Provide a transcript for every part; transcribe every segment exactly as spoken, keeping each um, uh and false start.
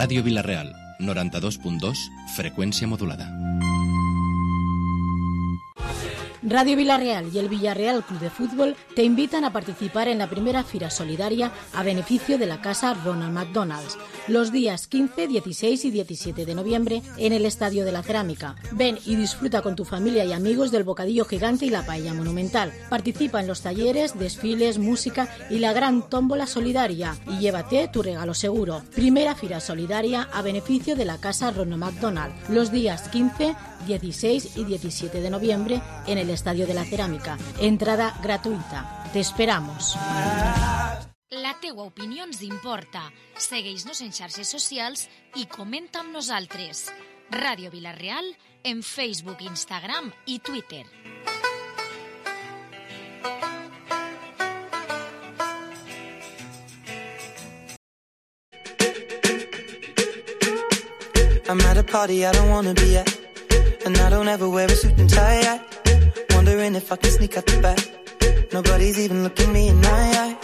Ràdio Vila-real, noranta-dos punt dos, freqüència modulada. Radio Vila-real y el Villarreal Club de Fútbol te invitan a participar en la primera Fira Solidaria a beneficio de la Casa Ronald McDonald's, los días quince, dieciséis y diecisiete de noviembre en el Estadio de la Cerámica. Ven y disfruta con tu familia y amigos del bocadillo gigante y la paella monumental. Participa en los talleres, desfiles, música y la gran tómbola solidaria y llévate tu regalo seguro. Primera Fira Solidaria a beneficio de la Casa Ronald McDonald, los días quince, dieciséis y diecisiete de noviembre en el Estadio de la Cerámica. Entrada gratuïta. Te esperamos. La teua opinió ens importa. Segueix-nos en xarxes socials i comenta amb nosaltres. Ràdio Vila-real en Facebook, Instagram i Twitter. I'm at a party I don't wanna be at, and I don't ever wear a suit and tie. I wondering if I can sneak out the back. Nobody's even looking me in my eyes.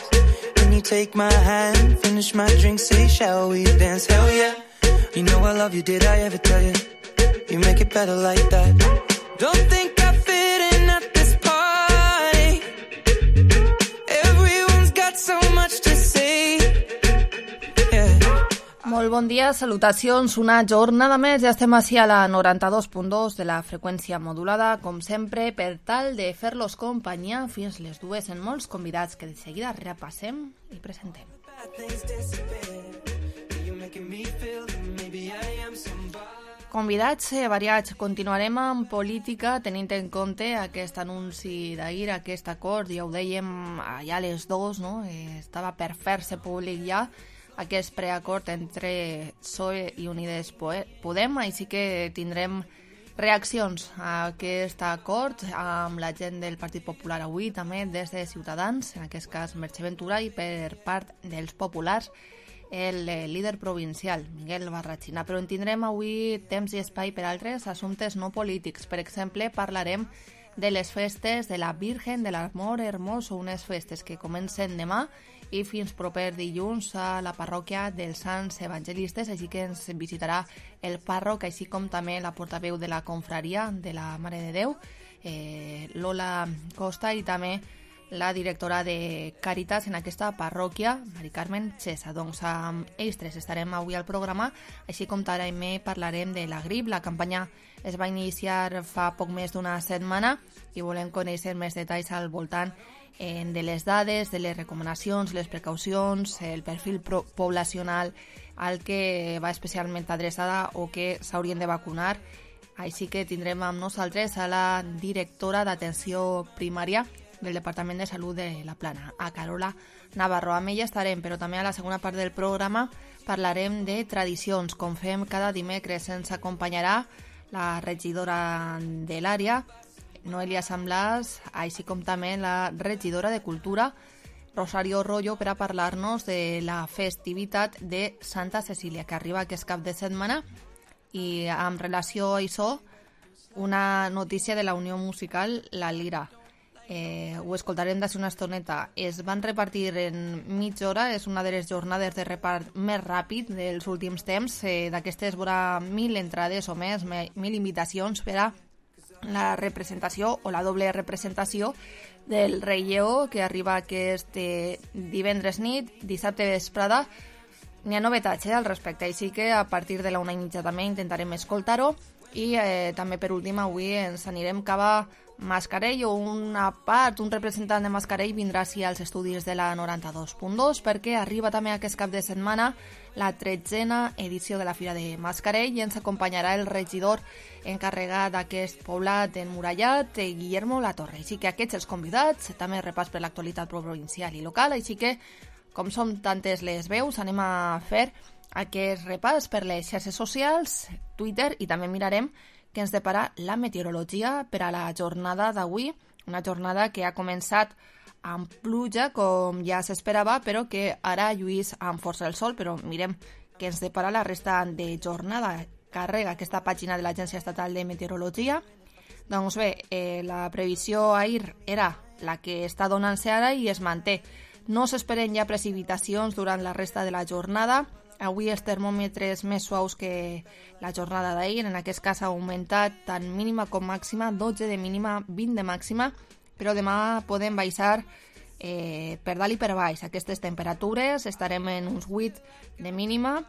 When you take my hand, finish my drink, say shall we dance? Hell yeah. You know I love you, did I ever tell you? You make it better like that. Don't think I fit in at this party. Everyone's got so much to say. Yeah. Molt bon dia, salutacions, una jornada més, ja estem així a la noranta-dos punt dos de la freqüència modulada, com sempre, per tal de fer-los companyia fins les dues en molts convidats que de seguida repassem i presentem. Convidats variats, continuarem amb política tenint en compte aquest anunci d'ahir, aquest acord, ja ho dèiem ja a les dues, no? Eh, estava per fer-se públic ja, aquest preacord entre P S O E i Unides Podem, així que tindrem reaccions a aquest acord amb la gent del Partit Popular avui, també des de Ciutadans, en aquest cas Merche Ventura, i per part dels populars el líder provincial, Miguel Barrachina. Però en tindrem avui temps i espai per altres assumptes no polítics. Per exemple, parlarem de les festes de la Virgen de l'Amor Hermoso, unes festes que comencen demà i fins proper dilluns a la parròquia dels Sants Evangelistes, així que ens visitarà el pàrroc, així com també la portaveu de la confraria de la Mare de Déu, eh, Lola Costa, i també la directora de Càritas en aquesta parròquia, Mari Carmen Xesa. Doncs amb ells tres estarem avui al programa, així com també parlarem de la grip. La campanya es va iniciar fa poc més d'una setmana i volem conèixer més detalls al voltant de les dades, de les recomanacions, les precaucions, el perfil poblacional al que va especialment adreçada o que s'haurien de vacunar. Així que tindrem amb nosaltres a la directora d'atenció primària del Departament de Salut de la Plana, a Carola Navarro. Amb ella estarem, però també a la segona part del programa parlarem de tradicions. Com fem cada dimecres, ens acompanyarà la regidora de l'àrea, Noelia Samblàs, així com també la regidora de Cultura, Rosario Rollo, per a parlar-nos de la festivitat de Santa Cecília, que arriba aquest cap de setmana. I en relació a això, una notícia de la Unió Musical La Lira. Eh, ho escoltarem d'ací una estoneta. Es van repartir en mitja hora, és una de les jornades de repart més ràpid dels últims temps. Eh, d'aquestes vora mil entrades o més, mil invitacions per a la representació o la doble representació del Rei Lleó, que arriba aquest eh, divendres nit, dissabte vesprada. N'hi ha novetats eh, al respecte, així que a partir de la una i mitja també intentarem escoltar-ho. I eh, també per últim avui ens anirem cap a Mascarell, o una part, un representant de Mascarell vindrà així als estudis de la noranta-dos punt dos, perquè arriba també aquest cap de setmana la tretzena edició de la Fira de Mascarell i ens acompanyarà el regidor encarregat d'aquest poblat emmurallat, Guillermo Latorre. Així que aquests els convidats, també repàs per l'actualitat provincial i local, així que com som tantes les veus, anem a fer aquest repàs per les xarxes socials, Twitter, i també mirarem que ens depara la meteorologia per a la jornada d'avui, una jornada que ha començat amb pluja, com ja s'esperava, però que ara lluís amb força el sol, però mirem que ens depara la resta de jornada. Carrega aquesta pàgina de l'Agència Estatal de Meteorologia. Doncs bé, eh, la previsió ahir era la que està donant-se ara i es manté. No s'esperen ja precipitacions durant la resta de la jornada. Avui els termòmetres més suaus que la jornada d'ahir, en aquest cas ha augmentat tant mínima com màxima, dotze de mínima, vint de màxima, però demà podem baixar eh, per dalt i per baix aquestes temperatures, estarem en uns vuit de mínima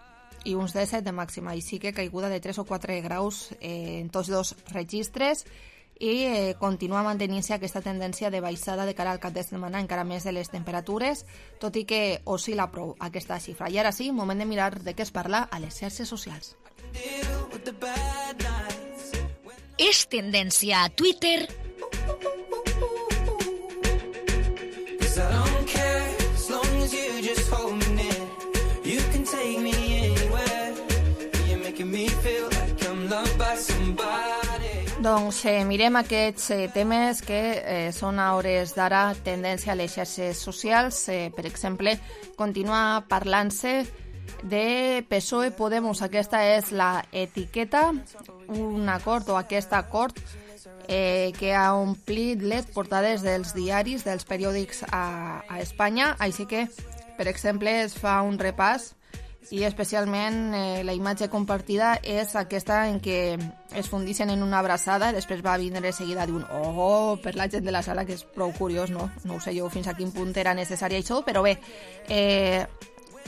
i uns disset de màxima, així que caiguda de tres o quatre graus eh, en tots dos registres, i eh, continua mantenint-se aquesta tendència de baixada de cara al cap de setmana encara més de les temperatures, tot i que oscil·la prou aquesta xifra. I ara sí, moment de mirar de què es parla a les xarxes socials. És tendència a Twitter. Doncs eh, mirem aquests eh, temes que eh, són a hores d'ara tendència a les xarxes socials. Eh, per exemple, continua parlant-se de P S O E Podemos. Aquesta és la etiqueta, un acord o aquest acord eh, que ha omplit les portades dels diaris, dels periòdics a, a Espanya. Així que, per exemple, es fa un repàs i especialment eh, la imatge compartida és aquesta en què es fundixen en una abraçada i després va vindre seguida d'un oh per la gent de la sala, que és prou curiós, no? No ho sé jo fins a quin punt era necessari això, però bé, eh,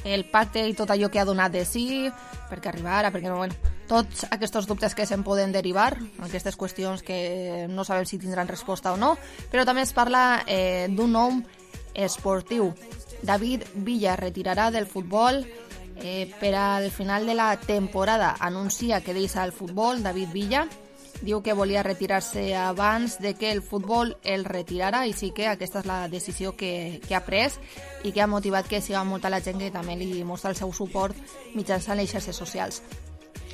el pacte i tot allò que ha donat de sí, perquè arribara, perquè no, bueno, tots aquests dubtes que se'n poden derivar, aquestes qüestions que no sabem si tindran resposta o no, però també es parla eh, d'un nom esportiu. David Villa retirarà del futbol Eh, per al final de la temporada. Anuncia que deixa el futbol. David Villa diu que volia retirar-se abans de que el futbol el retirara, i sí que aquesta és la decisió que, que ha pres i que ha motivat que siga molta la gent que també li mostra el seu suport mitjançant les xarxes socials.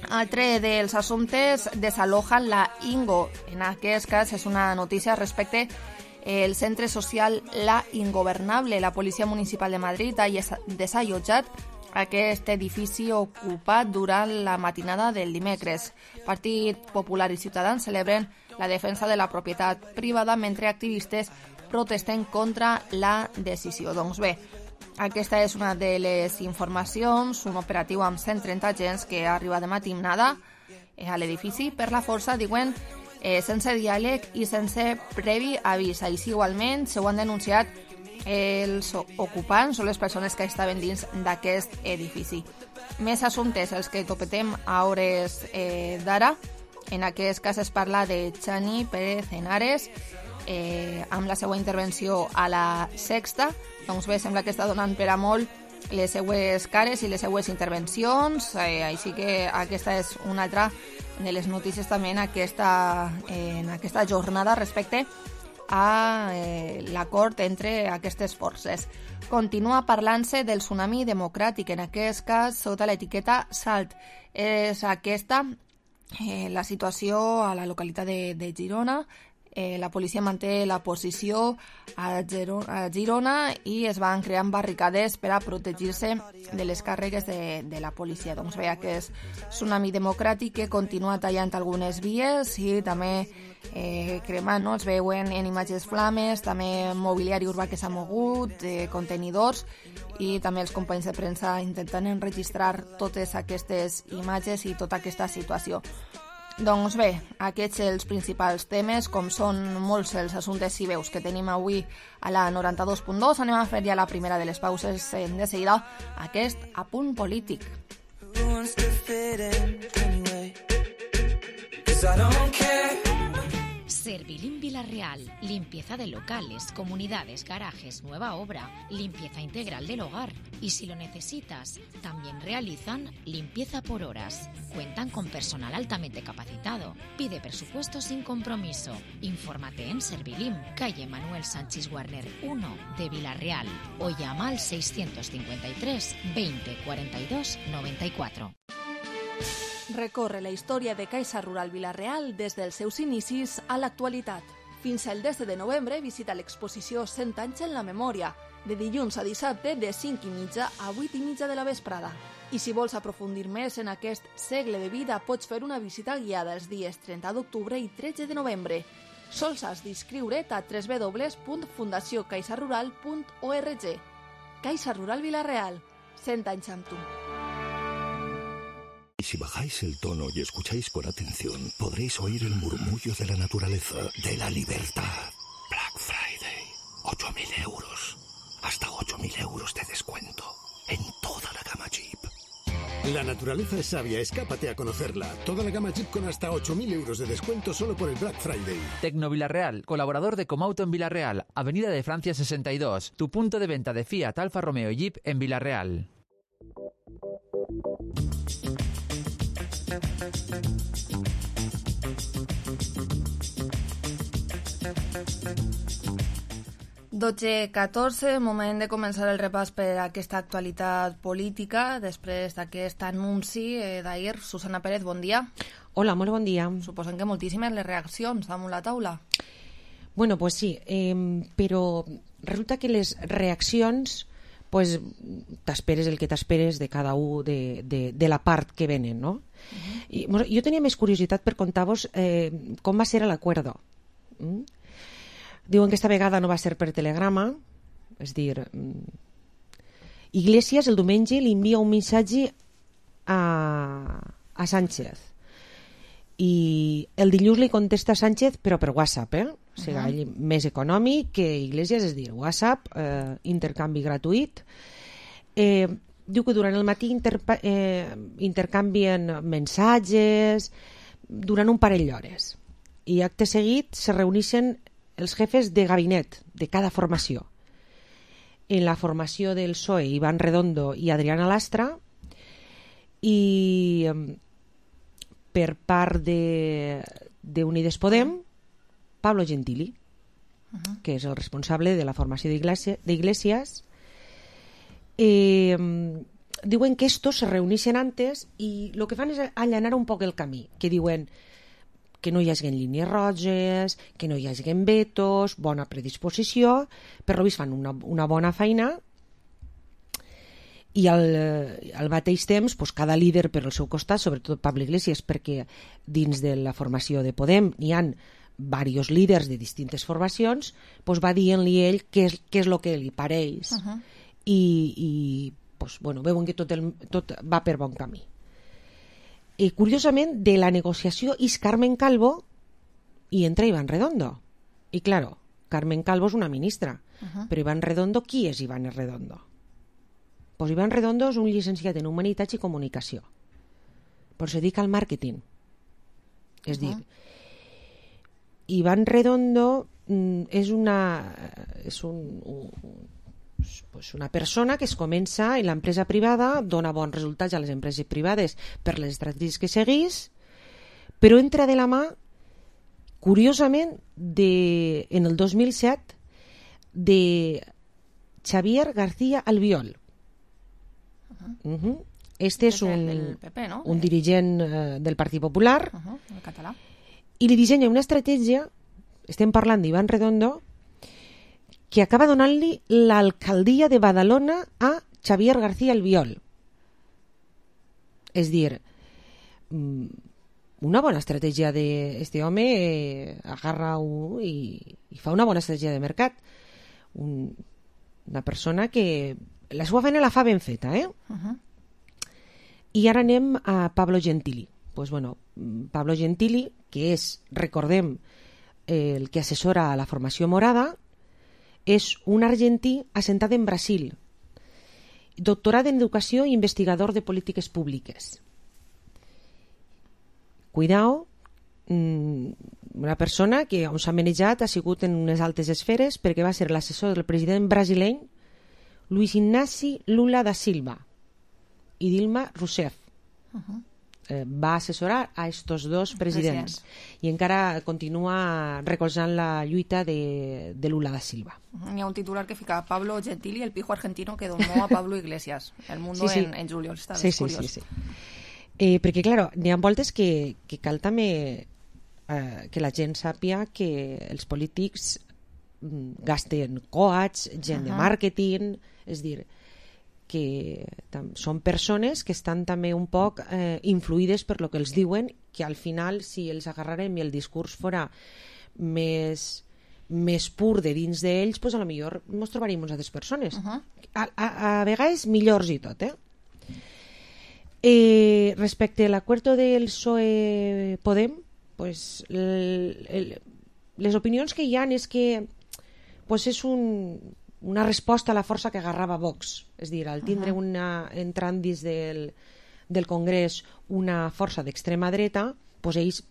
Altre dels assumptes, desalojan la Ingo. En aquest cas és una notícia respecte el centre social La Ingobernable. La Policia Municipal de Madrid ha desallotjat aquest edifici ocupat durant la matinada del dimecres. Partit Popular i Ciutadans celebren la defensa de la propietat privada mentre activistes protesten contra la decisió. Doncs bé, aquesta és una de les informacions, un operatiu amb cent trenta agents que arriba de matinada a l'edifici per la força, diuen, eh, sense diàleg i sense previ avís. Així igualment s'ho han denunciat els ocupants o les persones que estaven dins d'aquest edifici. Més assumptes, els que topetem a hores eh, d'ara. En aquest cas es parla de Chani Pérez Henares, eh, amb la seva intervenció a la Sexta. Doncs bé, sembla que està donant per a molt les seues cares i les seues intervencions, eh, així que aquesta és una altra de les notícies també en aquesta, eh, en aquesta jornada respecte a eh, l'acord entre aquestes forces. Continua parlant-se del tsunami democràtic, en aquest cas sota l'etiqueta SALT. És aquesta eh, la situació a la localitat de, de Girona. Eh, la policia manté la posició a, Gero, a Girona i es van creant barricades per a protegir-se de les càrregues de, de la policia. Doncs bé, aquest tsunami democràtic que continua tallant algunes vies i també eh, cremant, no? Es veuen en imatges flames, també mobiliari urbà que s'ha mogut, eh, contenidors, i també els companys de premsa intentant enregistrar totes aquestes imatges i tota aquesta situació. Doncs bé, aquests els principals temes, com són molts els assumptes i veus que tenim avui a la noranta-dos punt dos. Anem a fer ja la primera de les pauses de seguida, aquest apunt polític. Servilim Villarreal, limpieza de locales, comunidades, garajes, nueva obra, limpieza integral del hogar. Y si lo necesitas, también realizan limpieza por horas. Cuentan con personal altamente capacitado. Pide presupuesto sin compromiso. Infórmate en Servilim, calle Manuel Sánchez Warner uno de Villarreal, o llama al seiscientos cincuenta y tres veinte cuarenta y dos noventa y cuatro. Recorre la història de Caixa Rural Vila-real des dels seus inicis a l'actualitat. Fins al desè de novembre visita l'exposició cent anys en la memòria, de dilluns a dissabte de cinc i mitja a vuit i mitja de la vesprada. I si vols aprofundir més en aquest segle de vida, pots fer una visita guiada els dies trenta d'octubre i tretze de novembre. Sols has d'inscriure't a w w w punt fundació caixa rural punt org. Caixa Rural Vila-real, cent anys amb tu. Y si bajáis el tono y escucháis con atención, podréis oír el murmullo de la naturaleza, de la libertad. Black Friday, ocho mil euros. Hasta ocho mil euros de descuento en toda la gama Jeep. La naturaleza es sabia, escápate a conocerla. Toda la gama Jeep con hasta ocho mil euros de descuento solo por el Black Friday. Tecno Villarreal, colaborador de Comauto en Villarreal, Avenida de Francia sesenta y dos, tu punto de venta de Fiat, Alfa Romeo y Jeep en Villarreal. dotze catorze, moment de començar el repàs per a aquesta actualitat política. Després d'aquest anunci eh, d'ahir, Susana Pérez, bon dia. Hola, molt bon dia. Suposen que moltíssimes les reaccions damunt la taula. Bueno, pues sí, eh, però resulta que les reaccions, pues t'esperes el que t'esperes de cada un de, de, de la part que venen, no? Uh-huh. I, bueno, jo tenia més curiositat per contar-vos eh, com va ser l'acuerdo. Mm? Diuen que esta vegada no va ser per telegrama, és dir, Iglesias el diumenge li envia un missatge a, a Sánchez i el dilluns li contesta a Sánchez però per WhatsApp, eh? O sigui, uh-huh. més econòmic que Iglesias, és dir, WhatsApp, eh, intercanvi gratuït. Eh, diu que durant el matí interpa- eh, intercanvien missatges durant un parell d'hores i acte seguit se reuneixen els jefes de gabinet de cada formació. En la formació del P S O E, Iván Redondo i Adriana Lastra, i per part de, de Unides Podem, Pablo Gentili, uh-huh. que és el responsable de la formació d'Iglesias. Eh, diuen que estos se reuneixen antes i el que fan és allanar un poc el camí, que diuen que no hi hagi línies roges, que no hi hagi vetos, bona predisposició, per lo vist fan una, una bona feina i al, al mateix temps pues, cada líder per al seu costat, sobretot Pablo Iglesias, perquè dins de la formació de Podem n'hi ha diversos líders de distintes formacions, pues, va dient-li ell què és, què és el que li pareix uh-huh. i, i pues, bueno, veuen que tot, el, tot va per bon camí. I curiosament, de la negociació és Carmen Calvo i entra Iván Redondo. I claro, Carmen Calvo és una ministra, uh-huh. però Iván Redondo, qui és Iván Redondo? Pues Iván Redondo és un llicenciat en Humanitats i Comunicació, però se dedica al màrqueting. És uh-huh. dir, Iván Redondo mm, és una és un, un pues una persona que es comença en l'empresa privada, dona bons resultats a les empreses privades per les estratègies que seguís, però entra de la mà, curiosament, de, en el dos mil set, de Xavier García Albiol. Uh-huh. Uh-huh. Este és un, del P P, no? un dirigent uh, del Partit Popular, uh-huh. el català, i li dissenya una estratègia, estem parlant d'Iván Redondo, que acaba donant-li l'alcaldia de Badalona a Xavier García Albiol. És dir, una bona estratègia d'este home, eh, agarra un, i, i fa una bona estratègia de mercat. Un, una persona que la seva feina la fa ben feta, eh? Uh-huh. I ara anem a Pablo Gentili. Pues bueno, Pablo Gentili, que és, recordem, el que assessora a la formació morada, és un argentí assentat en Brasil, doctorat en educació i investigador de polítiques públiques. Cuidao, una persona que on s'ha manejat ha sigut en unes altes esferes perquè va ser l'assessor del president brasileny Luis Inácio Lula da Silva i Dilma Rousseff. Uh-huh. Eh, va assessorar a estos dos presidents, presidents i encara continua recolzant la lluita de, de Lula da Silva. Uh-huh. Hi ha un titular que fica Pablo Gentili, el pijo argentino que donó a Pablo Iglesias. El Mundo sí, sí. En, en juliol, està sí, sí, curiós. Sí, sí. Eh, perquè, clar, n'hi ha voltes que, que cal també eh, que la gent sàpia que els polítics gasten coats, gent uh-huh. de màrqueting, és dir, que tam- són persones que estan també un poc eh, influïdes per lo que els diuen, que al final si els agarrarem i el discurs fora més, més pur de dins d'ells, pues a lo millor ens trobaríem unes altres persones. Uh-huh. A, a, a vegades millors i tot, eh? Eh, Eh, respecte a l'acuerdo del P S O E-Podem, pues, el, el, les opinions que hi ha és que pues, és un, una resposta a la força que agarrava Vox. És dir, al tindre uh-huh. una, entrant dins del, del Congrés una força d'extrema dreta, pues, ells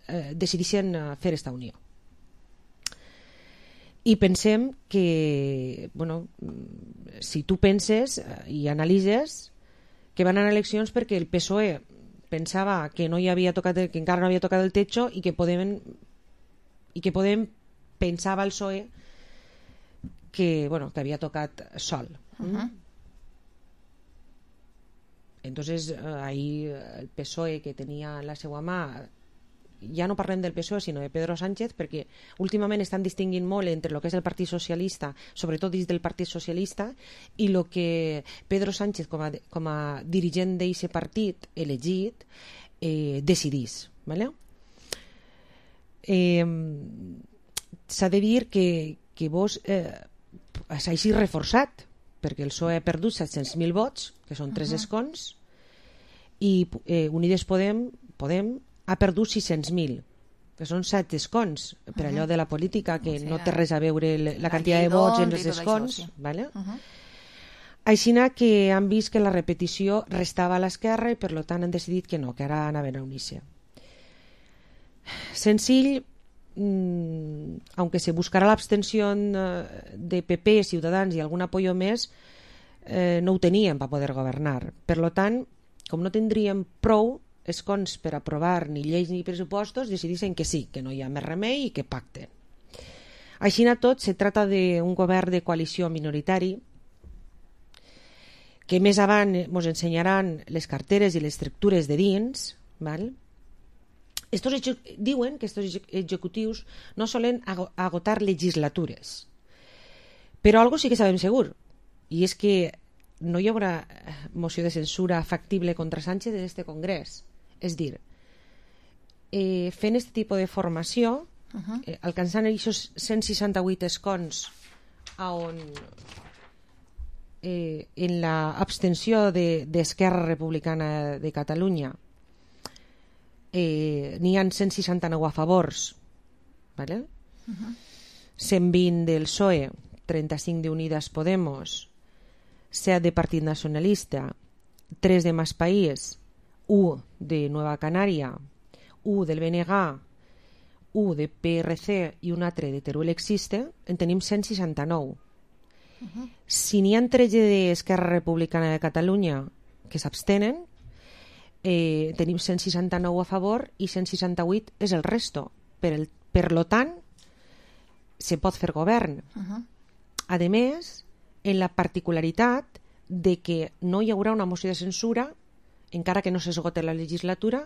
eh, decidixen fer esta unió. I pensem que, bueno, si tu penses i analitzes que van anar a eleccions perquè el P S O E pensava que no hi havia tocat el, que encara no havia tocat el techo i que Podem i que Podem pensava el P S O E que, bueno, que havia tocat sol. Uh-huh. Entonces ahí el P S O E, que tenia en la seva mà, ja no parlem del P S O E sinó de Pedro Sánchez, perquè últimament estan distinguint molt entre el que és el Partit Socialista, sobretot dins del Partit Socialista, i el que Pedro Sánchez com a, com a dirigent d'aquest partit elegit eh, decidís, ¿vale? Eh, s'ha de dir que, que vos eh, s'ha així reforçat, perquè el P S O E ha perdut set-cents mil vots, que són tres uh-huh. escons, i eh, Unides Podem, Podem ha perdut sis-cents mil, que són set escons, per allò de la política, que no té res a veure la, la quantitat de vots en els escons. Vale? Uh-huh. Així que han vist que la repetició restava a l'esquerra i per tant han decidit que no, que ara anaven a unir-se. Senzill, mmm, aunque se buscarà l'abstenció de P P, Ciutadans i algun apoyo més, eh, no ho teníem per poder governar. Per tant, com no tindríem prou escons per aprovar ni lleis ni pressupostos, decideixen que sí, que no hi ha més remei i que pacten. Així a tot, se trata d'un govern de coalició minoritari que més avant ens ensenyaran les carteres i les estructures de dins, val? Estos diuen que aquests executius no solen agotar legislatures, però algo sí que sabem segur, i és que no hi haurà moció de censura factible contra Sánchez en este Congrés. És dir, eh, fent aquest tipus de formació, uh-huh. eh, alcançant aquests cent seixanta-vuit escons on eh, en l'abstenció d'Esquerra Republicana de Catalunya eh, n'hi ha cent seixanta-nou a favors, ¿vale? Uh-huh. cent vint del P S O E, trenta-cinc d'Unidas Podemos, set de Partit Nacionalista, tres de Más País, u de Nueva Canària, u del B N G, u de P R C i un altre de Teruel Existe, en tenim cent seixanta-nou. Uh-huh. Si n'hi ha tretze d'Esquerra Republicana de Catalunya que s'abstenen, eh, tenim cent seixanta-nou a favor i cent seixanta-vuit és el resto. Per, el, per lo tant, se pot fer govern. Uh-huh. A més, en la particularitat de que no hi haurà una moció de censura encara que no s'esgote la legislatura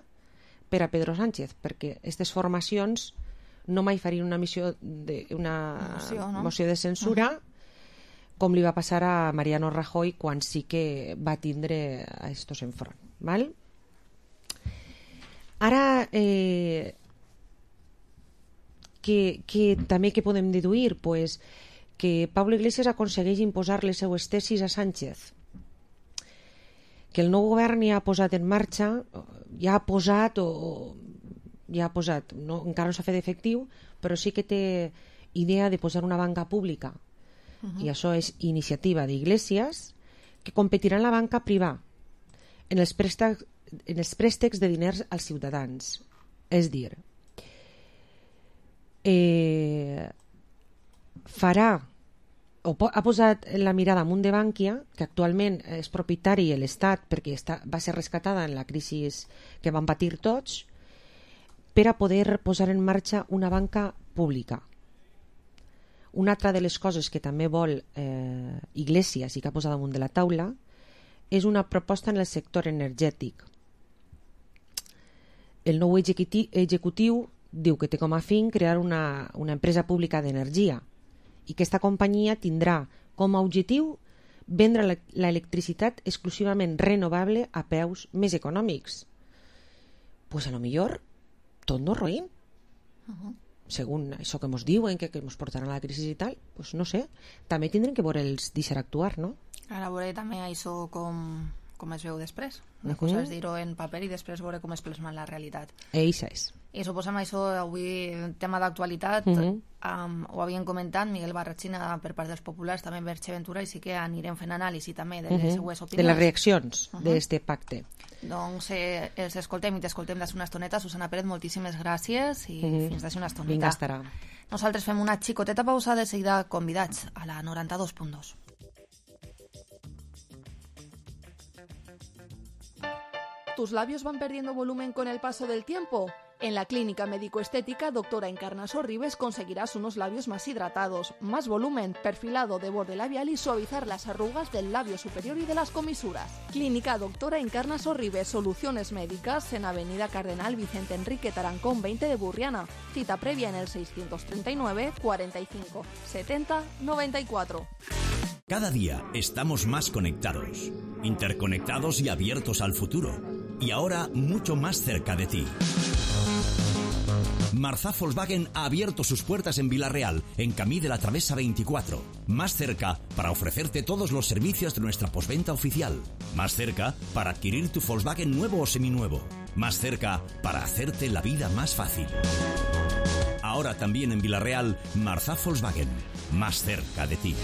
per a Pedro Sánchez, perquè aquestes formacions no mai farien una, missió de, una moció, no? moció de censura uh-huh. com li va passar a Mariano Rajoy quan sí que va tindre a estos enfront. Val? Ara, eh, que, que també que podem deduir? Pues, que Pablo Iglesias aconsegueix imposar les seues tesis a Sánchez, que el nou govern ja ha posat en marxa, ja ha posat, o ja ha posat, no, encara no s'ha fet efectiu, però sí que té idea de posar una banca pública, uh-huh. i això és iniciativa d'Iglesias, que competirà en la banca privada, en els préstecs, en els préstecs de diners als ciutadans. És dir, eh, farà o ha posat la mirada amunt de Bànquia, que actualment és propietari de l'Estat perquè està, va ser rescatada en la crisi que van patir tots, per a poder posar en marxa una banca pública. Una altra de les coses que també vol eh, Iglesias i que ha posat damunt de la taula és una proposta en el sector energètic. El nou executiu, executiu diu que té com a fin crear una, una empresa pública d'energia i que aquesta companyia tindrà com a objectiu vendre l'electricitat exclusivament renovable a preus més econòmics. Pues a lo millor tot no roïn. Uh-huh. Según això que ens diuen, que, que ens portaran a la crisi i tal, pues no sé, també tindrem que veure els deixar actuar, no? A veure també això com com es veu després. Una cosa és dir-ho en paper i després veure com es plasma en la realitat. Eixa és. I suposem això, avui, tema d'actualitat, uh -huh. um, ho havien comentat Miguel Barrachina per part dels populars, també Berche Ventura, i sí que anirem fent anàlisi també de les uh -huh. seues opinions. De les reaccions uh -huh. d'este pacte. Doncs eh, els escoltem i t'escoltem d'ací una estoneta. Susana Pérez, moltíssimes gràcies i uh -huh. fins d'ací una estoneta. Vinga, estarà. Nosaltres fem una xicoteta pausa, de seguida convidats a la noranta-dos punt dos. ¿Tus labios van perdiendo volumen con el paso del tiempo? En la clínica médico-estética Doctora Encarnaso Ribes conseguirás unos labios más hidratados, más volumen, perfilado de borde labial y suavizar las arrugas del labio superior y de las comisuras. Clínica Doctora Encarnaso Ribes, soluciones médicas en Avenida Cardenal Vicente Enrique Tarancón veinte de Burriana. Cita previa en el seiscientos treinta y nueve, cuarenta y cinco, setenta, noventa y cuatro. Cada día estamos más conectados, interconectados y abiertos al futuro. Y ahora mucho más cerca de ti. Marzá Volkswagen ha abierto sus puertas en Vila-real, en Camí de la Travesa veinticuatro. Más cerca para ofrecerte todos los servicios de nuestra postventa oficial. Más cerca para adquirir tu Volkswagen nuevo o seminuevo. Más cerca para hacerte la vida más fácil. Ahora también en Vila-real, Marzá Volkswagen. Más cerca de ti.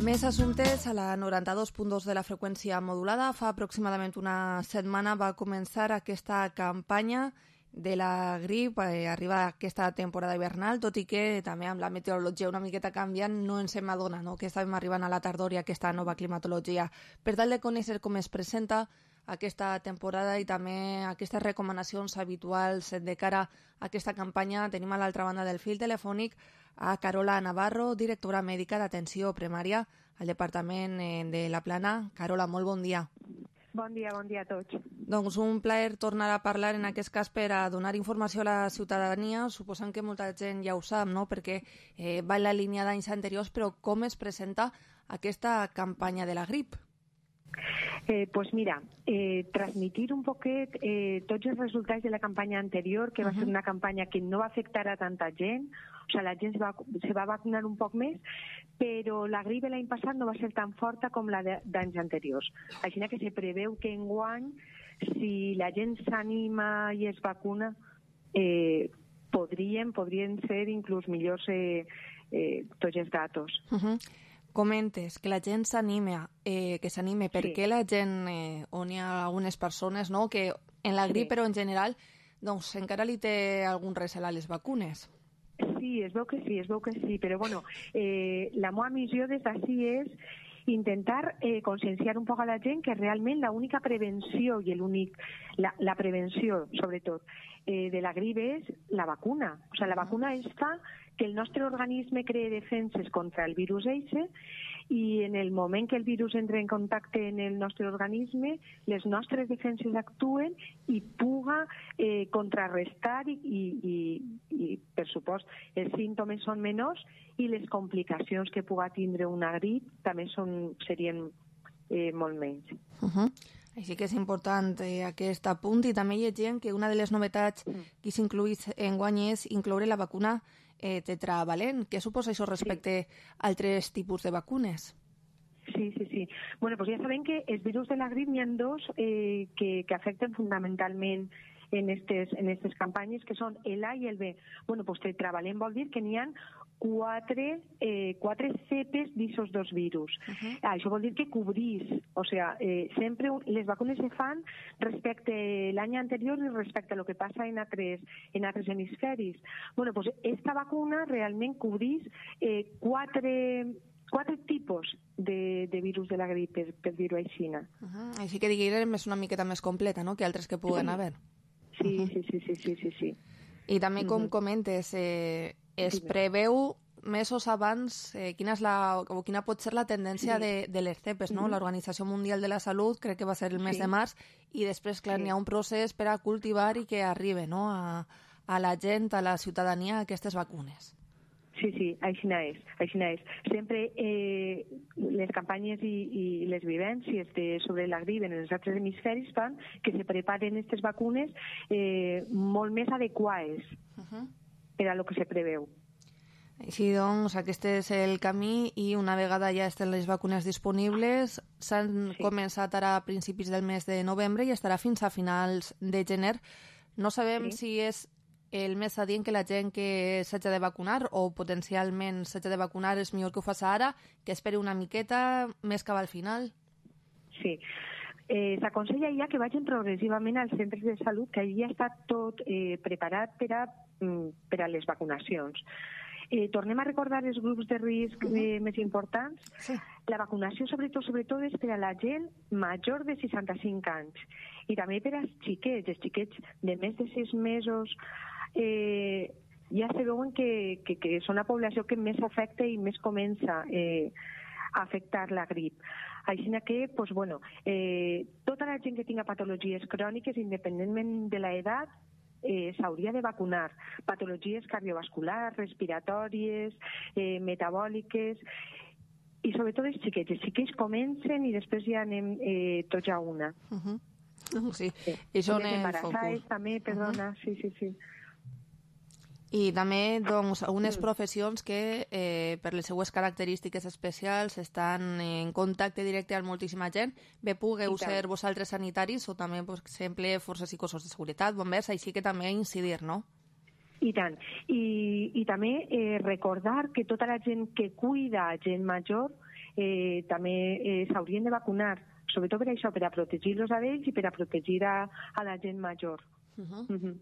Més assumptes a la noranta-dos punt dos de la freqüència modulada. Fa aproximadament una setmana va començar aquesta campanya de la grip, eh, arriba aquesta temporada hivernal, tot i que també amb la meteorologia una miqueta canviant no ens hem adonat, no? que estàvem arribant a la tardor i aquesta nova climatologia. Per tal de conèixer com es presenta aquesta temporada i també aquestes recomanacions habituals de cara a aquesta campanya, tenim a l'altra banda del fil telefònic a Carola Navarro, directora mèdica d'atenció primària al Departament de la Plana. Carola, molt bon dia. Bon dia, bon dia a tots. Doncs un plaer tornar a parlar en aquest cas per a donar informació a la ciutadania. Suposant que molta gent ja ho sap, no? perquè eh, va en la línia d'anys anteriors, però com es presenta aquesta campanya de la grip? Eh, pues mira, eh, transmitir un poquet eh, tots els resultats de la campanya anterior, que va uh -huh. ser una campanya que no va afectar a tanta gent, o sea, la gent se va, se va vacunar un poc més, però la grip l'any passat no va ser tan forta com la d'anys anteriors. Així que se preveu que enguany, si la gent s'anima i es vacuna, eh, podrien, podrien ser inclús millors eh, eh, tots els datos. Uh -huh. Comentes que la gent s'anima, eh, que s'anime, per què sí. la gent, eh, on hi ha algunes persones, no?, que en la grip, sí. però en general, doncs encara li té algun recel a les vacunes? Sí, es veu que sí, es veu que sí, però bueno, eh, la meva missió des d'ací és intentar eh, conscienciar un poc a la gent que realment l'única prevenció i l'únic, la, la prevenció, sobretot, eh, de la grip és la vacuna. O sigui, la vacuna és fa que el nostre organisme cree defenses contra el virus eixe i en el moment que el virus entra en contacte en el nostre organisme, les nostres defenses actuen i puga eh, contrarrestar i, i, i, i, per supost, els símptomes són menors i les complicacions que puga tindre una grip també són, serien eh, molt menys. Uh -huh. Així que és important eh, aquest apunt i també llegim que una de les novetats que s'incluïs enguany és incloure la vacuna eh, tetravalent. Què suposa això respecte sí. a altres tipus de vacunes? Sí, sí, sí. Bueno, pues ja sabem que els virus de la grip n'hi ha dos eh, que, que afecten fundamentalment en estes, en estes campanyes, que són el A i el B. Bueno, pues tetravalent vol dir que n'hi ha quatre, eh, quatre cepes d'aquests dos virus. Uh-huh. Això vol dir que cobrís, o sea, eh, sempre les vacunes se fan respecte l'any anterior i respecte a lo que passa en altres, en altres hemisferis. Bueno, pues esta vacuna realment cobrís eh, quatre, quatre tipus de, de virus de la grip, per, per dir-ho així. Uh-huh. Així que diguem és una miqueta més completa, no?, que altres que puguen sí. haver. Sí, uh-huh. sí, sí, sí, sí, sí, sí. I també, com uh-huh. comentes, eh, es preveu mesos abans eh, quina, és la, o quina pot ser la tendència sí. de, de les cepes, no? Uh-huh. L'Organització Mundial de la Salut crec que va ser el mes sí. de març i després, clar, sí. n'hi ha un procés per a cultivar i que arribi, no?, a, a la gent, a la ciutadania, aquestes vacunes. Sí, sí, així és, així és. Sempre eh, les campanyes i, i les vivències de, sobre la grip en els altres hemisferis fan que se preparen aquestes vacunes eh, molt més adequades. Uh-huh. per a lo que se preveu. Així doncs, aquest és el camí i una vegada ja estan les vacunes disponibles, s'han sí. començat ara a principis del mes de novembre i estarà fins a finals de gener. No sabem sí. si és el més adient que la gent que s'hagi de vacunar o potencialment s'hagi de vacunar és millor que ho faci ara, que esperi una miqueta més cap al final. Sí. Eh, S'aconsella ja que vagin progressivament als centres de salut, que ja està tot eh, preparat per a, per a les vacunacions. Eh, tornem a recordar els grups de risc uh-huh. eh, més importants. Sí. La vacunació, sobretot, sobretot, és per a la gent major de seixanta-cinc anys i també per als xiquets, els xiquets de més de sis mesos. Eh, ja se veuen que, que, que són la població que més afecta i més comença eh, a afectar la grip. Així que, pues, bueno, eh, tota la gent que tinga patologies cròniques, independentment de l'edat, Eh, s'hauria de vacunar. Patologies cardiovasculars, respiratòries, eh, metabòliques i sobretot els xiquets. Els xiquets comencen i després ja anem eh, tots a una. Uh-huh. Uh, sí, sí. I són el focus. També, perdona, uh-huh. sí, sí, sí. I també, doncs, algunes professions que, eh, per les seues característiques especials, estan en contacte directe amb moltíssima gent. Bé, pugueu ser vosaltres sanitaris o també, per exemple, forces i cossos de seguretat, bombers, així que també incidir, no? I tant. I, i també eh, recordar que tota la gent que cuida gent major eh, també eh, s'haurien de vacunar, sobretot per això, per a protegir-los a ells i per a protegir a, a la gent major. Uh-huh. Uh-huh.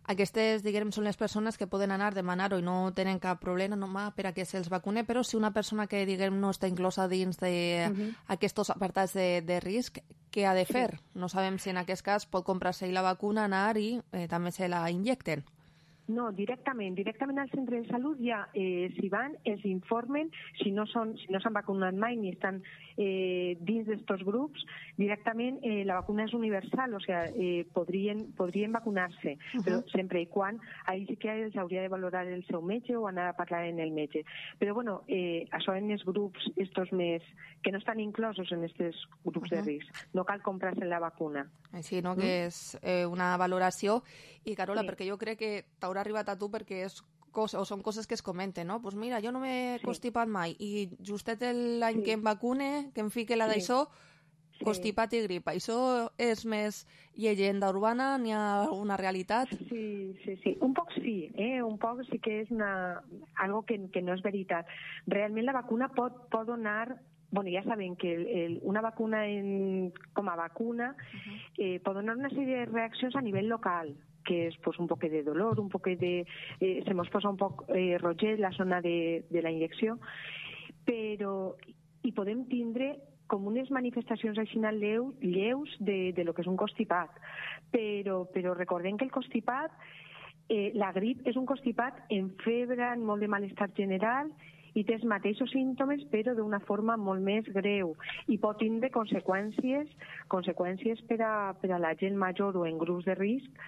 Aquestes, diguem, són les persones que poden anar a demanar-ho i no tenen cap problema no, per a que se'ls vacune, però si una persona que, diguem, no està inclosa dins d'aquests uh-huh. apartats de, de risc, què ha de fer? Sí. No sabem si en aquest cas pot comprar-se la vacuna, anar i eh, també se la injecten. No, directament, directament al centre de salut ja eh, s'hi van, els informen, si no són, si no s'han vacunat mai ni estan eh, dins d'estos grups, directament eh, la vacuna és universal, o sigui, eh, podrien, podrien vacunar-se, uh-huh. però sempre i quan, ahí sí que els hauria de valorar el seu metge o anar a parlar amb el metge. Però bueno, eh, això en els grups estos més, que no estan inclosos en aquests grups uh-huh. de risc, no cal comprar-se la vacuna. Així, no?, mm? que és eh, una valoració. I Carola, sí. perquè jo crec que t'haurà arribat a tu perquè és cosa, o són coses que es comenten, no? Doncs pues mira, jo no m'he sí. constipat mai i justet l'any sí. que em vacune, que em fique la sí. d'això, sí. constipat i grip. Això és més llegenda urbana? N'hi ha alguna realitat? Sí, sí, sí. Un poc sí, eh? Un poc sí que és una... algo que, que no és veritat. Realment la vacuna pot, pot donar... Bueno, ja sabem que el, el, una vacuna en, com a vacuna uh-huh. eh, pot donar una sèrie de reaccions a nivell local, que és pues, un poc de dolor, un poc de... Eh, se mos posa un poc eh, roget la zona de, de la injecció, però hi podem tindre com unes manifestacions així lleus, lleus de, de lo que és un constipat. Però, però recordem que el constipat, eh, la grip és un constipat en febre, en molt de malestar general, i té els mateixos símptomes però d'una forma molt més greu i pot tindre conseqüències conseqüències per a, per a la gent major o en grups de risc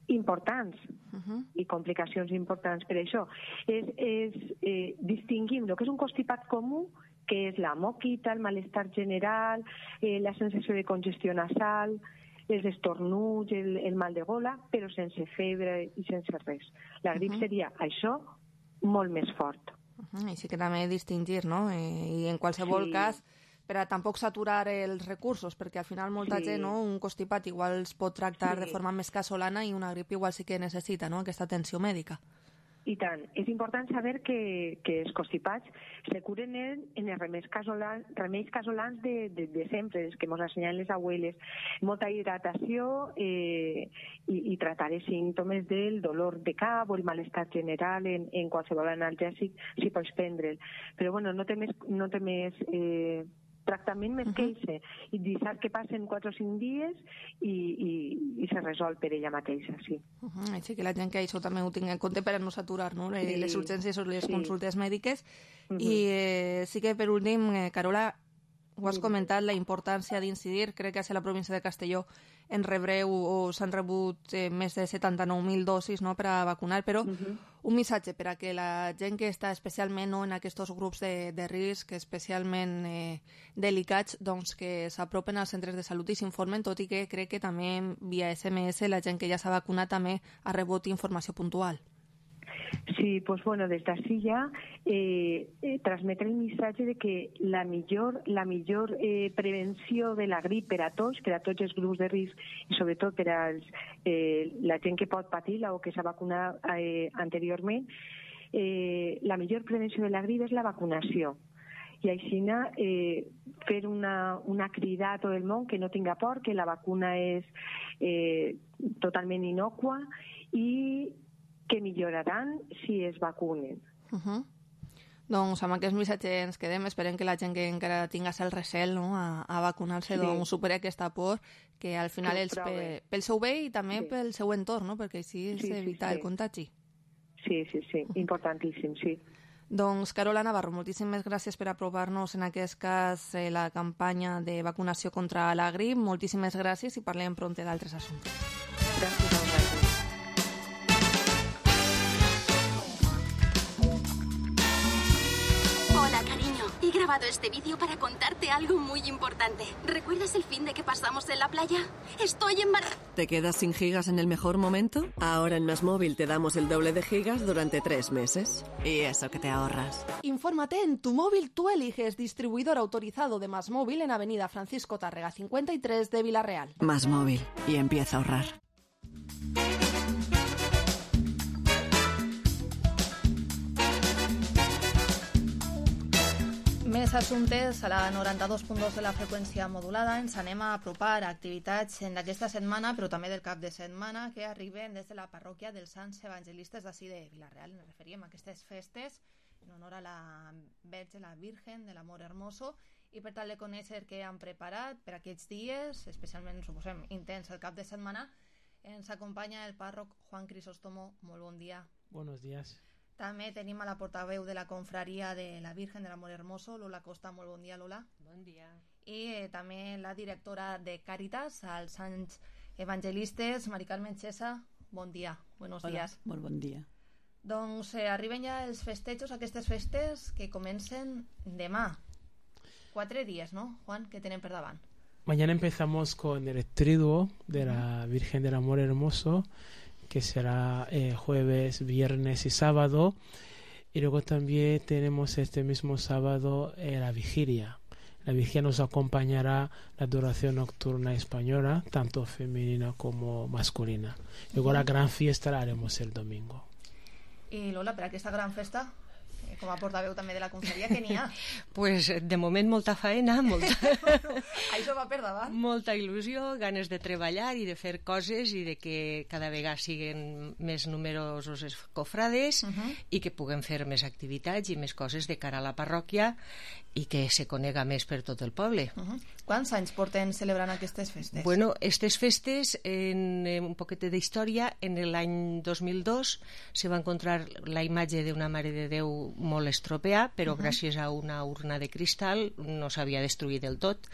importants uh-huh. i complicacions importants. Per això és, és, eh, distingim el que és un constipat comú, que és la moquita, el malestar general, eh, la sensació de congestió nasal, els estornuts, el, el mal de gola, però sense febre i sense res. La grip uh-huh. seria això molt més fort. Uh-huh. I sí que també distingir, no? Eh, I en qualsevol sí. cas, per a tampoc saturar els recursos, perquè al final molta sí. gent, no? Un constipat igual es pot tractar sí. de forma més casolana i una grip igual sí que necessita, no?, aquesta atenció mèdica. I tant. És important saber que, que els constipats se curen en, en els remeis casolans, remeis casolans de, de, de sempre, els que ens ensenyen les abueles. Molta hidratació eh, i, i tratar els símptomes del dolor de cap o el malestar general en, en qualsevol analgèsic si pots prendre'l. Però bueno, no té més, no té més eh, tractament més uh-huh. que eixe. I deixar que passen quatre o cinc dies i, i, i se resol per ella mateixa, sí. Uh-huh. Així que la gent que això també ho tingui en compte per a no saturar, no?, sí. les urgències o les sí. consultes mèdiques. Uh-huh. I eh, sí que per últim, eh, Carola, ho has comentat, la importància d'incidir. Crec que a la província de Castelló en rebreu o s'han rebut eh, més de setanta-nou mil dosis, no?, per a vacunar, però uh-huh. un missatge per a que la gent que està especialment, no?, en aquests grups de, de risc, especialment eh, delicats, doncs que s'apropen als centres de salut i s'informen, tot i que crec que també via S M S la gent que ja s'ha vacunat també ha rebut informació puntual. Sí, pues bueno, des d'ací ja eh, eh, transmetre el missatge de que la millor, la millor eh, prevenció de la grip per a tots, per a tots els grups de risc i sobretot per a els, eh, la gent que pot patir-la o que s'ha vacunat eh, anteriorment, eh, la millor prevenció de la grip és la vacunació. I així eh, fer una, una crida a tot el món que no tinga por, que la vacuna és eh, totalment innocua i que milloraran si es vacunen. Uh -huh. Doncs amb aquest missatge ens quedem. Esperem que la gent que encara tinga el recel, no?, a, a vacunar-se, sí, doncs superi aquesta por, que al final és pe, pel seu bé i també sí. pel seu entorn, no?, perquè així és sí, evitar sí, sí. el contagi. Sí, sí, sí, importantíssim, sí. Doncs, Carola Navarro, moltíssimes gràcies per aprovar-nos en aquest cas eh, la campanya de vacunació contra la grip. Moltíssimes gràcies i parlem prompte d'altres assumptes. Gràcies a vosaltres. Hola, cariño. He grabado este vídeo para contarte algo muy importante. ¿Recuerdas el fin de que pasamos en la playa? Estoy embarazada. ¿Te quedas sin gigas en el mejor momento? Ahora en Más Móvil te damos el doble de gigas durante tres meses. Y eso que te ahorras. Infórmate en Tu Móvil Tú Eliges, distribuidor autorizado de Más Móvil en Avenida Francisco Tárrega cincuenta y tres de Vila-real. Más Móvil. Y empieza a ahorrar. Més assumptes a la noranta-dos punt dos de la freqüència modulada. Ens anem a apropar a activitats d'aquesta setmana, però també del cap de setmana, que arriben des de la parròquia dels Sants Evangelistes d'ací de Vila-real. Ens referíem a aquestes festes en honor a la Verge, la Virgen de l'Amor Hermoso, i per tal de conèixer què han preparat per aquests dies, especialment, suposem, intens el cap de setmana, ens acompanya el pàrroc Juan Crisóstomo. Molt bon dia. Buenos días. També tenim a la portaveu de la confraria de la Virgen de l'Amor Hermoso, Lola Costa. Molt bon dia, Lola. Bon dia. I eh, també la directora de Càritas, als Sants Evangelistes, Mari Carmen Xesa. Bon dia, buenos Hola, días. Molt bon dia. Doncs eh, arriben ja els festejos, aquestes festes que comencen demà. Quatre dies, ¿no, Juan, que tenen per davant? Mañana empezamos con el triduo de la Virgen del Amor Hermoso, que será eh, jueves, viernes y sábado. Y luego también tenemos este mismo sábado eh, la vigilia. La vigilia nos acompañará la adoración nocturna española, tanto femenina como masculina. Luego la gran fiesta la haremos el domingo. I Lola, per aquesta gran festa, com a portaveu també de la confraria, què n'hi ha? Pues de moment molta faena, molta... Això va per davant. Molta il·lusió, ganes de treballar i de fer coses i de que cada vegada siguin més numerosos els cofrades uh -huh. i que puguem fer més activitats i més coses de cara a la parròquia i que se conega més per tot el poble. Uh -huh. Quants anys porten celebrant aquestes festes? Bueno, aquestes festes, en, en un poquet d'història, en l'any dos mil dos se va encontrar la imatge d'una Mare de Déu molt estropeada, però uh -huh. gràcies a una urna de cristal no s'havia destruït del tot.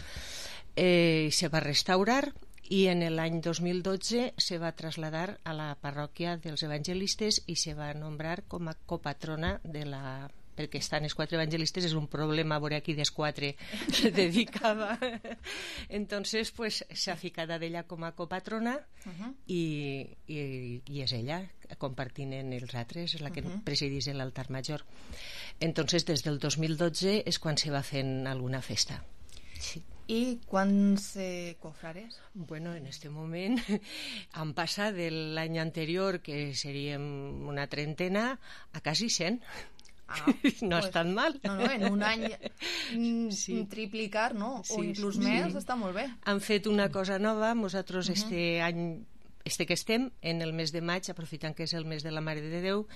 Eh, se va restaurar i en l'any dos mil dotze se va traslladar a la parròquia dels Evangelistes i se va nombrar com a copatrona de la... perquè estan els quatre evangelistes, és un problema veure aquí dels quatre se dedicava. Entonces pues s'ha ficat d'ella com a copatrona uh -huh. i, i, i és ella compartint en els altres, és la que uh -huh. presidís l'altar major. Entonces des del dos mil dotze és quan se va fent alguna festa. Sí. I quants eh, cofrares? Bueno, en este moment han passat de l'any anterior, que seríem una trentena, a quasi cent. Ah, no pues, és tan mal. No, no, en un any sí. triplicar, no? O sí, inclús sí. més, està molt bé. Han fet una cosa nova, nosaltres uh -huh. este any, este que estem, en el mes de maig, aprofitant que és el mes de la Mare de Déu,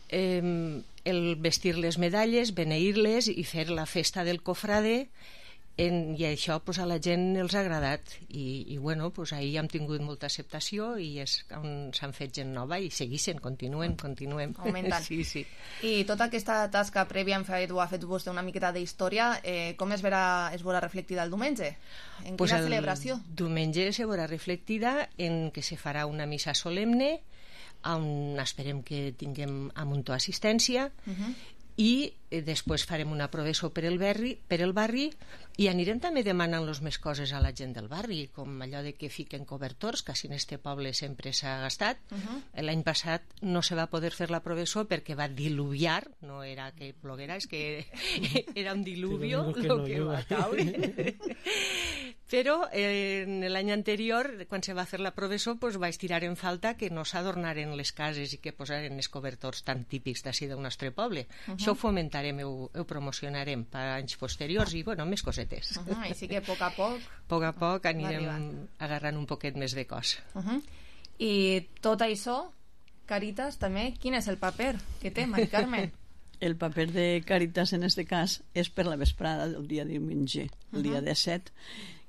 eh, el vestir les medalles, beneir-les i fer la festa del cofrade, en, i això pues, a la gent els ha agradat i, i bueno, pues, ahir hem tingut molta acceptació i és on s'han fet gent nova i seguixen, continuen, continuen augmentant. Sí, sí. I tota aquesta tasca prèvia hem fet, ho ha fet vostè una miqueta d'història, eh, com es verà, es veurà reflectida el diumenge? En pues quina celebració? El diumenge se veurà reflectida en que se farà una missa solemne on esperem que tinguem a muntó assistència uh -huh. i eh, després farem una processó per el barri, per el barri i anirem també demanant-los més coses a la gent del barri, com allò de que fiquen cobertors, que en este poble sempre s'ha gastat. Uh-huh. L'any passat no se va poder fer la processó perquè va diluviar, no era que ploguera, és que era un diluvio el que, no que va caure. Però eh, l'any anterior, quan se va fer la processó, pues, vaig tirar en falta que no s'adornaren les cases i que posaren els cobertors tan típics d'ací del nostre poble. Uh-huh. Això ho fomentarem, ho, ho promocionarem per anys posteriors i, bueno, més cosetes. Uh-huh. Així que a poc a poc... A poc a poc anirem agarrant un poquet més de cos. Uh-huh. I tot això, Caritas, també, quin és el paper que té, Mari Carmen? El paper de Caritas en este cas és per la vesprada del dia diumenge, el uh-huh. dia disset,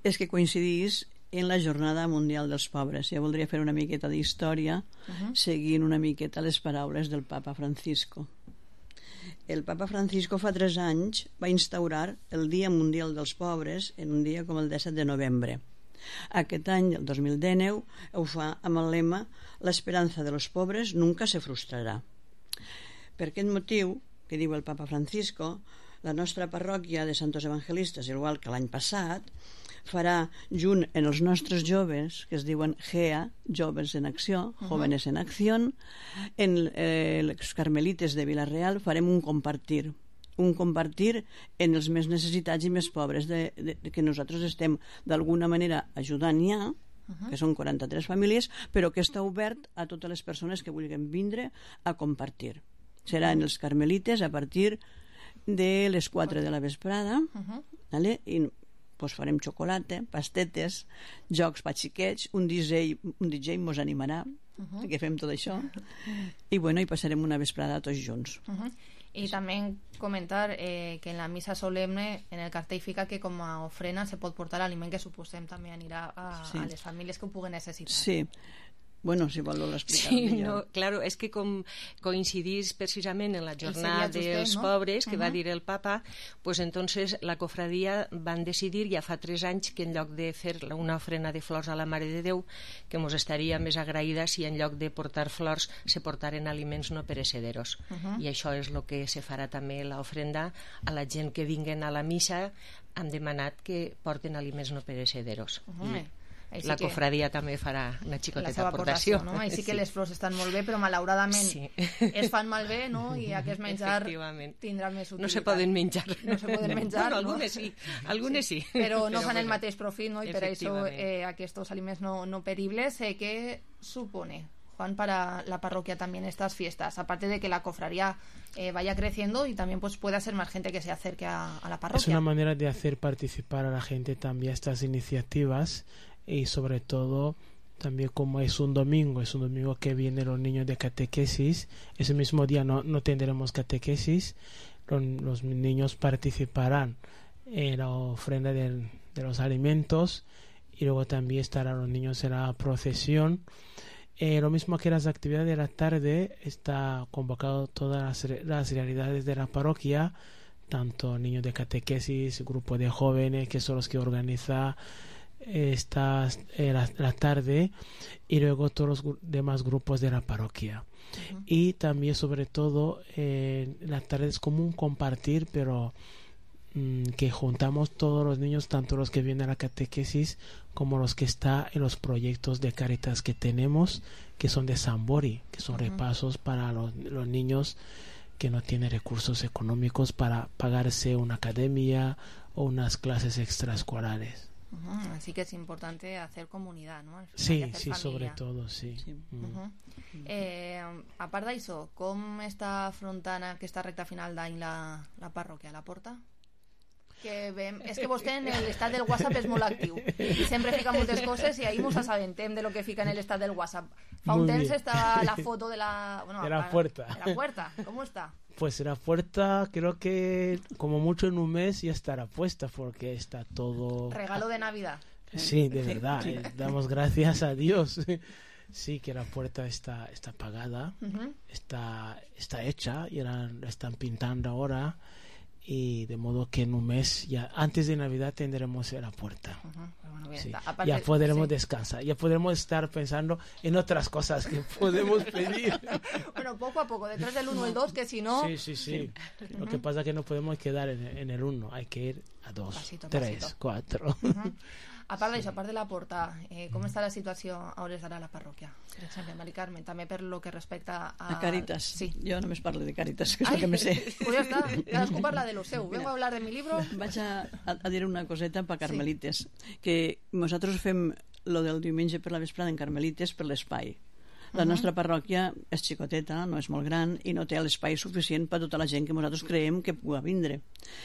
és que coincidís en la Jornada Mundial dels Pobres. Ja voldria fer una miqueta d'història uh-huh. seguint una miqueta les paraules del papa Francisco. El papa Francisco fa tres anys va instaurar el Dia Mundial dels Pobres en un dia com el disset de novembre. Aquest any, el dos mil dinou, ho fa amb el lema «L'esperanza de los pobres nunca se frustrarà». Per aquest motiu, que diu el papa Francisco, la nostra parròquia de Santos Evangelistes, igual que l'any passat, farà junt en els nostres joves, que es diuen G E A, Joves en Acció, uh-huh. Jóvenes en Acció, en eh, els Carmelites de Vila-real farem un compartir, un compartir en els més necessitats i més pobres de, de, de que nosaltres estem d'alguna manera ajudant ja, uh-huh. que són quaranta-tres famílies, però que està obert a totes les persones que vulguin vindre a compartir. Serà en els Carmelites a partir de les quatre de la vesprada, uh-huh. vale? I pues farem xocolata, pastetes, jocs per xiquets, un D J, un D J mos animarà, uh-huh. que fem tot això, i bueno, i passarem una vesprada tots junts. Uh-huh. I també comentar eh, que en la missa solemne en el cartell fica que com a ofrena se pot portar l'aliment que suposem també anirà a, sí. a les famílies que ho puguen necessitar. Sí. Bueno, si vol l'explicar. Sí, no, claro, és que com coincidís precisament en la jornada dels ¿no? pobres que uh-huh. va dir el papa, pues entonces la cofradia van decidir ja fa tres anys que en lloc de fer una ofrena de flors a la Mare de Déu, que mos estaria més agraïda si en lloc de portar flors se portaren aliments no perecederos. Uh-huh. I això és el que se farà també l'ofrenda a la gent que vinguen a la missa. Han demanat que porten aliments no perecederos. Uh-huh. I Així la cofradia també farà una xicoteta aportació, no? Així que sí. Les flors estan molt bé, però malauradament sí. es fan malbé, no? I aquest menjar tindrà més utilitat. No se poden menjar. No se poden menjar, bueno, no? Algunes sí, algunes sí. sí. Però no però fan bueno, el mateix profit, no? I per això eh, aquests aliments no, no peribles, eh, ¿qué supone, Juan, para la parroquia también estas fiestas? Aparte de que la cofradía eh, vaya creciendo y también pues pueda ser más gente que se acerque a, a la parroquia. Es una manera de hacer participar a la gente también a estas iniciativas. Y sobre todo también como es un domingo, es un domingo que vienen los niños de catequesis, ese mismo día no, no tendremos catequesis, los, los niños participarán en la ofrenda de, de los alimentos y luego también estarán los niños en la procesión. Eh, lo mismo que las actividades de la tarde, está convocado todas las, las realidades de la parroquia, tanto niños de catequesis, grupo de jóvenes que son los que organizan esta eh, la, la tarde y luego todos los demás grupos de la parroquia. Uh-huh. Y también sobre todo eh, la tarde es como un compartir, pero mmm, que juntamos todos los niños, tanto los que vienen a la catequesis como los que están en los proyectos de Caritas que tenemos, que son de Sambori, que son uh-huh. repasos para los, los niños que no tienen recursos económicos para pagarse una academia o unas clases extraescolares. Uh-huh. Así que es importante hacer comunidad, ¿no? Sí, sí, familia. Sobre todo, sí. sí. Uh-huh. Uh-huh. Eh, a part d'això, com està afrontant aquesta recta final d'any la, la parròquia, la porta? Que vem, és que vostè en l'estat del WhatsApp és molt actiu i sempre fica moltes coses i ahí mos assabentem de lo que fica en l'estat del WhatsApp. Fa un temps estava la foto de la... Bueno, de la puerta. De la puerta, ¿cómo está? Pues la puerta creo que como mucho en un mes ya estará puesta porque está todo... Regalo de Navidad. Sí, de verdad, eh, damos gracias a Dios. Sí, que la puerta está, está pagada, uh-huh. está, está hecha y la, la están pintando ahora. y de modo que en un mes, ya antes de Navidad, tendremos la puerta. Uh-huh. Bueno, bien, Sí. aparte, Ya podremos sí. descansar, ya podremos estar pensando en otras cosas que podemos pedir. Bueno, poco a poco, detrás del uno el dos, que si no... Sí, sí, sí. Lo que pasa es que no podemos quedar en, en el uno, hay que ir a dos, Pasito a tres, pasito. cuatro. Uh-huh. A part d'això, a part de la porta, eh, com està la situació a hores d'ara a la parròquia? Per exemple, Mari Carmen, també per lo que respecta a... A Càritas. Sí. Jo només parlo de Càritas, que és el que me sé. Pues ja està, cadascú parla de lo seu. Vengo a hablar de mi libro. Vaig a, a, a dir una coseta per Carmelites, sí. Que nosaltres fem lo del diumenge per la vesprada en Carmelites per l'espai. La Uh-huh. nostra parròquia és xicoteta, no és molt gran i no té l'espai suficient per tota la gent que nosaltres creiem que pugui vindre.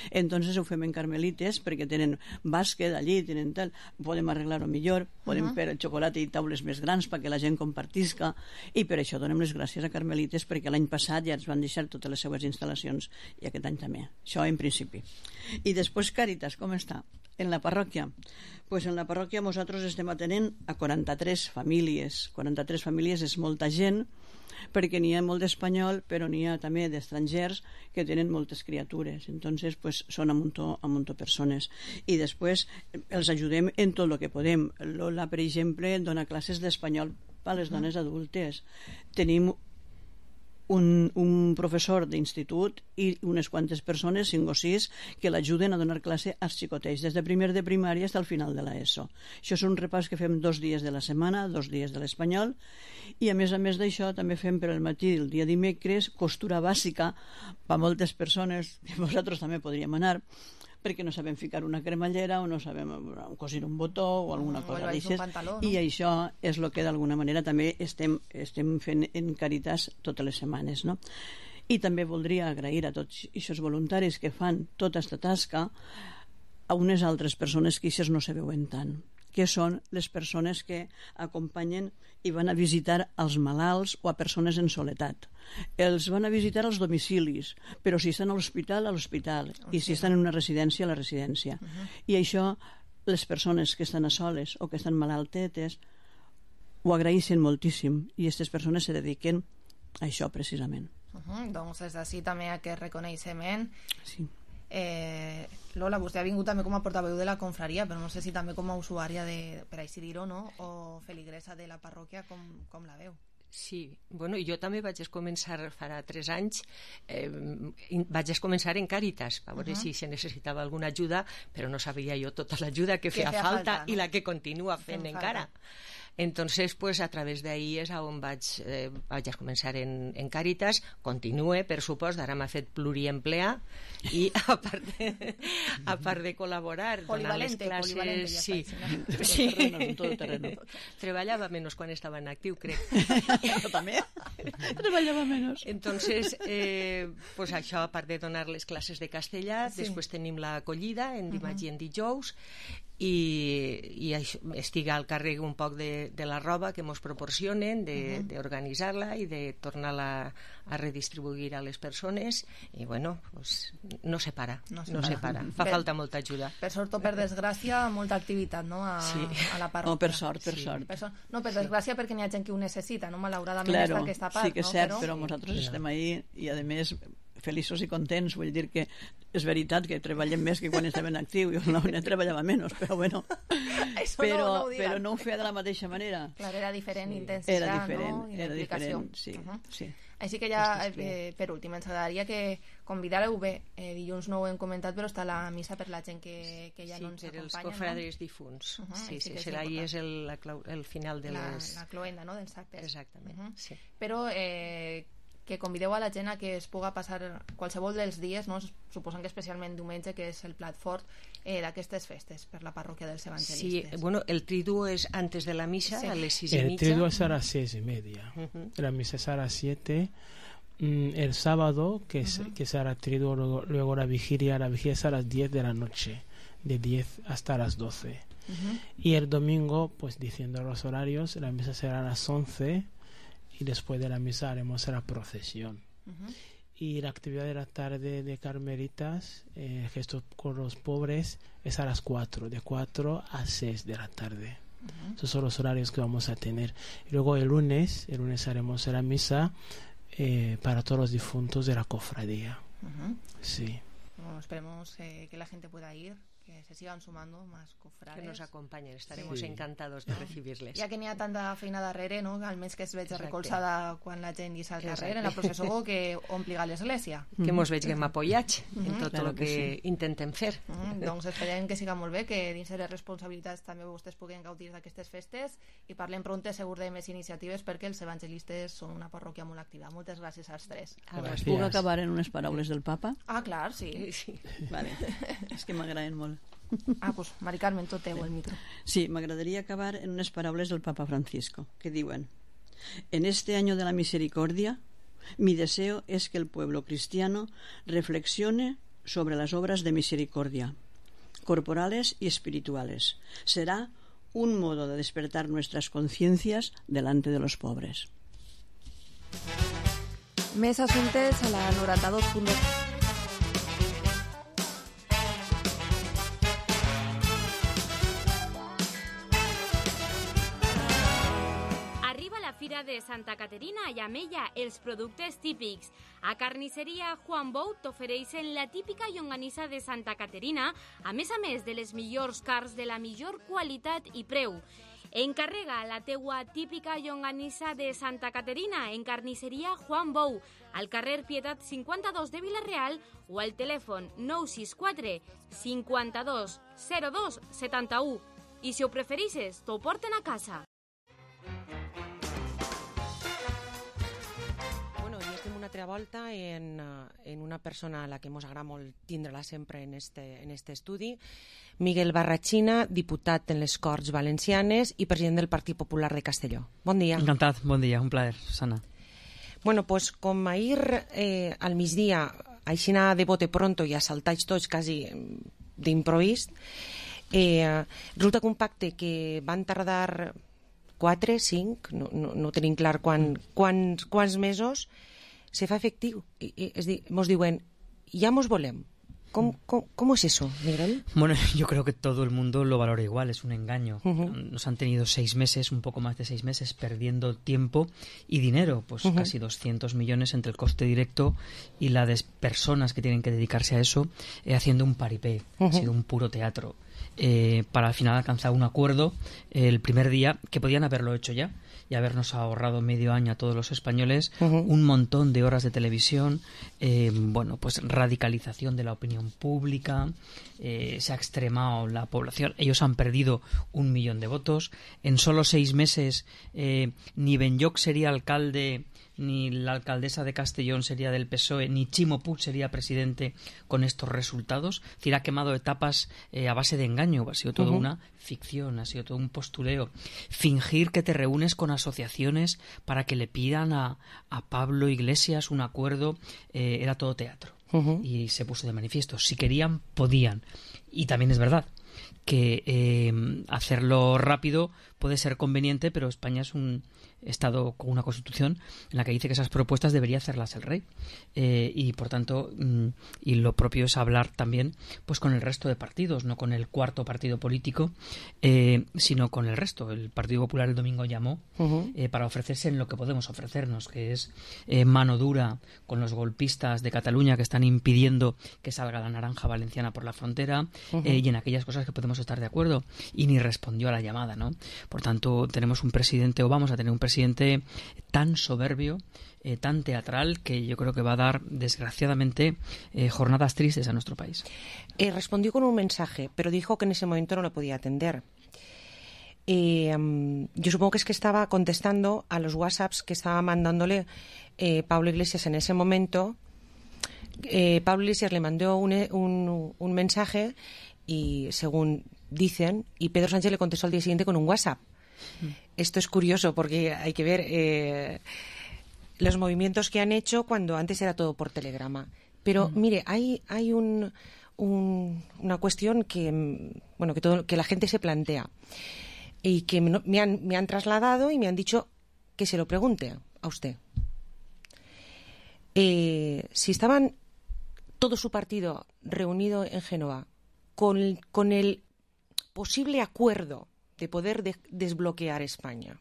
Entonces ho fem en Carmelites perquè tenen bàsquet allí, tenen tal, podem arreglar-ho millor, podem Uh-huh. fer xocolata i taules més grans perquè la gent compartisca, i per això donem les gràcies a Carmelites perquè l'any passat ja ens van deixar totes les seues instal·lacions i aquest any també. Això en principi. I després Càritas, com està? En la parròquia? Pues en la parròquia nosaltres estem atenent a quaranta-tres famílies. quaranta-tres famílies és molta gent, perquè n'hi ha molt d'espanyol, però n'hi ha també d'estrangers que tenen moltes criatures. Entonces, pues, són a muntó, a muntó persones. I després els ajudem en tot el que podem. Lola, per exemple, dona classes d'espanyol per a les dones adultes. Tenim un, un professor d'institut i unes quantes persones, cinc o sis, que l'ajuden a donar classe als xicotets, des de primer de primària fins al final de l'ESO. Això és un repàs que fem dos dies de la setmana, dos dies de l'espanyol, i a més a més d'això també fem per al matí el dia dimecres costura bàsica per moltes persones, que vosaltres també podríem anar, perquè no sabem ficar una cremallera o no sabem cosir un botó o alguna Mm, cosa o d'aixes, pantaló, no? i això és el que d'alguna manera també estem, estem fent en Càritas totes les setmanes, no? I també voldria agrair a tots aquests voluntaris que fan tota aquesta tasca a unes altres persones que aquestes no se veuen tant, que són les persones que acompanyen i van a visitar als malalts o a persones en soledat. Els van a visitar als domicilis, però si estan a l'hospital, a l'hospital, i si estan en una residència, a la residència. Uh-huh. I això, les persones que estan a soles o que estan malaltetes ho agraeixen moltíssim, i aquestes persones se dediquen a això precisament. Uh-huh. Doncs des d'ací també aquest reconeixement. Sí. Eh, Lola, vostè ha vingut també com a portaveu de la confraria, però no sé si també com a usuària de, per així dir-ho, no? O feligresa de la parròquia, com, com la veu? Sí, bueno, jo també vaig començar farà tres anys, eh, vaig començar en Càritas, a veure uh-huh. si se necessitava alguna ajuda, però no sabia jo tota l'ajuda que, que feia falta, falta no? I la que continua fent Fem encara. Falta. Entonces, pues a través d'ahí és on vaig, eh, vaig començar en, en Càritas, continue, per supost, ara m'ha fet pluriempleà, i a part de, a part de col·laborar, donar les classes... Polivalente, ja sí. Està, sí. Terreno, tot terreno. Treballava menys quan estava en actiu, crec. Jo també. Treballava menys. Entonces, eh, pues això, a part de donar les classes de castellà, sí. Després tenim l'acollida en dimarts uh-huh. i en dijous, i, i això, estic al càrrec un poc de, de la roba que ens proporcionen, d'organitzar-la uh-huh. i de tornar-la a redistribuir a les persones, i bueno, pues, no se para, no se, no para. se para. Fa per, falta molta ajuda. Per sort o per desgràcia, molta activitat, no?, a, sí. a la parròquia. No, per sort, per sí. sort. Per sort. No, per desgràcia, perquè n'hi ha gent que ho necessita, no?, malauradament claro, està aquesta part. Sí que és no? cert, però, però nosaltres sí. estem ahí i a més feliços i contents, vull dir que és veritat que treballem més que quan estem en actiu, jo no, no treballava menys, però bueno, però no, no però no ho feia de la mateixa manera. Clar, era diferent sí. intensitat, era diferent, no? I era diferent, sí, uh-huh. sí. Així que ja, eh, per últim, ens agradaria que convidàreu bé, eh, dilluns no ho hem comentat, però està la missa per la gent que, que ja sí, no ens acompanya. Sí, per els cofrades no? difunts. Uh-huh, sí, sí, sí, serà ahir és el, la, el final de la, les... La cloenda, no?, dels actes. Exactament, uh-huh. sí. Però eh, que convideu a la gent a que es puga passar qualsevol dels dies, no? Suposant que especialment diumenge, que és el plat fort eh, d'aquestes festes per la parròquia dels evangelistes. Sí, bueno, el triduo es antes de la misa, sí. a les sis y el media. El triduo es a las seis y media. Uh-huh. La misa es a las siete. Mm, el sábado, que, es, uh-huh. que será triduo, luego, luego la vigilia, la vigilia es a las diez de la noche, de diez hasta las doce. Uh-huh. Y el domingo, pues diciendo los horarios, la misa será a las once. Y después de la misa haremos la procesión. Uh-huh. Y la actividad de la tarde de Carmelitas, eh, gestos con los pobres, es a las cuatro, de cuatro a seis de la tarde. Uh-huh. Esos son los horarios que vamos a tener. Y luego el lunes, el lunes haremos la misa eh, para todos los difuntos de la cofradía. Uh-huh. Sí. Bueno, esperemos eh, que la gente pueda ir, que se sigan sumando más cofrades. Que nos acompañen, estaremos sí. encantados de recibirles. Ja que n'hi ha tanta feina darrere, no? Almenys que es veig Exacte. recolzada quan la gent guisa al carrer, Exacte. en la processó, que ompli l'església. Que mos vegem apoyats en Mhm. tot Claro el que que sí. intentem fer. Mm, doncs esperem que siga molt bé, que dins de les responsabilitats també vostès puguen gaudir d'aquestes festes i parlem pronte segur de més iniciatives perquè els evangelistes són una parròquia molt activa. Moltes gràcies als tres. Gràcies. Puc acabar en unes paraules del papa? Ah, clar, sí. sí. Vale. És que m'agraden molt. Ah, pues Mari Carmen, tot teu el micro. Sí, m'agradaria acabar en unes paraules del Papa Francisco, que diuen: en este año de la misericordia, mi deseo es que el pueblo cristiano reflexione sobre las obras de misericordia, corporales y espirituales. Será un modo de despertar nuestras conciencias delante de los pobres. Més assumptes a la noranta-dos punt dos. Arriba la Fira de Santa Caterina i amb ella els productes típics. A Carnisseria Juan Bou t'ofereixen la típica llonganissa de Santa Caterina, a més a més de les millors carns de la millor qualitat i preu. Encarrega la teua típica llonganissa de Santa Caterina en Carnisseria Juan Bou, al carrer Pietat cinquanta-dos de Vila-real o al telèfon nou sis quatre cinquanta-dos zero dos setanta-u. I si ho prefereixes, t'ho porten a casa. Bueno, i estem una altra volta en, en una persona a la que ens agrada molt tindre-la sempre en este, en este estudi, Miguel Barrachina, diputat en les Corts Valencianes i president del Partit Popular de Castelló. Bon dia. Encantat, bon dia, un plaer, Susana. Bueno, pues com ahir eh, al migdia, aixina de bote pronto i assaltats tots quasi d'improvist, eh, resulta que un pacte que van tardar quatre, cinc, no, no, no tenim clar quan, quants, quants mesos, se fa efectiu. I, i, és dir, mos diuen, ja mos volem. ¿Cómo, cómo, ¿Cómo es eso, Miguel? Bueno, yo creo que todo el mundo lo valora igual, es un engaño. Uh-huh. Nos han tenido seis meses, un poco más de seis meses, perdiendo tiempo y dinero, pues uh-huh. casi doscientos millones entre el coste directo y las de personas que tienen que dedicarse a eso, eh, haciendo un paripé. Uh-huh. Ha sido un puro teatro. Eh, para al final alcanzar un acuerdo eh, el primer día, que podían haberlo hecho ya y habernos ahorrado medio año a todos los españoles, uh-huh. un montón de horas de televisión, eh, bueno, pues radicalización de la opinión pública, eh, se ha extremado la población, ellos han perdido un millón de votos, en solo seis meses eh, ni Benlloch sería alcalde, ni la alcaldesa de Castellón sería del P S O E, ni Chimo Puig sería presidente con estos resultados. Es decir, ha quemado etapas eh, a base de engaño, ha sido todo uh-huh. una ficción, ha sido todo un postureo. Fingir que te reúnes con asociaciones para que le pidan a, a Pablo Iglesias un acuerdo, eh, era todo teatro. Uh-huh. Y se puso de manifiesto. Si querían, podían. Y también es verdad que eh, hacerlo rápido puede ser conveniente, pero España es un Estado con una Constitución en la que dice que esas propuestas debería hacerlas el rey, eh, y por tanto mm, y lo propio es hablar también pues con el resto de partidos, no con el cuarto partido político, eh, sino con el resto. El Partido Popular el domingo llamó uh-huh. eh, para ofrecerse en lo que podemos ofrecernos, que es eh, mano dura con los golpistas de Cataluña que están impidiendo que salga la naranja valenciana por la frontera, uh-huh. eh, y en aquellas cosas que podemos estar de acuerdo, y ni respondió a la llamada, ¿no? Por tanto, tenemos un presidente, o vamos a tener un presidente tan soberbio, eh, tan teatral, que yo creo que va a dar, desgraciadamente, eh, jornadas tristes a nuestro país. Eh, respondió con un mensaje, pero dijo que en ese momento no lo podía atender. Eh, um, yo supongo que es que estaba contestando a los WhatsApps que estaba mandándole eh, Pablo Iglesias en ese momento. Eh, Pablo Iglesias le mandó un, un, un mensaje y, según dicen, y Pedro Sánchez le contestó al día siguiente con un WhatsApp. Mm. Esto es curioso porque hay que ver eh, los movimientos que han hecho cuando antes era todo por telegrama. Pero mm. mire, hay, hay un, un, una cuestión que, bueno, que, todo, que la gente se plantea y que me, me, han, me han trasladado y me han dicho que se lo pregunte a usted. Eh, si estaban todo su partido reunido en Génova con, con el posible acuerdo de poder de, desbloquear España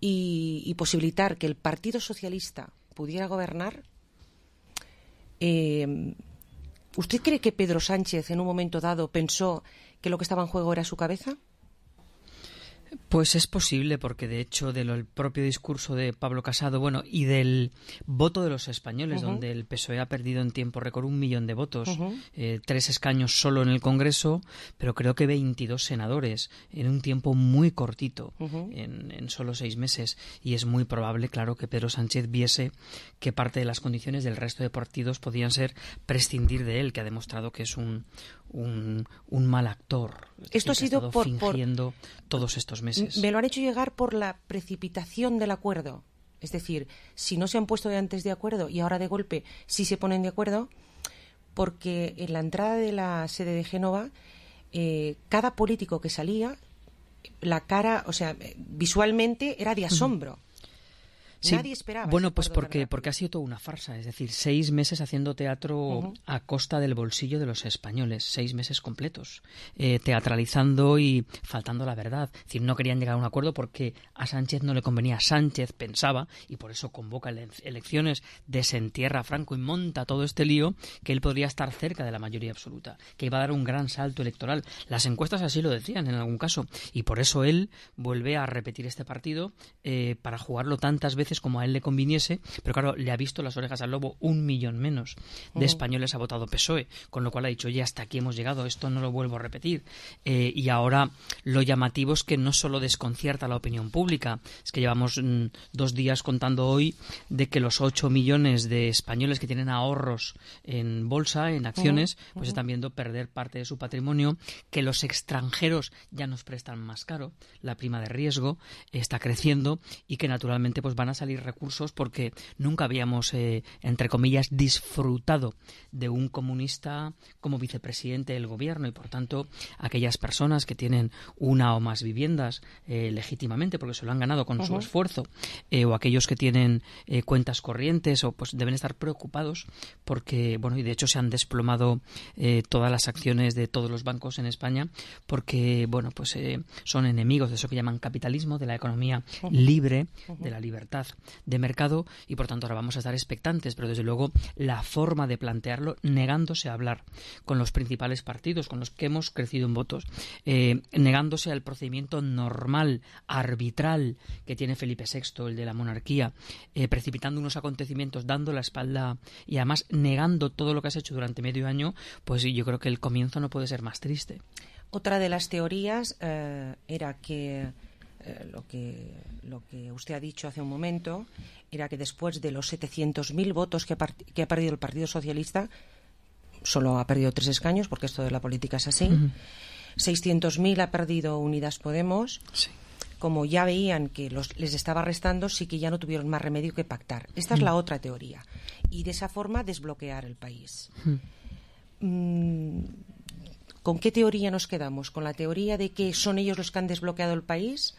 y, y posibilitar que el Partido Socialista pudiera gobernar, eh, ¿Usted cree que Pedro Sánchez en un momento dado pensó que lo que estaba en juego era su cabeza? Pues es posible, porque de hecho del propio discurso de Pablo Casado, bueno, y del voto de los españoles, uh-huh. donde el P S O E ha perdido en tiempo récord un millón de votos, uh-huh. eh, tres escaños solo en el Congreso, pero creo que veintidós senadores en un tiempo muy cortito, uh-huh. en, en solo seis meses, y es muy probable, claro, que Pedro Sánchez viese que parte de las condiciones del resto de partidos podían ser prescindir de él, que ha demostrado que es un un, un mal actor. Esto ha sido por, fingiendo por... todos estos meses. Me lo han hecho llegar por la precipitación del acuerdo. Es decir, si no se han puesto de antes de acuerdo y ahora de golpe sí se ponen de acuerdo, porque en la entrada de la sede de Génova, eh, cada político que salía, la cara, o sea, visualmente era de asombro. Sí, nadie esperaba. Bueno, pues porque, porque ha sido toda una farsa. Es decir, seis meses haciendo teatro uh-huh. a costa del bolsillo de los españoles. Seis meses completos. Eh, teatralizando y faltando la verdad. Es decir, no querían llegar a un acuerdo porque a Sánchez no le convenía. Sánchez pensaba, y por eso convoca elecciones, desentierra a Franco y monta todo este lío, que él podría estar cerca de la mayoría absoluta. Que iba a dar un gran salto electoral. Las encuestas así lo decían en algún caso. Y por eso él vuelve a repetir este partido eh, para jugarlo tantas veces como a él le conviniese, pero claro, le ha visto las orejas al lobo. Un millón menos de uh-huh. españoles ha votado P S O E, con lo cual ha dicho, oye, hasta aquí hemos llegado, esto no lo vuelvo a repetir. Eh, y ahora lo llamativo es que no solo desconcierta a la opinión pública, es que llevamos mm, dos días contando hoy de que los ocho millones de españoles que tienen ahorros en bolsa, en acciones, uh-huh. pues uh-huh. están viendo perder parte de su patrimonio, que los extranjeros ya nos prestan más caro, la prima de riesgo está creciendo y que naturalmente pues van a salir recursos porque nunca habíamos, eh, entre comillas, disfrutado de un comunista como vicepresidente del gobierno, y por tanto aquellas personas que tienen una o más viviendas eh, legítimamente porque se lo han ganado con uh-huh. su esfuerzo, eh, o aquellos que tienen eh, cuentas corrientes, o pues deben estar preocupados porque, bueno, y de hecho se han desplomado eh, todas las acciones de todos los bancos en España porque, bueno, pues eh, son enemigos de eso que llaman capitalismo, de la economía uh-huh. libre, uh-huh. de la libertad de mercado, y por tanto ahora vamos a estar expectantes, pero desde luego la forma de plantearlo, negándose a hablar con los principales partidos con los que hemos crecido en votos, eh, negándose al procedimiento normal, arbitral que tiene Felipe sexto, el de la monarquía, eh, precipitando unos acontecimientos, dando la espalda y además negando todo lo que has hecho durante medio año, pues yo creo que el comienzo no puede ser más triste. Otra de las teorías eh, era que Eh, lo que lo que usted ha dicho hace un momento era que después de los setecientos mil votos que, part- que ha perdido el Partido Socialista, solo ha perdido tres escaños, porque esto de la política es así, uh-huh. seiscientos mil ha perdido Unidas Podemos. Sí. Como ya veían que los, les estaba restando, sí que ya no tuvieron más remedio que pactar. Esta uh-huh. es la otra teoría, y de esa forma desbloquear el país. Uh-huh. mm, ¿Con qué teoría nos quedamos? ¿Con la teoría de que son ellos los que han desbloqueado el país?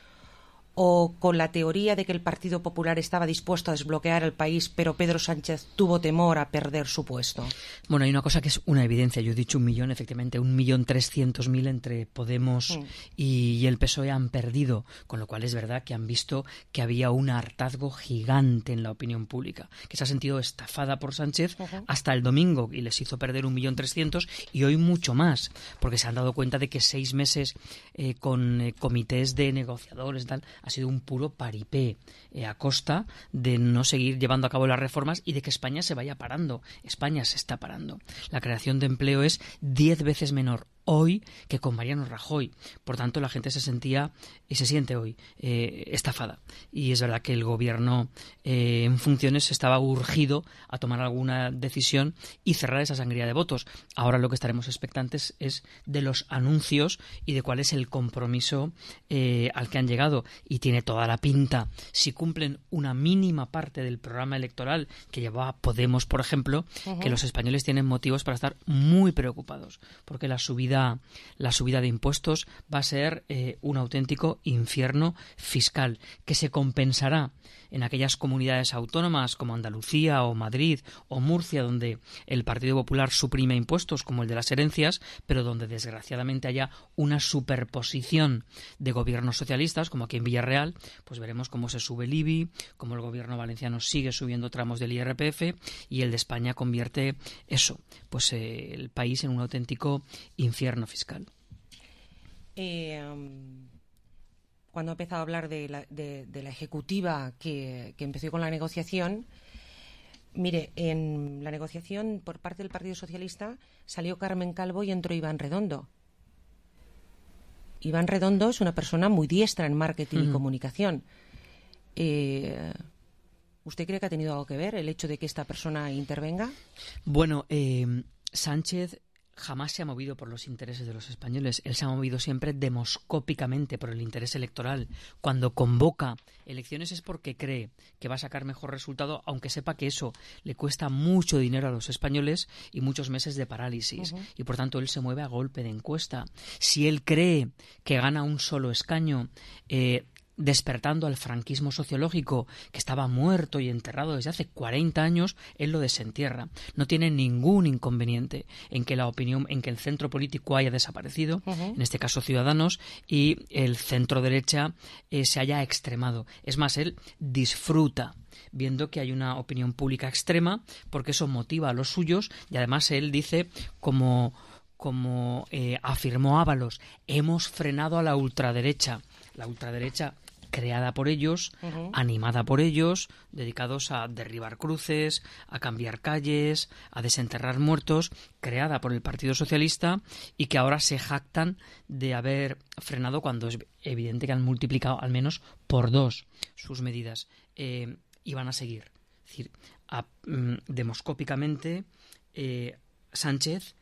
¿O con la teoría de que el Partido Popular estaba dispuesto a desbloquear el país, pero Pedro Sánchez tuvo temor a perder su puesto? Bueno, hay una cosa que es una evidencia. Yo he dicho un millón, efectivamente, un millón trescientos mil entre Podemos mm. y, y el P S O E han perdido, con lo cual es verdad que han visto que había un hartazgo gigante en la opinión pública, que se ha sentido estafada por Sánchez uh-huh. hasta el domingo, y les hizo perder un millón trescientos, y hoy mucho más, porque se han dado cuenta de que seis meses eh, con eh, comités de negociadores tal, ha sido un puro paripé eh, a costa de no seguir llevando a cabo las reformas y de que España se vaya parando. España se está parando. La creación de empleo es diez veces menor hoy que con Mariano Rajoy. Por tanto, la gente se sentía y se siente hoy eh, estafada. Y es verdad que el gobierno eh, en funciones estaba urgido a tomar alguna decisión y cerrar esa sangría de votos. Ahora lo que estaremos expectantes es de los anuncios y de cuál es el compromiso eh, al que han llegado. Y tiene toda la pinta, si cumplen una mínima parte del programa electoral que llevaba Podemos, por ejemplo, uh-huh. que los españoles tienen motivos para estar muy preocupados, porque la subida subida, la subida de impuestos va a ser eh, un auténtico infierno fiscal que se compensará en aquellas comunidades autónomas como Andalucía o Madrid o Murcia, donde el Partido Popular suprime impuestos como el de las herencias, pero donde desgraciadamente haya una superposición de gobiernos socialistas, como aquí en Villarreal, pues veremos cómo se sube el I B I, cómo el gobierno valenciano sigue subiendo tramos del I R P F y el de España convierte eso, pues eh, el país en un auténtico infierno fiscal. Eh, um... Cuando ha empezado a hablar de la, de, de la ejecutiva que, que empezó con la negociación, mire, en la negociación por parte del Partido Socialista salió Carmen Calvo y entró Iván Redondo. Iván Redondo es una persona muy diestra en marketing uh-huh. y comunicación. Eh, ¿Usted cree que ha tenido algo que ver el hecho de que esta persona intervenga? Bueno, eh, Sánchez jamás se ha movido por los intereses de los españoles. Él se ha movido siempre demoscópicamente por el interés electoral. Cuando convoca elecciones es porque cree que va a sacar mejor resultado, aunque sepa que eso le cuesta mucho dinero a los españoles y muchos meses de parálisis. Uh-huh. Y por tanto él se mueve a golpe de encuesta. Si él cree que gana un solo escaño, eh, despertando al franquismo sociológico que estaba muerto y enterrado desde hace cuarenta años, él lo desentierra. No tiene ningún inconveniente en que la opinión, en que el centro político haya desaparecido, uh-huh. en este caso Ciudadanos, y el centro derecha eh, se haya extremado. Es más, él disfruta viendo que hay una opinión pública extrema porque eso motiva a los suyos y además él dice como como eh, afirmó Ábalos, hemos frenado a la ultraderecha. La ultraderecha creada por ellos, uh-huh. animada por ellos, dedicados a derribar cruces, a cambiar calles, a desenterrar muertos, creada por el Partido Socialista y que ahora se jactan de haber frenado cuando es evidente que han multiplicado al menos por dos sus medidas. Eh, y van a seguir. Es decir, a, mm, demoscópicamente, eh, Sánchez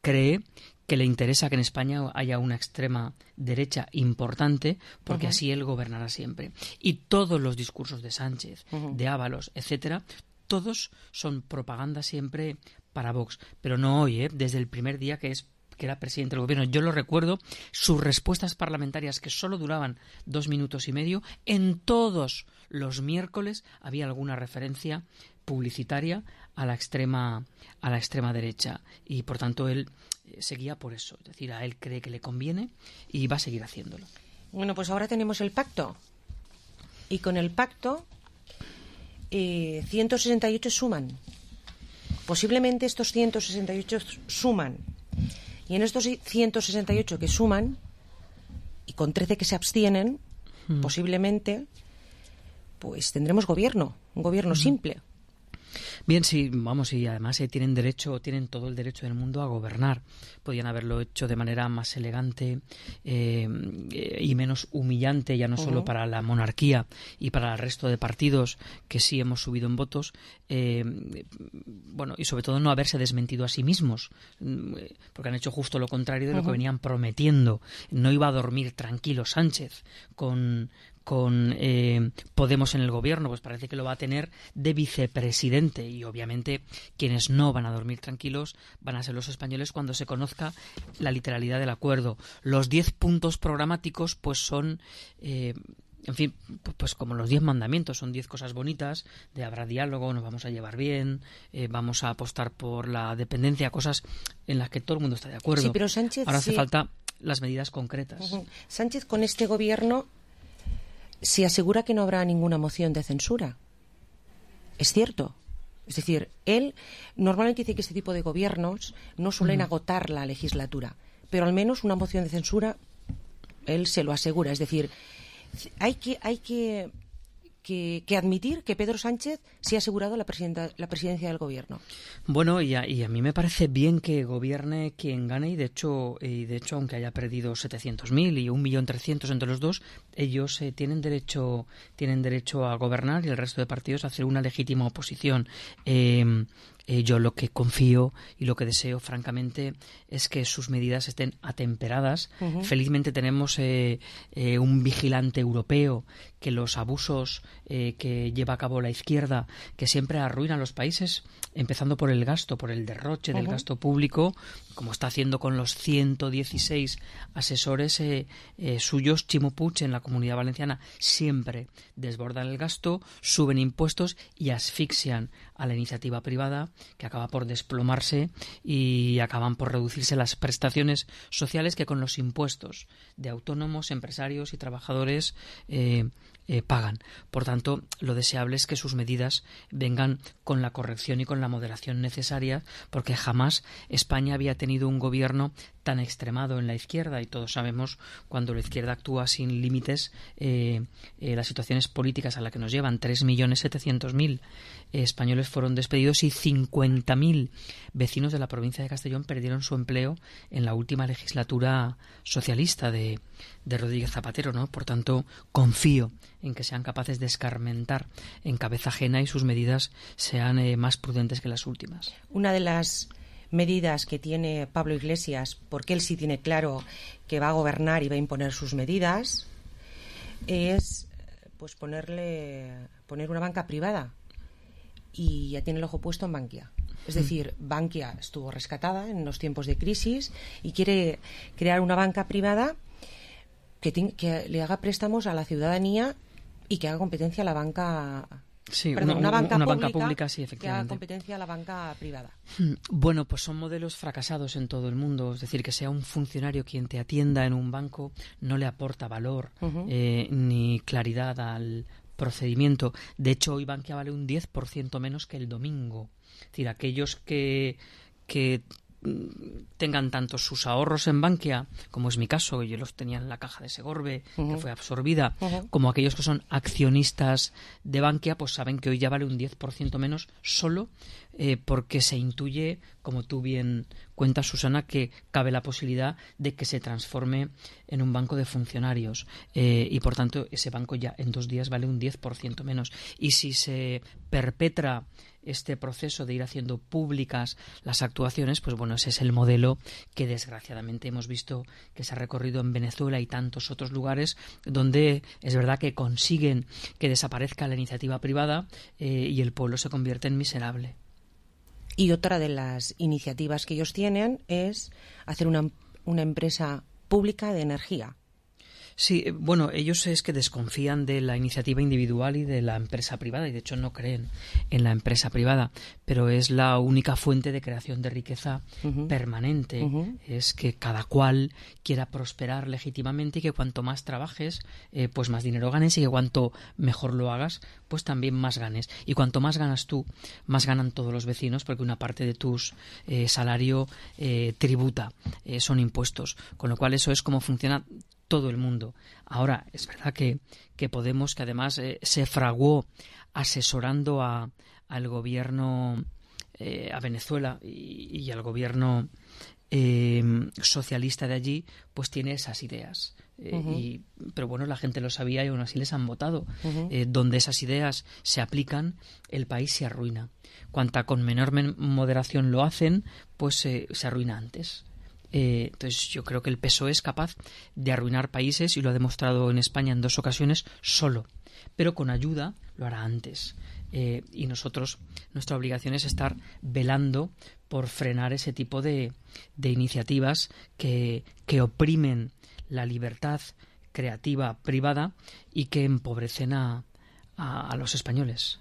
cree que le interesa que en España haya una extrema derecha importante porque uh-huh. así él gobernará siempre. Y todos los discursos de Sánchez, uh-huh. de Ábalos, etcétera, todos son propaganda siempre para Vox. Pero no hoy, ¿eh? Desde el primer día que es que era presidente del gobierno. Yo lo recuerdo, sus respuestas parlamentarias que solo duraban dos minutos y medio, en todos los miércoles había alguna referencia publicitaria a la extrema a la extrema derecha y por tanto él eh, seguía por eso, es decir, a él cree que le conviene y va a seguir haciéndolo. Bueno, pues ahora tenemos el pacto y con el pacto eh, ciento sesenta y ocho suman. Posiblemente estos ciento sesenta y ocho suman y en estos ciento sesenta y ocho que suman y con trece que se abstienen, hmm. posiblemente pues tendremos gobierno, un gobierno hmm. simple. Bien, sí, vamos, y además eh, tienen derecho, tienen todo el derecho del mundo a gobernar. Podían haberlo hecho de manera más elegante eh, y menos humillante, ya no uh-huh. solo para la monarquía y para el resto de partidos que sí hemos subido en votos, eh, bueno, y sobre todo no haberse desmentido a sí mismos, porque han hecho justo lo contrario de lo uh-huh. que venían prometiendo. No iba a dormir tranquilo Sánchez con con eh, Podemos en el gobierno, pues parece que lo va a tener de vicepresidente y obviamente quienes no van a dormir tranquilos van a ser los españoles cuando se conozca la literalidad del acuerdo. Los diez puntos programáticos pues son eh, en fin, pues como los diez mandamientos, son diez cosas bonitas, de habrá diálogo, nos vamos a llevar bien, eh, vamos a apostar por la dependencia, cosas en las que todo el mundo está de acuerdo. Sí, pero Sánchez, ahora hace sí. falta las medidas concretas. Uh-huh. Sánchez con este gobierno se asegura que no habrá ninguna moción de censura. Es cierto. Es decir, él normalmente dice que este tipo de gobiernos no suelen uh-huh. agotar la legislatura, pero al menos una moción de censura él se lo asegura. Es decir, hay que hay que que, que admitir que Pedro Sánchez se ha asegurado la, presidenta, la presidencia del gobierno. Bueno, y a, y a mí me parece bien que gobierne quien gane y de hecho, y de hecho aunque haya perdido setecientos mil y un millón trescientos entre los dos, ellos eh, tienen derecho tienen derecho a gobernar y el resto de partidos a hacer una legítima oposición. Eh, Eh, yo lo que confío y lo que deseo, francamente, es que sus medidas estén atemperadas. Uh-huh. Felizmente tenemos eh, eh, un vigilante europeo que los abusos eh, que lleva a cabo la izquierda, que siempre arruinan los países, empezando por el gasto, por el derroche uh-huh. del gasto público, como está haciendo con los ciento dieciséis asesores eh, eh, suyos, Chimo Puig, en la Comunidad Valenciana, siempre desbordan el gasto, suben impuestos y asfixian a la iniciativa privada, que acaba por desplomarse y acaban por reducirse las prestaciones sociales que con los impuestos de autónomos, empresarios y trabajadores eh, eh, pagan. Por tanto, lo deseable es que sus medidas vengan con la corrección y con la moderación necesaria, porque jamás España había tenido un gobierno tan extremado en la izquierda, y todos sabemos cuando la izquierda actúa sin límites eh, eh, las situaciones políticas a las que nos llevan. tres millones setecientos mil eh, españoles fueron despedidos y cincuenta mil vecinos de la provincia de Castellón perdieron su empleo en la última legislatura socialista de, de Rodríguez Zapatero, ¿no? Por tanto, confío en que sean capaces de escarmentar en cabeza ajena y sus medidas sean eh, más prudentes que las últimas. Una de las medidas que tiene Pablo Iglesias, porque él sí tiene claro que va a gobernar y va a imponer sus medidas, es pues ponerle poner una banca privada, y ya tiene el ojo puesto en Bankia. Es decir, Bankia estuvo rescatada en los tiempos de crisis y quiere crear una banca privada que, te, que le haga préstamos a la ciudadanía y que haga competencia a la banca. Sí, Perdón, una, una, banca, una pública banca pública, sí, efectivamente. Que haga competencia a la banca privada. Bueno, pues son modelos fracasados en todo el mundo. Es decir, que sea un funcionario quien te atienda en un banco no le aporta valor uh-huh. eh, ni claridad al procedimiento. De hecho, hoy Bankia vale un diez por ciento menos que el domingo. Es decir, aquellos que, que tengan tanto sus ahorros en Bankia, como es mi caso, yo los tenía en la caja de Segorbe, uh-huh. que fue absorbida, uh-huh. como aquellos que son accionistas de Bankia, pues saben que hoy ya vale un diez por ciento menos solo eh, porque se intuye, como tú bien cuentas, Susana, que cabe la posibilidad de que se transforme en un banco de funcionarios eh, y por tanto ese banco ya en dos días vale un diez por ciento menos. Y si se perpetra este proceso de ir haciendo públicas las actuaciones, pues bueno, ese es el modelo que desgraciadamente hemos visto que se ha recorrido en Venezuela y tantos otros lugares donde es verdad que consiguen que desaparezca la iniciativa privada eh, y el pueblo se convierte en miserable. Y otra de las iniciativas que ellos tienen es hacer una, una empresa pública de energía. Sí, bueno, ellos es que desconfían de la iniciativa individual y de la empresa privada, y de hecho no creen en la empresa privada, pero es la única fuente de creación de riqueza uh-huh. permanente. Uh-huh. Es que cada cual quiera prosperar legítimamente y que cuanto más trabajes, eh, pues más dinero ganes, y que cuanto mejor lo hagas, pues también más ganes. Y cuanto más ganas tú, más ganan todos los vecinos, porque una parte de tus eh, salario eh, tributa, eh, son impuestos. Con lo cual eso es como funciona todo el mundo. Ahora, es verdad que, que Podemos, que además eh, se fraguó asesorando a, al gobierno, eh, a Venezuela y, y al gobierno eh, socialista de allí, pues tiene esas ideas. Eh, uh-huh. y, pero bueno, la gente lo sabía y aún así les han votado. Uh-huh. Eh, donde esas ideas se aplican, el país se arruina. Cuanta con menor men- moderación lo hacen, pues eh, se arruina antes. Eh, entonces yo creo que el P S O E es capaz de arruinar países y lo ha demostrado en España en dos ocasiones solo, pero con ayuda lo hará antes. Eh, y nosotros, nuestra obligación es estar velando por frenar ese tipo de, de iniciativas que, que oprimen la libertad creativa privada y que empobrecen a, a, a los españoles.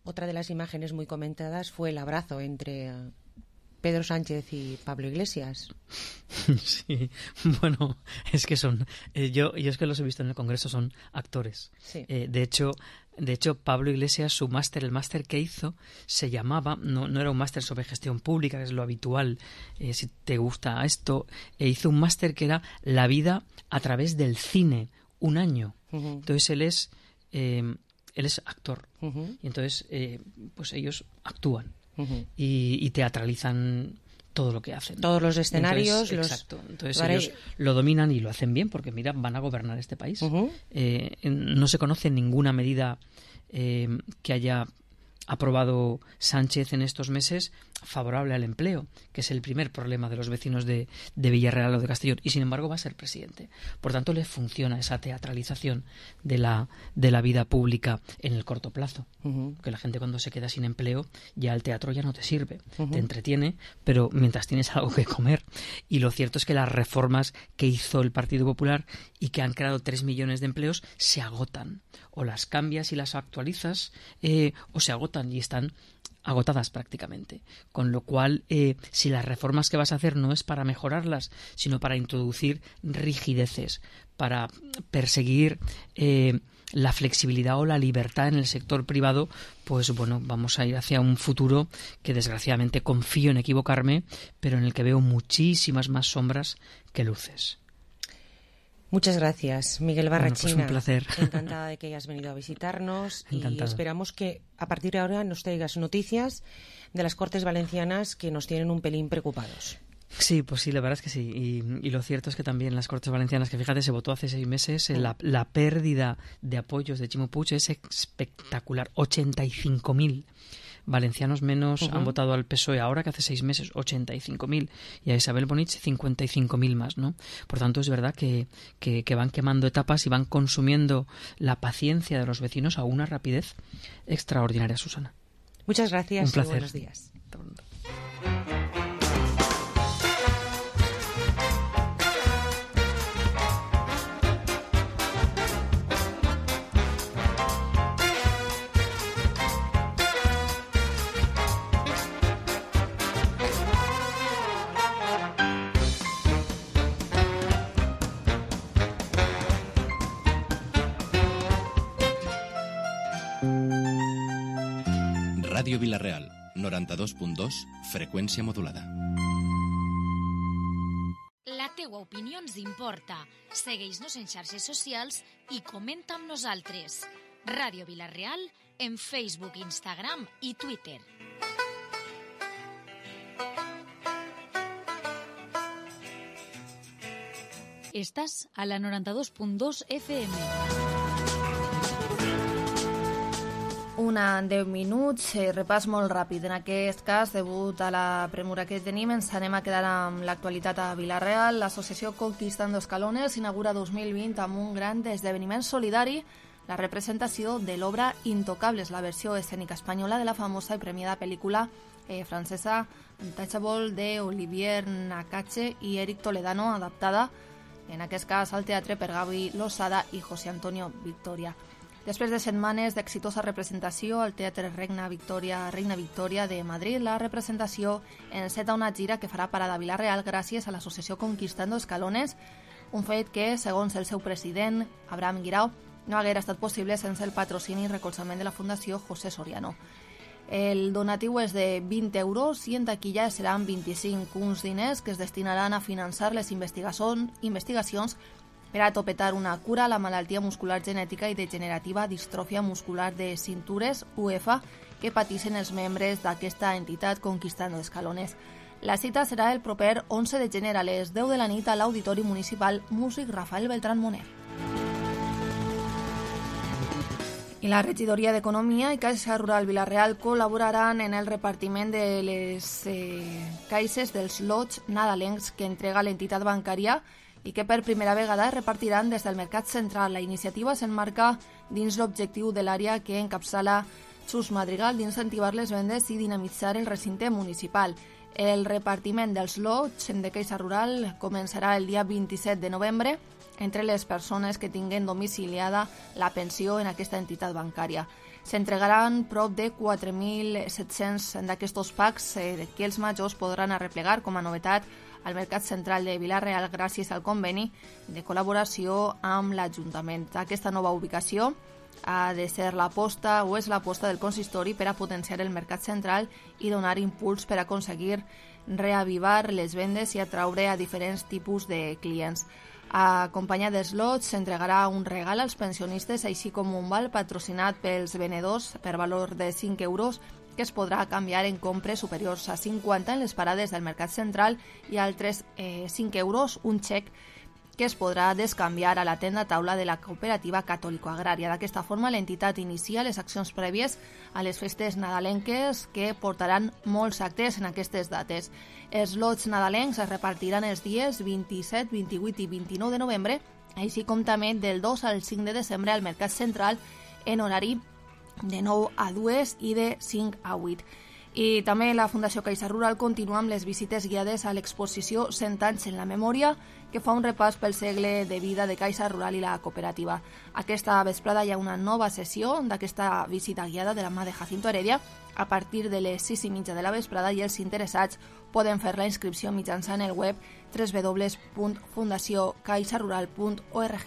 Otra de las imágenes muy comentadas fue el abrazo entre Pedro Sánchez y Pablo Iglesias. Sí, bueno, es que son, eh, yo, yo es que los he visto en el Congreso, son actores. Sí. Eh, de hecho, de hecho, Pablo Iglesias, su máster, el máster que hizo, se llamaba, no, no era un máster sobre gestión pública, que es lo habitual, eh, si te gusta esto, e hizo un máster que era la vida a través del cine, un año. Uh-huh. Entonces él es, eh, él es actor, uh-huh. y entonces, eh, pues ellos actúan. Uh-huh. Y, y teatralizan todo lo que hacen. Todos los escenarios. Entonces, los... Exacto. Entonces vale. Ellos lo dominan y lo hacen bien porque, mira, van a gobernar este país. Uh-huh. Eh, no se conoce ninguna medida eh, que haya ha aprobado Sánchez en estos meses favorable al empleo, que es el primer problema de los vecinos de, de Villarreal o de Castellón, y sin embargo va a ser presidente. Por tanto, le funciona esa teatralización de la, de la vida pública en el corto plazo. Uh-huh. Que la gente cuando se queda sin empleo, ya el teatro ya no te sirve. Uh-huh. Te entretiene, pero mientras tienes algo que comer. Y lo cierto es que las reformas que hizo el Partido Popular y que han creado tres millones de empleos se agotan. O las cambias y las actualizas, eh, o se agotan y están agotadas prácticamente. Con lo cual, eh, si las reformas que vas a hacer no es para mejorarlas, sino para introducir rigideces, para perseguir eh, la flexibilidad o la libertad en el sector privado, pues bueno, vamos a ir hacia un futuro que desgraciadamente confío en equivocarme, pero en el que veo muchísimas más sombras que luces. Muchas gracias, Miguel Barrachina. Bueno, pues un placer. Encantada de que hayas venido a visitarnos. Encantada. Y esperamos que a partir de ahora nos traigas noticias de las Cortes Valencianas que nos tienen un pelín preocupados. Sí, pues sí, la verdad es que sí. Y, y lo cierto es que también las Cortes Valencianas, que fíjate, se votó hace seis meses, mm. la, la pérdida de apoyos de Ximo Puig es espectacular. ochenta y cinco mil valencianos menos uh-huh. han votado al P S O E ahora que hace seis meses, ochenta y cinco mil, y a Isabel Bonich cincuenta y cinco mil más, ¿no? Por tanto, es verdad que, que, que van quemando etapas y van consumiendo la paciencia de los vecinos a una rapidez extraordinaria, Susana. Muchas gracias. Un placer. Y buenos días. Ràdio Vila-real, noranta-dos punt dos, freqüència modulada. La teua opinió ens importa. Segueix-nos en xarxes socials i comenta amb nosaltres. Ràdio Vila-real en Facebook, Instagram i Twitter. Estàs a la noranta-dos punt dos F M. Una en deu minuts, eh, repàs molt ràpid. En aquest cas, degut a la premura que tenim, ens anem a quedar amb l'actualitat a Vila-real. L'associació Conquistando Escalones inaugura dos mil vint amb un gran esdeveniment solidari, la representació de l'obra Intocables, la versió escènica espanyola de la famosa i premiada pel·lícula eh, francesa Untouchable de Olivier Nakache i Eric Toledano, adaptada, en aquest cas, al teatre per Gaby Losada i José Antonio Victoria. Després de setmanes d'exitosa representació al Teatre Reina Victòria, Reina Victòria de Madrid, la representació enceta una gira que farà parada a Vila-real gràcies a l'associació Conquistando Escalones, un fet que, segons el seu president, Abraham Guirao, no haguera estat possible sense el patrocini i recolzament de la Fundació José Soriano. El donatiu és de vint euros i en taquilla seran vint-i-cinc, uns diners que es destinaran a finançar les investigacions per a topetar una cura a la malaltia muscular genètica i degenerativa distròfia muscular de cintures, U E F A, que pateixen els membres d'aquesta entitat Conquistando Escalones. La cita serà el proper onze de gener a les deu de la nit a l'Auditori Municipal Músic Rafael Beltrán Moner. I la regidoria d'Economia i Caixa Rural Vila-real col·laboraran en el repartiment de les eh, caixes dels lots nadalencs que entrega l'entitat bancària i que per primera vegada es repartiran des del Mercat Central. La iniciativa s'enmarca dins l'objectiu de l'àrea que encapçala Xus Madrigal d'incentivar les vendes i dinamitzar el recinte municipal. El repartiment dels lots de Caixa Rural començarà el dia vint-i-set de novembre entre les persones que tinguen domiciliada la pensió en aquesta entitat bancària. S'entregaran prop de quatre mil set-cents d'aquests packs eh, que els majors podran arreplegar com a novetat al Mercat Central de Vila-real gràcies al conveni de col·laboració amb l'Ajuntament. Aquesta nova ubicació ha de ser l'aposta o és l'aposta del consistori per a potenciar el Mercat Central i donar impuls per a aconseguir reavivar les vendes i atraure a diferents tipus de clients. Acompanyat dels lots, s'entregarà un regal als pensionistes, així com un val patrocinat pels venedors per valor de cinc euros que es podrà canviar en compres superiors a cinquanta en les parades del Mercat Central i altres eh, cinc euros, un xec que es podrà descanviar a la tenda taula de la cooperativa catòlico-agrària. D'aquesta forma, l'entitat inicia les accions prèvies a les festes nadalenques que portaran molts actes en aquestes dates. Els lots nadalencs es repartiran els dies vint-i-set, vint-i-vuit i vint-i-nou de novembre, així com també del dos al cinc de desembre al Mercat Central en horari de nou a dues i de cinc a vuit. I també la Fundació Caixa Rural continua amb les visites guiades a l'exposició cent anys en la memòria, que fa un repàs pel segle de vida de Caixa Rural i la cooperativa. Aquesta vesprada hi ha una nova sessió d'aquesta visita guiada de la mà de Jacinto Heredia a partir de les sis i mitja de la vesprada, i els interessats poden fer la inscripció mitjançant el web w w w punt fundació caixa rural punt org.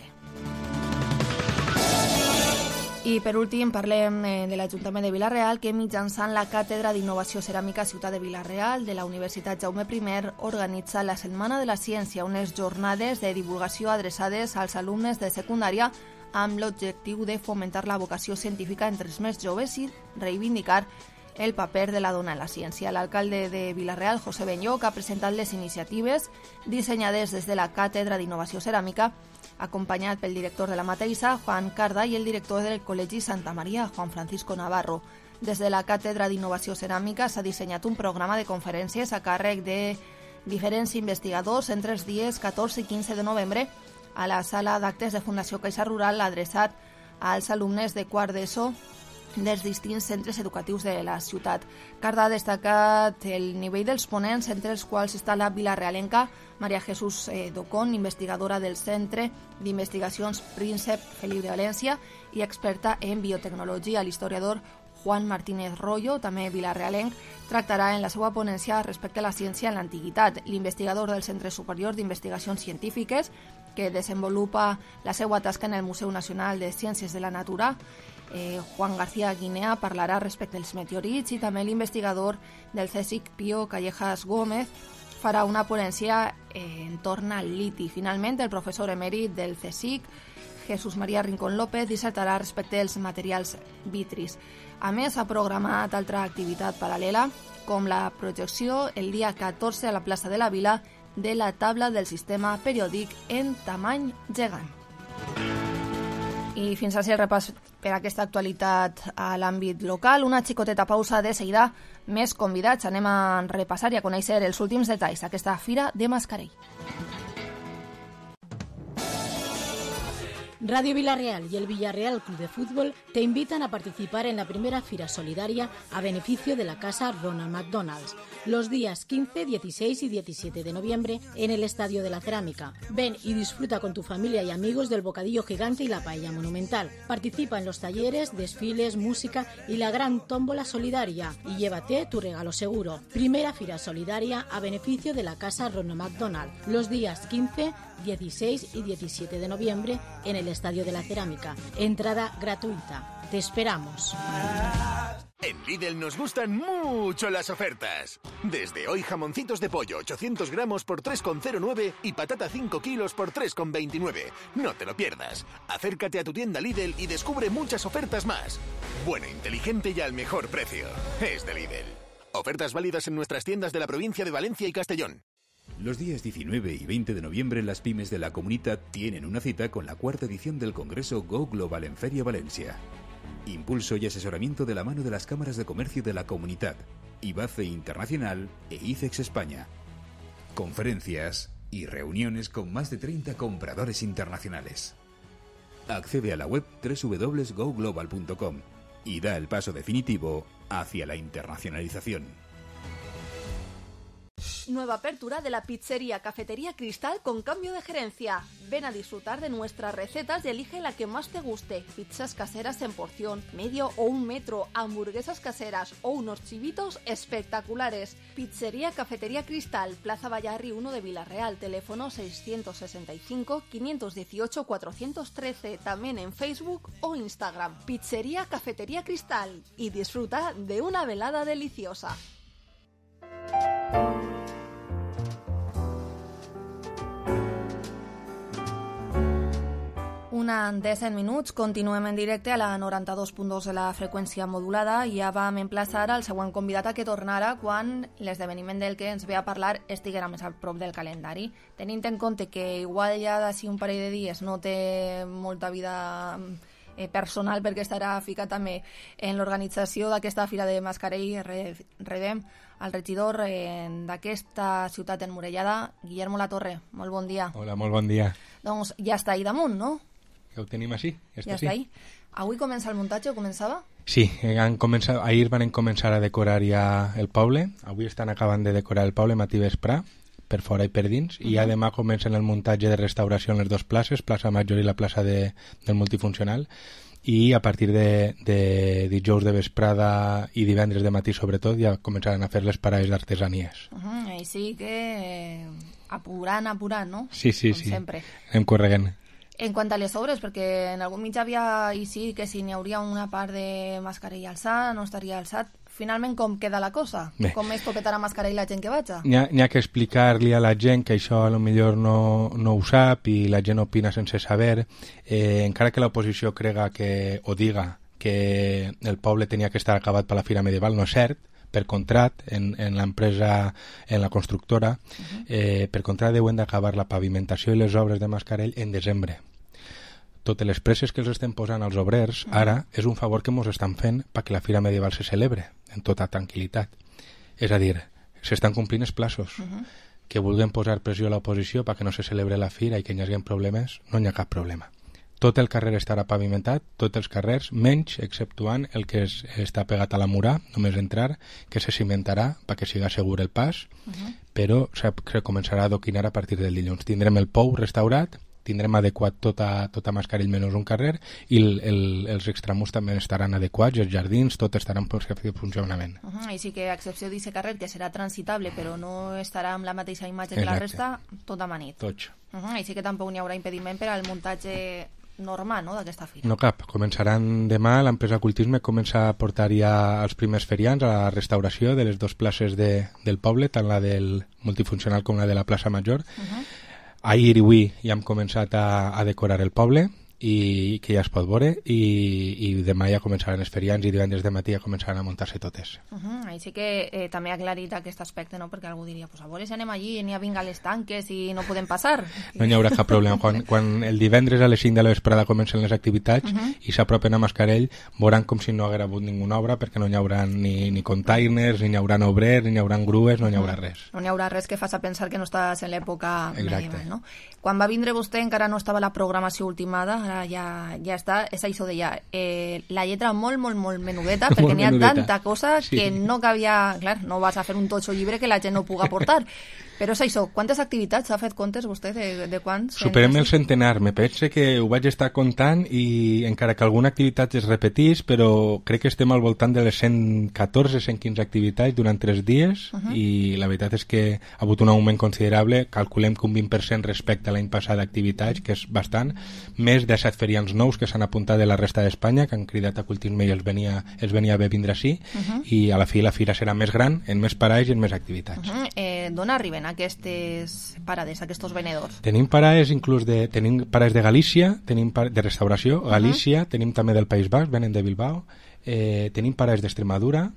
I per últim parlem de l'Ajuntament de Vila-real, que mitjançant la Càtedra d'Innovació Ceràmica Ciutat de Vila-real de la Universitat Jaume primer organitza la Setmana de la Ciència, unes jornades de divulgació adreçades als alumnes de secundària amb l'objectiu de fomentar la vocació científica entre els més joves i reivindicar el paper de la dona en la ciència. L'alcalde de Vila-real, José Benlloc, ha presentat les iniciatives dissenyades des de la Càtedra d'Innovació Ceràmica, acompanyat pel director de la mateixa, Juan Carda, i el director del Col·legi Santa Maria, Juan Francisco Navarro. Des de la Càtedra d'Innovació Ceràmica s'ha dissenyat un programa de conferències a càrrec de diferents investigadors entre els dies catorze i quinze de novembre a la sala d'actes de Fundació Caixa Rural, adreçat als alumnes de quart d'ESO dels distints centres educatius de la ciutat. Carda ha destacat el nivell dels ponents, entre els quals està la vilarealenca Maria Jesús eh, Docón, investigadora del Centre d'Investigacions Príncep Felip de València i experta en biotecnologia. L'historiador Juan Martínez Rollo, també vilarealenc, tractarà en la seva ponència respecte a la ciència en l'antiguitat. L'investigador del Centre Superior d'Investigacions Científiques, que desenvolupa la seva tasca en el Museu Nacional de Ciències de la Natura, Eh, Juan García Guinea, parlarà respecte als meteorits, i també l'investigador del CSIC, Pío Callejas Gómez, farà una ponència eh, en torn al liti. Finalment, el professor emèrit del CSIC, Jesús María Rincón López, dissertarà respecte als materials vitris. A més, ha programat altra activitat paral·lela, com la projecció el dia catorze a la plaça de la Vila de la taula del sistema periòdic en tamany gegant. I fins a ser repàs per aquesta actualitat a l'àmbit local. Una xicoteta pausa, de seguida més convidats. Anem a repassar i a conèixer els últims detalls d'aquesta Fira de Mascarell. Radio Villarreal y el Villarreal Club de Fútbol te invitan a participar en la primera Fira Solidaria a beneficio de la Casa Ronald McDonald's, los días quince, dieciséis y diecisiete de noviembre en el Estadio de la Cerámica. Ven y disfruta con tu familia y amigos del bocadillo gigante y la paella monumental. Participa en los talleres, desfiles, música y la gran tómbola solidaria y llévate tu regalo seguro. Primera Fira Solidaria a beneficio de la Casa Ronald McDonald, los días quince, dieciséis y diecisiete de noviembre en el Estadio de la Cerámica. Entrada gratuita. Te esperamos. En Lidl nos gustan mucho las ofertas. Desde hoy, jamoncitos de pollo ochocientos gramos por tres con cero nueve y patata cinco kilos por tres con veintinueve. No te lo pierdas. Acércate a tu tienda Lidl y descubre muchas ofertas más. Bueno, inteligente y al mejor precio. Es de Lidl. Ofertas válidas en nuestras tiendas de la provincia de Valencia y Castellón. Los días diecinueve y veinte de noviembre las pymes de la Comunitat tienen una cita con la cuarta edición del Congreso Go Global en Feria Valencia. Impulso y asesoramiento de la mano de las cámaras de comercio de la Comunitat, IBACE Internacional e ICEX España. Conferencias y reuniones con más de treinta compradores internacionales. Accede a la web doble u doble u doble u punto go global punto com y da el paso definitivo hacia la internacionalización. Nueva apertura de la pizzería Cafetería Cristal con cambio de gerencia. Ven a disfrutar de nuestras recetas y elige la que más te guste. Pizzas caseras en porción, medio o un metro, hamburguesas caseras o unos chivitos espectaculares. Pizzería Cafetería Cristal, Plaza Vallarri uno de Vila-real, teléfono seiscientos sesenta y cinco, quinientos dieciocho, cuatrocientos trece, también en Facebook o Instagram. Pizzería Cafetería Cristal y disfruta de una velada deliciosa. una de cent minuts, continuem en directe a la noranta-dos punt dos de la freqüència modulada i ja vam emplaçar al següent convidat a que tornara quan l'esdeveniment del que ens ve a parlar estiguera més a prop del calendari. Tenint en compte que igual ja d'ací un parell de dies no té molta vida eh, personal perquè estarà ficat també en l'organització d'aquesta Fira de Mascarell, rebem al regidor eh, d'aquesta ciutat emmurellada, Guillermo Latorre. Molt bon dia. Hola, molt bon dia. Doncs ja està ahí damunt, no? Ja ho tenim així. Ja, ja està ahí. Avui comença el muntatge o començava? Sí, han començat, ahir van començar a decorar ja el poble. Avui estan acabant de decorar el poble matí vesprà, per fora i per dins, uh-huh. i ja demà comencen el muntatge de restauració en les dues places, plaça Major i la plaça de, del multifuncional, i a partir de, de dijous de vesprada i divendres de matí sobretot ja començaran a fer les parades d'artesanies. Uh-huh. I sí que eh, apurant, apurant, no? Sí, sí, Com sí. sempre. Anem corregent. En quant a les obres, perquè en algun mitjà havia, i sí, que si n'hi hauria una part de Mascarell alçat, no estaria alçat. Finalment, com queda la cosa? Bé. Com és poquetar a Mascarell la gent que vaig? N'hi ha, ha que explicar-li a la gent que això a lo millor no, no ho sap i la gent opina sense saber. Eh, encara que l'oposició crega que, o diga que el poble tenia que estar acabat per la Fira Medieval, no és cert. Per contrat, en, en l'empresa, en la constructora, uh-huh. eh, per contrat deuen d'acabar la pavimentació i les obres de Mascarell en desembre. Totes les presses que els estem posant als obrers uh-huh. ara és un favor que ens estan fent perquè la Fira Medieval se celebre en tota tranquil·litat. És a dir, s'estan complint els plaços. Uh-huh. Que vulguin posar pressió a l'oposició perquè no se celebre la Fira i que hi hagi problemes, no hi ha cap problema. Tot el carrer estarà pavimentat, tots els carrers, menys, exceptuant el que es, està pegat a la murà, només entrar, que se cimentarà perquè siga segur el pas, uh-huh. però se, se començarà a adoquinar a partir del dilluns. Tindrem el pou restaurat, tindrem adequat tota, tota Mascarell menys un carrer i el, el, els extramurs també estaran adequats, els jardins, tot estarà en perfecte funcionament. Uh-huh. I sí que a excepció d'aquest carrer, que serà transitable però no estarà amb la mateixa imatge que Exacte. La resta, tot amanit. Tots. Uh-huh. I sí que tampoc n'hi haurà impediment per al muntatge normal, no?, d'aquesta fira. No cap, començaran demà, l'empresa Cultisme comença a portar ja els primers ferians a la restauració de les dues places de, del poble, tant la del multifuncional com la de la plaça Major. Uh-huh. Ahir i avui ja hem començat a, a decorar el poble i que ja es pot veure i, i demà ja començaran els ferians i divendres de matí ja començaran a muntar-se totes. Uh-huh. Així que eh, també ha aclarit aquest aspecte, no? Perquè algú diria, pues a veure si anem allí i n'hi ha vinga les tanques i no podem passar. No hi haurà cap problema. Quan, quan el divendres a les cinc de la vesprada comencen les activitats uh-huh. i s'apropen a Mascarell, veuran com si no haguera hagut ninguna obra perquè no hi haurà ni, ni containers, ni hi haurà obrers, ni hi haurà grues, no hi haurà res. No hi haurà res que faci pensar que no estàs en l'època medieval, no? Quan va vindre vostè encara no estava la programació ultimada, ara ja, ja està, és això deia, eh, la lletra molt, molt, molt menudeta, perquè n'hi ha tanta cosa sí. que no cabia, clar, no vas a fer un totxo llibre que la gent no puga portar. Però és això, quantes activitats s'ha fet comptes vostè de, de quants? Superem el centenar, me pense que ho vaig estar comptant i encara que alguna activitat es repetís, però crec que estem al voltant de les cent catorze cent quinze activitats durant tres dies uh-huh. i la veritat és que ha hagut un augment considerable, calculem que un vint per cent respecte a l'any passat d'activitats, que és bastant, més de set ferians nous que s'han apuntat de la resta d'Espanya, que han cridat a Cultisme i els venia, els venia bé vindre així, uh-huh. i a la fi la fira serà més gran, en més parades i en més activitats. Uh-huh. Eh, D'on arriben aquestes parades, aquests venedors? Tenim parades inclús de, tenim parades de Galícia, tenim par de restauració, Galícia, uh-huh. tenim també del País Basc, venen de Bilbao, eh, tenim parades d'Extremadura,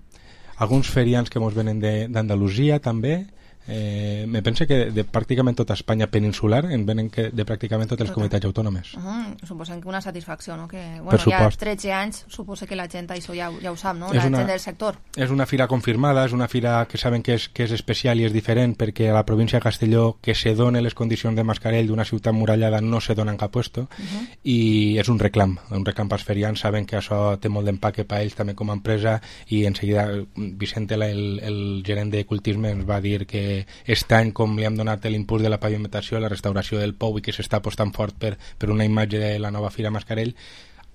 alguns ferians que ens venen d'Andalusia també, eh, me pense que de pràcticament tota Espanya peninsular en venen que de pràcticament totes les comunitats autònomes. Uh-huh. Suposem que una satisfacció, no? Que, bueno, per supost. Ja tretze anys, suposa que la gent això ja, ja ho sap, no? La una, gent del sector. És una fira confirmada, és una fira que saben que és, que és especial i és diferent perquè a la província de Castelló que se donen les condicions de Mascarell d'una ciutat murallada no se donen cap puesto uh-huh. i és un reclam, un reclam pels ferians, saben que això té molt d'empaque per ells també com a empresa i en seguida Vicente, el, el gerent de Cultisme, ens va dir que aquest any com li hem donat l'impuls de la pavimentació, la restauració del pou i que s'està apostant fort per, per una imatge de la nova Fira Mascarell,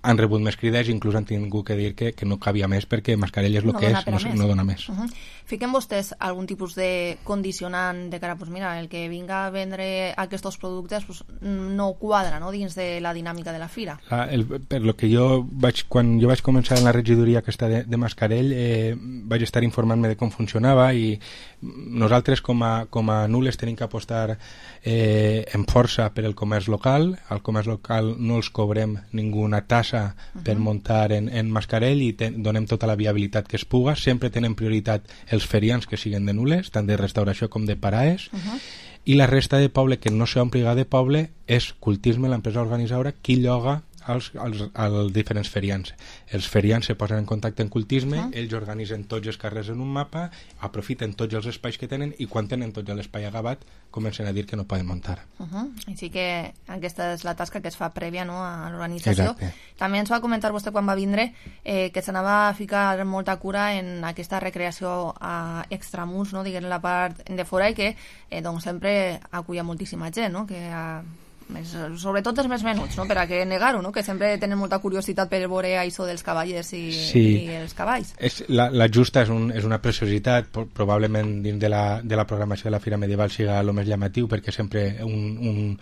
han rebut més crides, inclús han tingut que dir que, que no cabia més perquè Mascarell és el No que dona és, per a no, més. no dona més. Uh -huh. Fiquen vostès algun tipus de condicionant de cara, pues mira, el que vinga a vendre aquests productes pues, no quadra, no?, dins de la dinàmica de la fira. La, el, per lo que jo vaig, quan jo vaig començar en la regidoria aquesta de, de Mascarell, eh, vaig estar informant-me de com funcionava i nosaltres com a, com a Nules tenim que apostar eh, en força per el comerç local. Al comerç local no els cobrem ninguna tassa uh -huh. per muntar en, en Mascarell i ten, donem tota la viabilitat que es puga. Sempre tenen prioritat els ferians que siguen de Nules, tant de restauració com de paraes, uh -huh. i la resta de poble que no s'ompliga de poble és Cultisme, l'empresa organitzadora, qui lloga als, als, als diferents ferians. Els ferians se posen en contacte en Cultisme, uh -huh. ells organitzen tots els carrers en un mapa, aprofiten tots els espais que tenen i quan tenen tot l'espai agabat comencen a dir que no poden muntar. Uh -huh. Així que aquesta és la tasca que es fa prèvia, no?, a l'organització. També ens va comentar vostè quan va vindre eh, que s'anava a ficar molta cura en aquesta recreació a extramurs, no?, diguem la part de fora, i que eh, doncs sempre aculla moltíssima gent, no?, que a més, sobretot els més menuts, no?, per a què negar-ho, no?, que sempre tenen molta curiositat per veure això dels cavallers i, sí. i els cavalls. És, la, la justa és, un, és una preciositat, probablement dins de la, de la programació de la Fira Medieval siga el més llamatiu, perquè sempre un, un,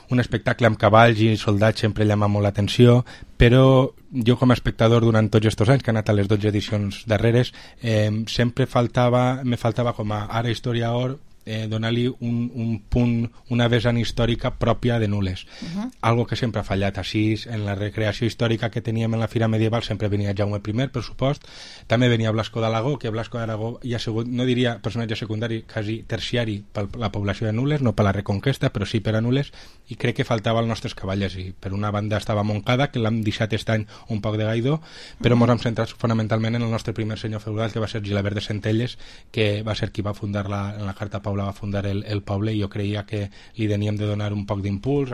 un espectacle amb cavalls i soldats sempre llama molt l'atenció, però jo com a espectador durant tots aquests anys, que he anat a les dotze edicions darreres, eh, sempre faltava, me faltava com a ara historiador Eh, donar-li un, un punt, una vessant històrica pròpia de Nules. Uh-huh. Algo que sempre ha fallat. Així, en la recreació històrica que teníem en la Fira Medieval sempre venia Jaume I, per supost, també venia Blasco d'Aragó, que Blasco d'Aragó ja ha sigut, no diria personatge secundari, quasi terciari per la població de Nules, no per la Reconquesta, però sí per a Nules, i crec que faltava als nostres cavallers. I per una banda estava Montcada, que l'hem deixat aquest any un poc de gaidó, però ens uh-huh. hem centrat fonamentalment en el nostre primer senyor feudal, que va ser Gilabert de Centelles, que va ser qui va fundar la, en la Carta Paula va fundar el, el poble, i jo creia que li teníem de donar un poc d'impuls.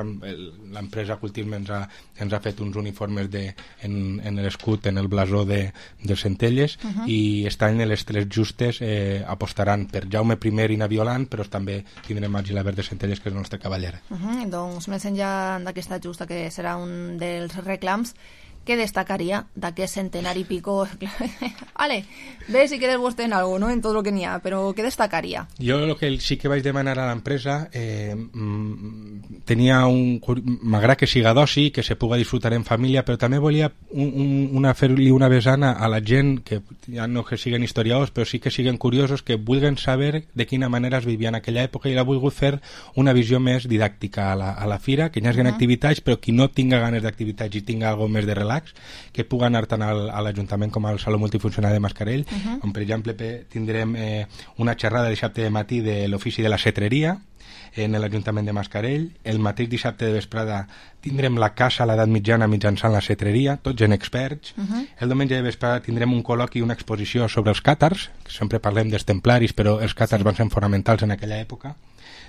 L'empresa Cultisme ens ha, ens ha fet uns uniformes de, en, en l'escut, en el blasó de, de Centelles, uh-huh. i aquest any les tres justes eh, apostaran per Jaume I i Naviolant, però també tindrem el Gilabert de Centelles, que és el nostre cavaller. Uh-huh. Doncs més enllà d'aquesta justa, que serà un dels reclams, què destacaria d'aquest centenari i pico? Vale, ve si quieres vostè en algo, no?, en tot el que n'hi ha, però què destacaria? Jo el que sí que vaig demanar a l'empresa, eh, tenia un... m'agrada que siga d'oci, que se puga disfrutar en família, però també volia un, un, una, fer-li una vessana a la gent, que ja no que siguen historiadors, però sí que siguen curiosos, que vulguen saber de quina manera es vivia en aquella època, i l'ha volgut fer una visió més didàctica a la, a la fira, que hi hagi uh-huh. activitats, però qui no tinga ganes d'activitats i tinga alguna més de relax, que pugui anar tant al, a l'Ajuntament com al Saló Multifuncional de Mascarell, uh-huh. on per exemple tindrem eh, una xerrada dissabte de matí de l'ofici de la cetreria en l'Ajuntament de Mascarell. El mateix dissabte de vesprada tindrem la caça a l'edat mitjana mitjançant la cetreria, tots gent experts. Uh-huh. El diumenge de vesprada tindrem un col·loqui i una exposició sobre els càtars, que sempre parlem dels templaris, però els càtars sí. van ser fonamentals en aquella època.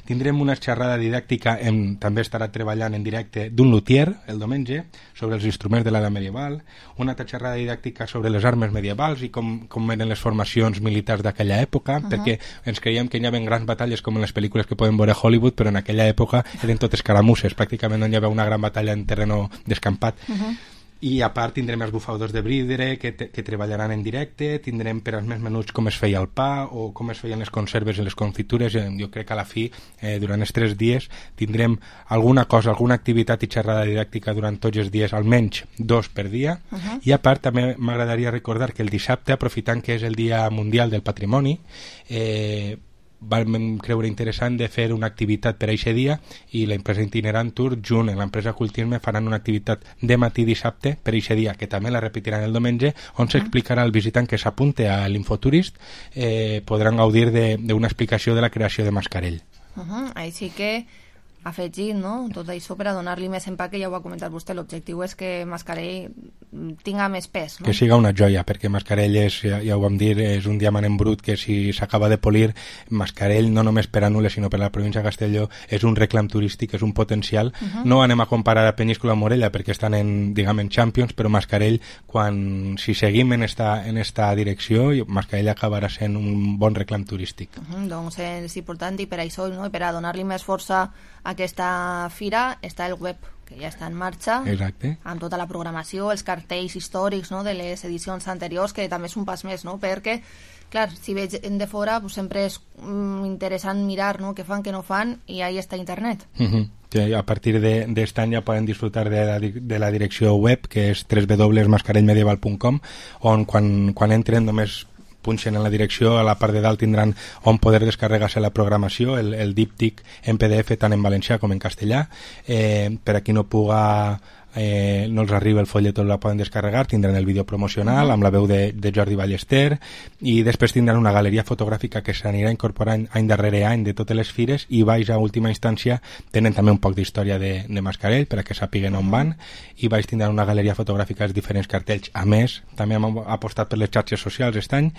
Tindrem una xerrada didàctica, en, també estarà treballant en directe d'un luthier el diumenge sobre els instruments de l'edat medieval, una altra xerrada didàctica sobre les armes medievals i com, com eren les formacions militars d'aquella època, uh-huh. perquè ens creiem que hi havia grans batalles com en les pel·lícules que podem veure a Hollywood, però en aquella època eren totes caramusses, pràcticament no hi havia una gran batalla en terreno descampat. Uh-huh. I a part tindrem els bufadors de bridre que, te, que treballaran en directe, tindrem per als més menuts com es feia el pa o com es feien les conserves i les confitures. Jo crec que a la fi, eh, durant els tres dies, tindrem alguna cosa, alguna activitat i xerrada didàctica durant tots els dies, almenys dos per dia. Uh-huh. I a part també m'agradaria recordar que el dissabte, aprofitant que és el Dia Mundial del Patrimoni, eh, vam creure interessant de fer una activitat per a aquest dia, i l'empresa Itinerant Tour junt amb l'empresa Cultisme faran una activitat de matí dissabte per a aquest dia, que també la repetiran el diumenge, on s'explicarà al visitant que s'apunte a l'Infoturist, eh, podran gaudir d'una explicació de la creació de Mascarell. Uh-huh. Així que afegit, no?, tot això per a donar-li més empaque, ja ho ha comentat vostè, l'objectiu és que Mascarell tinga més pes, no? Que siga una joia, perquè Mascarell és, ja, ja ho vam dir, és un diamant en brut que si s'acaba de polir, Mascarell no només per a Nules sinó per a la província de Castelló és un reclam turístic, és un potencial. Uh-huh. No anem a comparar a Penyíscola o Morella perquè estan en, diguem, en Champions, però Mascarell, quan, si seguim en esta, en esta direcció, Mascarell acabarà sent un bon reclam turístic. Uh-huh. Doncs és important, i per això, no?, i per a donar-li més força a aquesta fira està el web que ja està en marxa. Exacte. Amb tota la programació, els cartells històrics, no?, de les edicions anteriors, que també és un pas més, no?, perquè, clar, si veig de fora, pues, sempre és mm, interessant mirar, no?, què fan, què no fan, i ahí està internet. Uh-huh. Sí, a partir d'este any ja poden disfrutar de la, de la direcció web, que és w w w punt mascarell medieval punt com, on quan, quan entren només punxen en la direcció, a la part de dalt tindran on poder descarregar-se la programació, el, el díptic en P D F tant en valencià com en castellà. Eh, per a qui no puga eh, no els arriba el folleto, la poden descarregar, tindran el vídeo promocional amb la veu de, de Jordi Ballester, i després tindran una galeria fotogràfica que s'anirà incorporant any darrere any de totes les fires, i baix a última instància tenen també un poc d'història de, de Mascarell per a que sàpiguen on van, i baix tindran una galeria fotogràfica dels diferents cartells. A més, també hem apostat per les xarxes socials aquest any.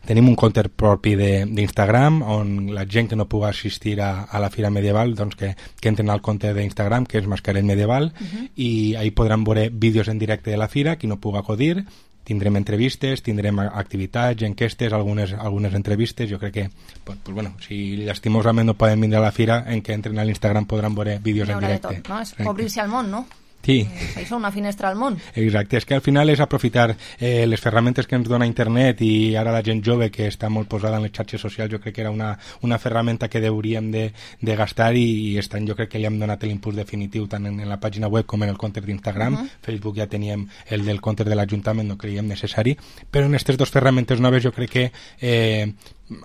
Tenim un compte propi d'Instagram on la gent que no pugui assistir a, a la Fira Medieval, doncs que, que entren al compte d'Instagram, que és Mascarell Medieval, uh-huh. i ahí podran veure vídeos en directe de la fira, qui no pugui acudir. Tindrem entrevistes, tindrem activitats, enquestes, algunes, algunes entrevistes. Jo crec que, pues, pues bueno, si llastimosament no poden vindre a la fira, en què entren a l'Instagram podran veure vídeos en directe. Tot, no? És obrir-se al món, no? Sí. És una finestra al món. Exacte, és que al final és aprofitar eh, les ferramentes que ens dona internet, i ara la gent jove que està molt posada en les xarxes socials, jo crec que era una, una ferramenta que hauríem de, de gastar, i, i aquest any jo crec que li hem donat l'impuls definitiu tant en, en la pàgina web com en el compte d'Instagram. Uh-huh. Facebook ja teníem el del compte de l'Ajuntament, no creiem necessari, però en aquestes dues ferramentes noves jo crec que eh,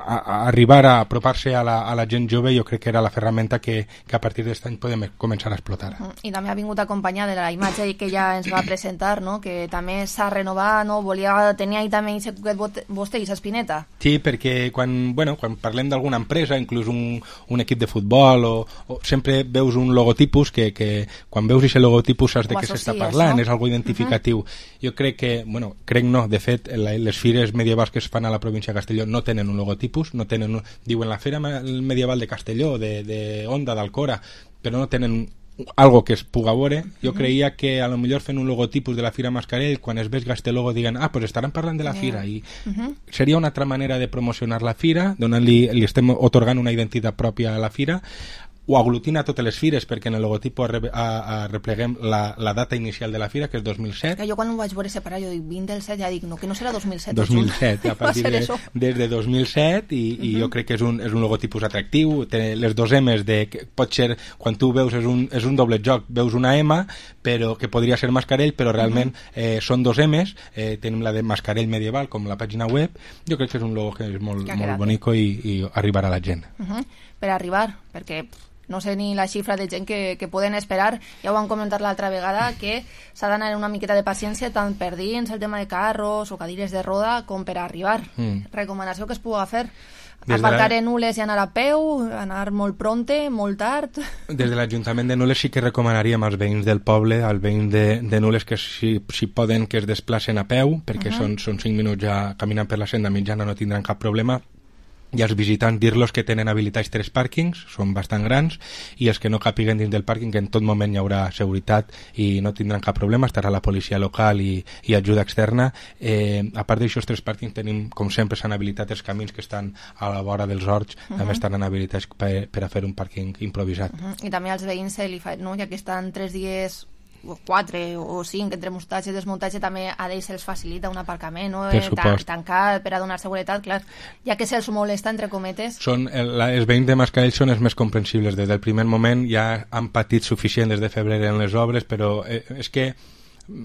a, a arribar a apropar-se a, la, a la gent jove jo crec que era la ferramenta que, que a partir d'aquest any podem començar a explotar. Uh-huh. I també ha vingut acompanyada de la imatge que ja ens va presentar, no?, que també s'ha renovat, no?, volia tenir ahí també aquest cuquet vostè i s'espineta. Sí, perquè quan, bueno, quan parlem d'alguna empresa, inclús un, un equip de futbol, o, o sempre veus un logotipus que, que quan veus aquest logotipus saps de què s'està parlant, no? És algo identificatiu. Uh-huh. Jo crec que, bueno, crec no, de fet, la, les fires medievals que es fan a la província de Castelló no tenen un logotipus, no tenen un, diuen la Fira Medieval de Castelló, de, de Onda, d'Alcora, però no tenen algo que es puga veure. Jo creia que a lo millor fent un logotipus de la Fira Mascarell, quan es veig este logo diguen, ah, pues estaran parlant de la fira, i uh-huh. seria una altra manera de promocionar la fira, donant-li, li estem otorgant una identitat pròpia a la fira. Ho aglutina totes les fires, perquè en el logotip repleguem la, la data inicial de la fira, que és dos mil set. Que jo quan ho vaig veure separar, jo dic vint del set, ja dic, no, que no serà dos mil set. dos mil set, a partir de, des de dos mil set, i, uh-huh. i jo crec que és un, és un logotipus atractiu. Té les dos M's, de, que pot ser, quan tu veus, és un, és un doble joc, veus una M, però que podria ser Mascarell, però realment uh-huh. eh, són dos M's. Eh, tenim la de Mascarell Medieval, com la pàgina web. Jo crec que és un logo que és molt, molt bonico, i, i arribarà a la gent. Uh-huh. Per arribar, perquè no sé ni la xifra de gent que, que poden esperar. Ja ho vam comentar l'altra vegada, que s'ha d'anar una miqueta de paciència tant per dins el tema de carros o cadires de roda com per arribar. Mm. Recomanació que es pugui fer. Des aparcar la... en Nules i anar a peu, anar molt pronte, molt tard. Des de l'Ajuntament de Nules sí que recomanaríem als veïns del poble, als veïns de, de Nules, que si, si poden que es desplacen a peu, perquè uh-huh. són, són cinc minuts ja caminant per la senda mitjana, no tindran cap problema. I als visitants dir-los que tenen habilitats tres pàrquings, són bastant grans, i els que no capiguen dins del pàrquing, que en tot moment hi haurà seguretat i no tindran cap problema, estarà la policia local i, i ajuda externa. Eh, a part d'aixòs tres pàrquings tenim, com sempre s'han habilitat els camins que estan a la vora dels horts, uh-huh. també estan habilitats per, per a fer un pàrquing improvisat. Uh-huh. I també als veïns se li fa, no? Ja que estan tres dies o quatre o cinc entre muntatge i desmuntatge, també a ells se'ls facilita un aparcament, no? Eh, tan, tancat per a donar seguretat, clar, ja que se'ls molesta, entre cometes. Són, el, els veïns de Mascarell són els més comprensibles. Des del primer moment ja han patit suficient des de febrer en les obres, però eh, és que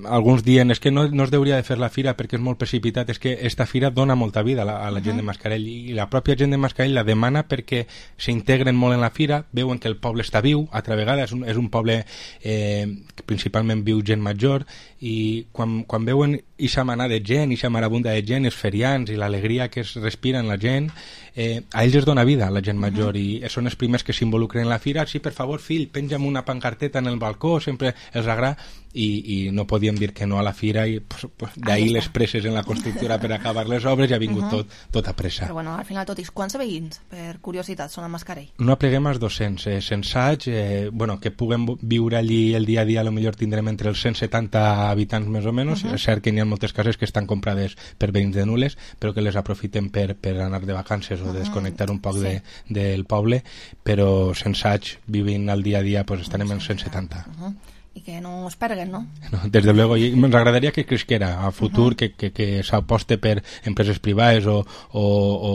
alguns diuen és que no, no es hauria de fer la fira perquè és molt precipitat. És que esta fira dona molta vida a la, a la uh-huh. gent de Mascarell, i la pròpia gent de Mascarell la demana perquè s'integren molt en la fira, veuen que el poble està viu. Altra vegada és un, és un poble eh, que principalment viu gent major, i quan, quan veuen ixa manada de gent, ixa marabunda de gent, els ferians i l'alegria que es respira en la gent, eh, a ells es dona vida, a la gent major, uh-huh. i són els primers que s'involucren en la fira. Sí, per favor, fill, penja'm una pancarteta en el balcó, sempre els agrada, i, i no podíem dir que no a la fira, i pues, pues, d'ahir les presses en la constructora per acabar les obres, ja ha vingut uh-huh. tot, tot a pressa. Però bueno, al final tot, i quants veïns, per curiositat, són a Mascarell? No apleguem als dos-cents, eh, sensaig, eh, bueno, que puguem viure allí el dia a dia, a lo millor tindrem entre els cent setanta habitants més o menys. Uh-huh. És cert que n'hi ha moltes cases que estan comprades per veïns de Nules, però que les aprofitem per, per anar de vacances o de desconnectar un poc sí. de, del poble, però sensaig, vivint al dia a dia, pues estarem en cent setanta. Uh-huh. i que no es perguen, no? No, desde luego, i ens agradaria que cresquera a futur, uh-huh. que, que, que s'aposte per empreses privades o, o, o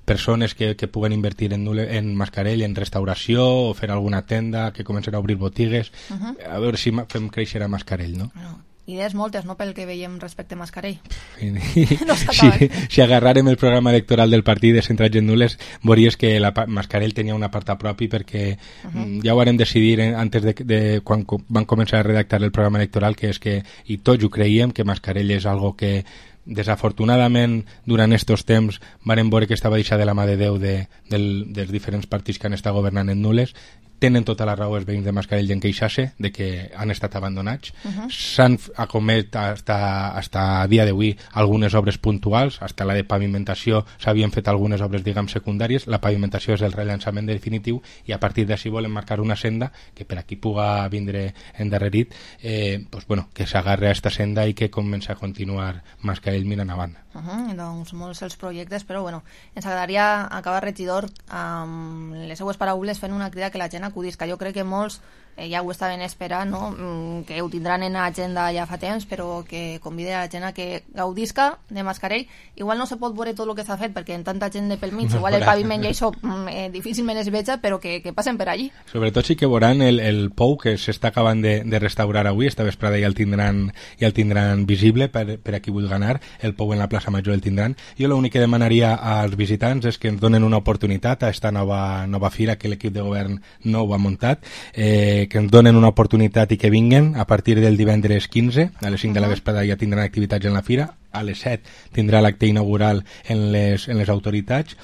persones que, que puguen invertir en, en mascarell, en restauració, o fer alguna tenda, que comencen a obrir botigues, uh-huh. a veure si fem créixer a mascarell, no? No. Idees moltes, no?, pel que veiem respecte a mascarell. No si, si agarrarem el programa electoral del partit de centrats en nules, veuries que la mascarell tenia un apartat propi, perquè uh-huh. ja ho vàrem decidir antes de, de quan van començar a redactar el programa electoral, que és que, i tots ho creiem, que mascarell és algo que desafortunadament durant estos temps varen veure que estava deixat de la mà de Déu de, del, dels diferents partits que han estat governant en nules. Tenen tota la raó els veïns de Mascarell en queixar-se de que han estat abandonats. Uh-huh. S'han acomet hasta, hasta a dia d'avui algunes obres puntuals, hasta la de pavimentació s'havien fet algunes obres, diguem, secundàries. La pavimentació és el rellançament definitiu i a partir d'ací volen marcar una senda que per aquí puga vindre endarrerit, eh, pues, bueno, que s'agarre a esta senda i que comença a continuar Mascarell mirant avant. Uh-huh, doncs molts els projectes, però bueno, ens agradaria acabar, regidor, amb les seues paraules fent una crida que la gent acudís, que jo crec que molts eh, ja ho estaven esperant, no? Que ho tindran en agenda ja fa temps, però que convide a la gent a que gaudisca de Mascarell. Igual no se pot veure tot el que s'ha fet, perquè en tanta gent de pel mig, no, igual el paviment i això eh, difícilment es veja, però que, que passen per allí. Sobretot sí que veuran el, el pou que s'està acabant de, de restaurar avui, esta vesprada ja el tindran, ja el tindran visible per, per a qui vulgui anar, el pou en la plaça Major el tindran. Jo l'únic que demanaria als visitants és que ens donen una oportunitat a esta nova, nova fira que l'equip de govern no ho ha muntat, eh, que ens donen una oportunitat i que vinguen a partir del divendres quinze, a les cinc de la vesprada ja tindran activitats en la fira, a les set tindrà l'acte inaugural en les, en les autoritats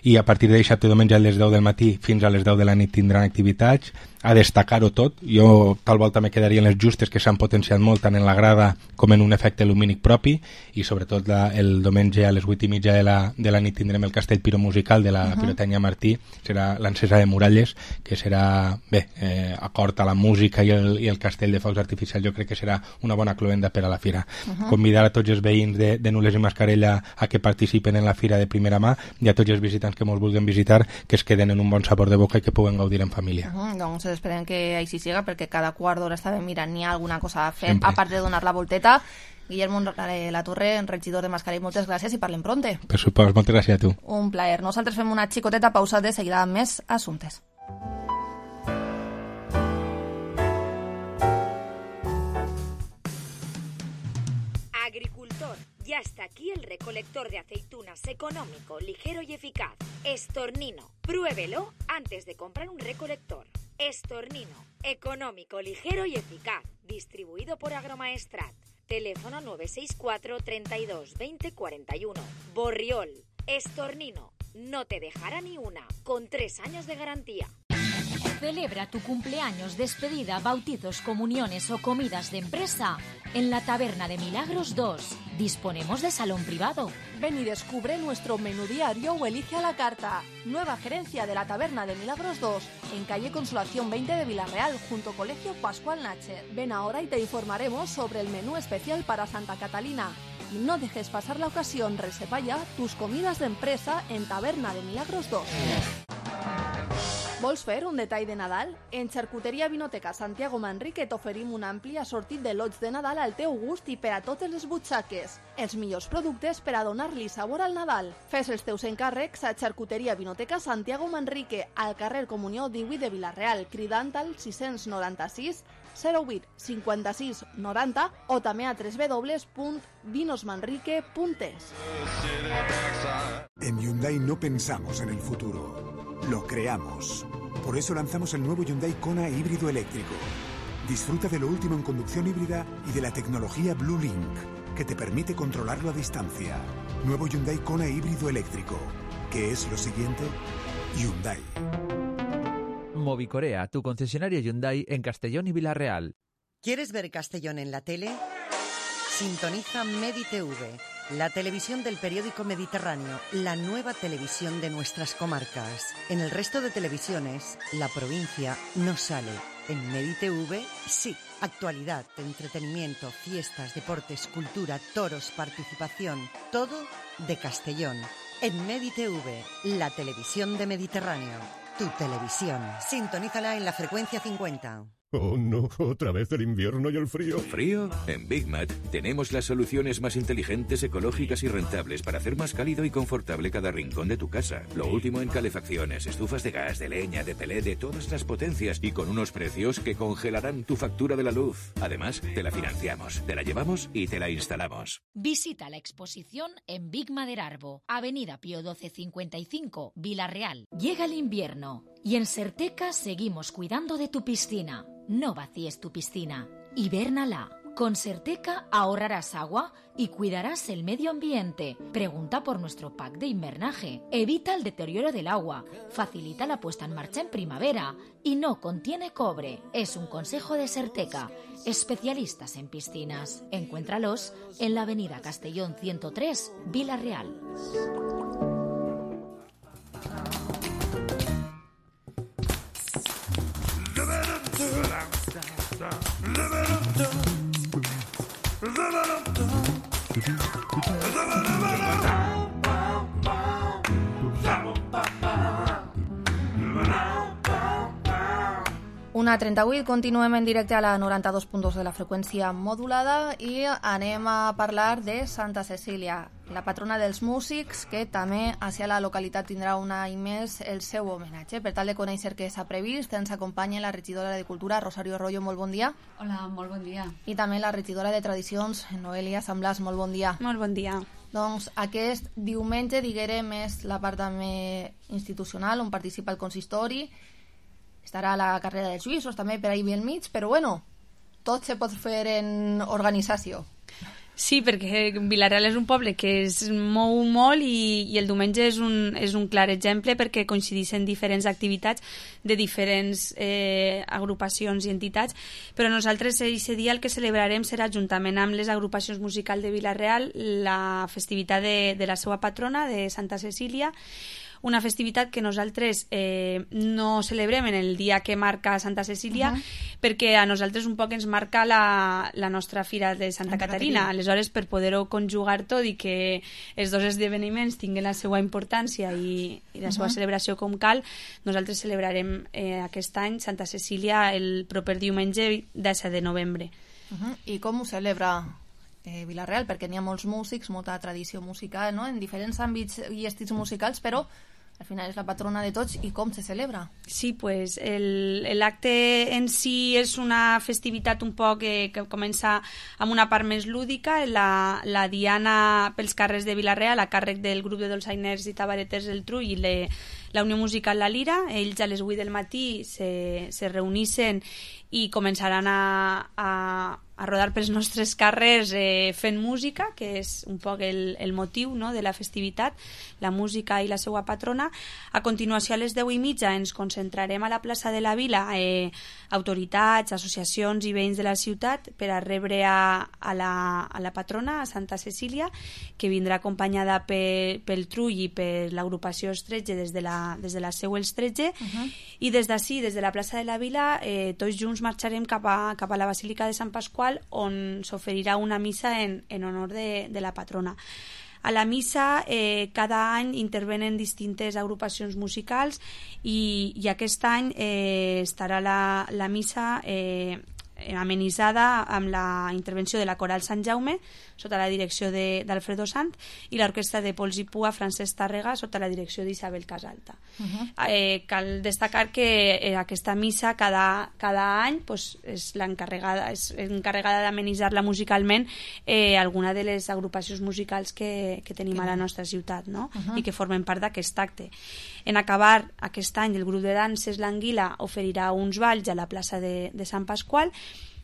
i a partir de dissabte i diumenge a les deu del matí fins a les deu de la nit tindran activitats. A destacar-ho tot, jo tal volta me quedaria en les justes que s'han potenciat molt tant en la grada com en un efecte lumínic propi i sobretot la, el diumenge a les vuit i mitja de la, de la nit tindrem el castell piromusical de la uh-huh. Pirotècnia Martí, serà l'encesa de Muralles, que serà, bé, eh, acord a la música i el, i el castell de focs artificials, jo crec que serà una bona cloenda per a la fira. Uh-huh. Convidar a tots els veïns de, de Nules i Mascarella a que participen en la fira de primera mà i a tots els visitants que mos vulguin visitar que es queden en un bon sabor de boca i que puguen gaudir en família. Uh-huh. Doncs esperem que així siga, perquè cada quart d'hora estàvem mirant ni alguna cosa a fer, sempre, a part de donar la volteta. Guillermo Latorre, regidor de Mascarell, moltes gràcies i parlem pronte. Per supost, moltes gràcies a tu. Un plaer. Nosaltres fem una xicoteta pausa, de seguida amb més assumptes. Agricultor, ya está aquí el recolector de aceitunas económico, ligero y eficaz. Estornino. Pruébelo antes de comprar un recolector. Estornino, económico, ligero y eficaz, distribuido por Agromaestrat. Teléfono nueve seis cuatro, treinta y dos, veinte, cuarenta y uno. Borriol, Estornino, no te dejará ni una, con tres años de garantía. Celebra tu cumpleaños, despedida, bautizos, comuniones o comidas de empresa en la Taberna de Milagros dos. Disponemos de salón privado. Ven y descubre nuestro menú diario o elige a la carta. Nueva gerencia de la Taberna de Milagros dos, en calle Consolación veinte de Villarreal, junto a Colegio Pascual Nacher. Ven ahora y te informaremos sobre el menú especial para Santa Catalina. Y no dejes pasar la ocasión, reserva ya tus comidas de empresa en Taberna de Milagros dos. Vols fer un detall de Nadal? En Xarcuteria Vinoteca Santiago Manrique t'oferim un ampli assortit de lots de Nadal al teu gust i per a totes les butxaques. Els millors productes per a donar-li sabor al Nadal. Fes els teus encàrrecs a Xarcuteria Vinoteca Santiago Manrique, al carrer Comunió divuit de Vilareal, cridant al sis nou sis, zero vuit, cinquanta-sis, noranta o també a w w w punt vinosmanrique punt es. En Hyundai no pensamos en el futuro. Lo creamos. Por eso lanzamos el nuevo Hyundai Kona híbrido eléctrico. Disfruta de lo último en conducción híbrida y de la tecnología Blue Link, que te permite controlarlo a distancia. Nuevo Hyundai Kona híbrido eléctrico. ¿Qué es lo siguiente? Hyundai. Movicorea, tu concesionario Hyundai en Castellón y Villarreal. ¿Quieres ver Castellón en la tele? Sintoniza MediTV, la televisión del periódico Mediterráneo, la nueva televisión de nuestras comarcas. En el resto de televisiones, la provincia no sale. En MediTV, sí. Actualidad, entretenimiento, fiestas, deportes, cultura, toros, participación, todo de Castellón. En MediTV, la televisión de Mediterráneo. Tu televisión. Sintonízala en la frecuencia cincuenta. Oh no, otra vez el invierno y el frío. ¿Frío? En Big Mat tenemos las soluciones más inteligentes, ecológicas y rentables para hacer más cálido y confortable cada rincón de tu casa. Lo último en calefacciones, estufas de gas, de leña, de pelé, de todas las potencias y con unos precios que congelarán tu factura de la luz. Además, te la financiamos, te la llevamos y te la instalamos. Visita la exposición en Big Maderarbo, Avenida Pío doce cincuenta y cinco, Vila Real. Llega el invierno y en Serteca seguimos cuidando de tu piscina. No vacíes tu piscina, hibérnala. Con Serteca ahorrarás agua y cuidarás el medio ambiente. Pregunta por nuestro pack de invernaje. Evita el deterioro del agua, facilita la puesta en marcha en primavera y no contiene cobre. Es un consejo de Serteca, especialistas en piscinas. Encuéntralos en la avenida Castellón ciento tres, Vila Real. Una trenta-vuit, continuem en directe a la noranta-dos punt dos de la freqüència modulada i anem a parlar de Santa Cecília, la patrona dels músics, que també hacia la localitat tindrà un any més el seu homenatge. Per tal de conèixer què s'ha previst, ens acompanya la regidora de Cultura, Rosario Arroyo, molt bon dia. Hola, molt bon dia. I també la regidora de Tradicions, Noelia San Blas, molt bon dia. Molt bon dia. Doncs aquest diumenge, diguem, és la part també institucional, on participa el consistori. Estarà la carrera dels suïssos també per ahir al mig, però bueno, tot se pot fer en organització. Sí, perquè Vila-real és un poble que es mou molt i, i el diumenge és un, és un clar exemple perquè coincideixen diferents activitats de diferents eh, agrupacions i entitats, però nosaltres aquest dia el que celebrarem serà, juntament amb les agrupacions musicals de Vila-real, la festivitat de, de la seva patrona, de Santa Cecília, una festivitat que nosaltres eh, no celebrem en el dia que marca Santa Cecília, uh -huh. perquè a nosaltres un poc ens marca la, la nostra fira de Santa, Santa Caterina. Caterina. Aleshores, per poder-ho conjugar tot i que els dos esdeveniments tinguin la seva importància i, i la seva uh -huh. celebració com cal, nosaltres celebrarem eh, aquest any Santa Cecília el proper diumenge disset de novembre. Uh -huh. I com ho celebra eh, Vila-real? Perquè n'hi ha molts músics, molta tradició musical, no?, en diferents àmbits i estils musicals, però al final és la patrona de tots. I com se celebra? Sí, pues l'acte en si és una festivitat un poc eh, que comença amb una part més lúdica, la, la diana pels carrers de Vila-real a càrrec del grup de dolçainers i tabareters del Trull i le, la Unió Musical La Lira. Ells a les vuit del matí se, se reunissen i començaran a, a, a rodar pels nostres carrers eh, fent música, que és un poc el, el motiu, no?, de la festivitat, la música i la seva patrona. A continuació, a les deu i mitja, ens concentrarem a la plaça de la Vila, eh, autoritats, associacions i veïns de la ciutat, per a rebre a, a, la, a la patrona, a Santa Cecília, que vindrà acompanyada pe, pel Trull i per l'agrupació Estretge des de la, des de la seu Estretge, uh-huh. i des d'ací, des de la plaça de la Vila, eh, tots junts marxarem cap a, cap a la Basílica de Sant Pasqual, on s'oferirà una missa en, en honor de, de la patrona. A la missa eh, cada any intervenen distintes agrupacions musicals i, i aquest any eh, estarà la, la missa eh, amenitzada amb la intervenció de la Coral Sant Jaume sota la direcció d'Alfredo Sant i l'orquestra de Pols i Pua Francesc Tàrrega sota la direcció d'Isabel Casalta. Uh-huh. eh, cal destacar que eh, aquesta missa cada, cada any pues, és l'encarregada és encarregada d'amenitzar-la musicalment eh, alguna de les agrupacions musicals que, que tenim a la nostra ciutat, no? Uh-huh. I que formen part d'aquest acte. En acabar aquest any el grup de danses L'Anguila oferirà uns balls a la plaça de, de Sant Pasqual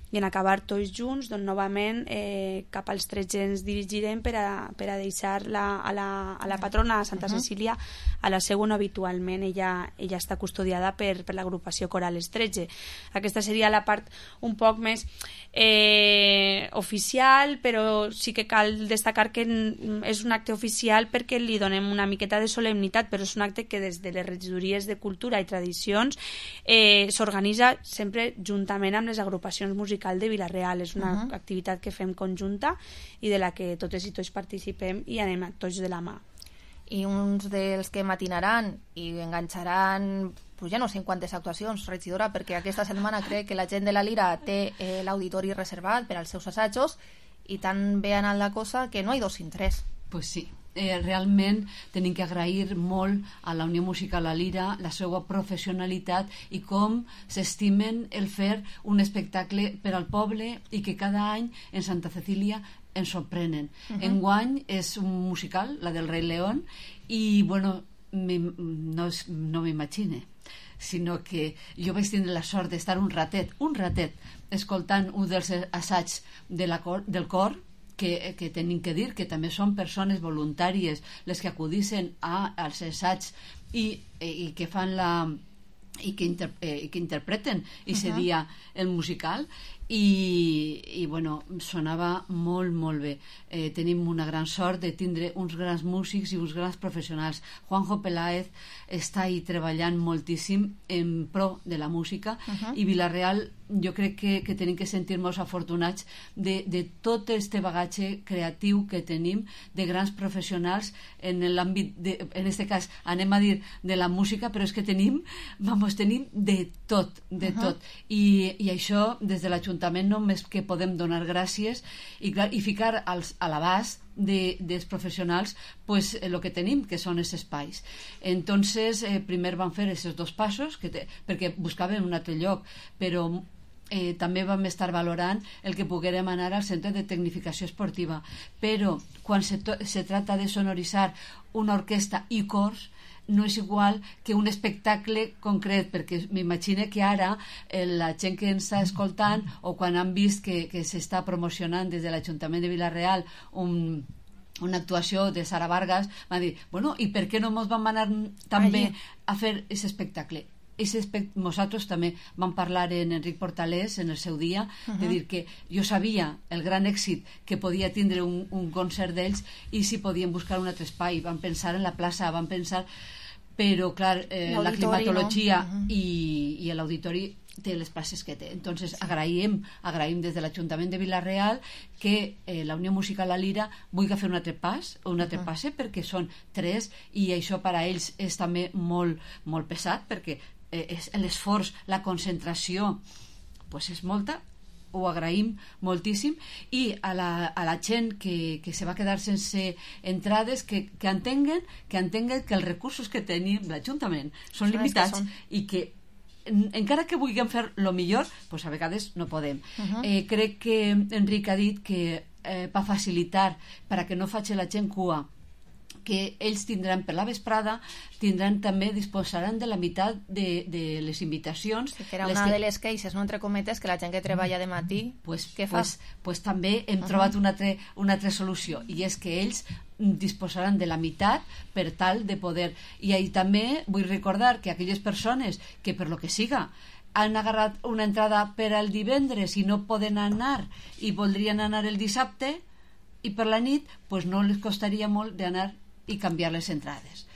i en acabar tots junts, doncs novament eh, cap als tretze ens dirigirem per a, per a deixar la, a, la, a la patrona, a Santa uh-huh. Cecília, a la seu on habitualment ella, ella està custodiada per, per l'agrupació Coral Estretge. Aquesta seria la part un poc més eh, oficial, però sí que cal destacar que és un acte oficial perquè li donem una miqueta de solemnitat, però és un acte que des de les regidories de Cultura i Tradicions eh, s'organitza sempre juntament amb les agrupacions musicals de Vila-real. És una uh-huh. activitat que fem conjunta i de la que totes i tots participem i anem tots de la mà. I uns dels que matinaran i enganxaran pues ja no sé en quantes actuacions, regidora, perquè aquesta setmana crec que la gent de la Lira té eh, l'auditori reservat per als seus assajos i tan bé ha anat la cosa que no hi ha dos sin tres. Pues sí. Eh, realment tenim que agrair molt a la Unió Musical La Lira la seva professionalitat i com s'estimen el fer un espectacle per al poble i que cada any en Santa Cecília ens sorprenen. Uh-huh. Enguany és un musical, la del Rei León, i bueno, no, és, no m'imagine, sinó que jo vaig tindre la sort d'estar un ratet, un ratet, escoltant un dels assaigs de la cor, del cor, que, que tenim que dir que també són persones voluntàries les que acudissin a, als assaigs i, i que fan la i que, inter, eh, que interpreten i uh-huh. seria el musical i, i bueno, sonava molt molt bé. Eh, tenim una gran sort de tindre uns grans músics i uns grans professionals. Juanjo Peláez està ahí treballant moltíssim en pro de la música uh-huh. i Vila-real jo crec que, que tenim que sentir-nos afortunats de, de tot este bagatge creatiu que tenim de grans professionals en l'àmbit, de, en este cas anem a dir de la música, però és que tenim vamos, tenim de tot, de uh-huh. tot I, i això des de l'Ajuntament només que podem donar gràcies i, clar, i ficar als, a l'abast de, dels professionals pues el que tenim, que són els espais. Entonces eh, primer van fer aquests dos passos que te, perquè buscaven un altre lloc, però Eh, també vam estar valorant el que poguérem anar al centre de tecnificació esportiva, però quan se, to- se trata de sonoritzar una orquestra i cors no és igual que un espectacle concret, perquè m'imagino que ara eh, la gent que ens està escoltant o quan han vist que, que s'està promocionant des de l'Ajuntament de Vila-real un una actuació de Sara Vargas, va dir, bueno, i per què no ens vam anar també a fer aquest espectacle? Nosaltres també vam parlar en Enric Portalés en el seu dia, uh-huh. de dir que jo sabia el gran èxit que podia tindre un, un concert d'ells i si podien buscar un altre espai. Van pensar en la plaça, van pensar... Però, clar, eh, la climatologia no? uh-huh. i, i l'auditori té les places que té. Entonces, sí. agraïm, agraïm des de l'Ajuntament de Vila-real que eh, la Unió Musical La Lira vulgui fer un altre pas, un altre uh-huh. passe, perquè són tres i això per a ells és també molt, molt pesat, perquè eh, és l'esforç, la concentració pues és molta, ho agraïm moltíssim i a la, a la gent que, que se va quedar sense entrades que, que entenguen que entenguen que els recursos que tenim l'Ajuntament són limitats que són. I que en, encara que vulguem fer el millor pues a vegades no podem. Uh-huh. eh, crec que Enric ha dit que eh, per facilitar per a que no faci la gent cua que ells tindran per la vesprada, tindran també, disposaran de la meitat de, de les invitacions. Sí, que era una que... de les queixes, no entre cometes, que la gent que treballa de matí, pues, què fa? Pues, pues també hem uh-huh. trobat una altra, una altra solució, i és que ells disposaran de la meitat per tal de poder... I ahí també vull recordar que aquelles persones que per lo que siga han agarrat una entrada per al divendres i no poden anar i voldrien anar el dissabte i per la nit, pues no les costaria molt d'anar i canviar les entrades,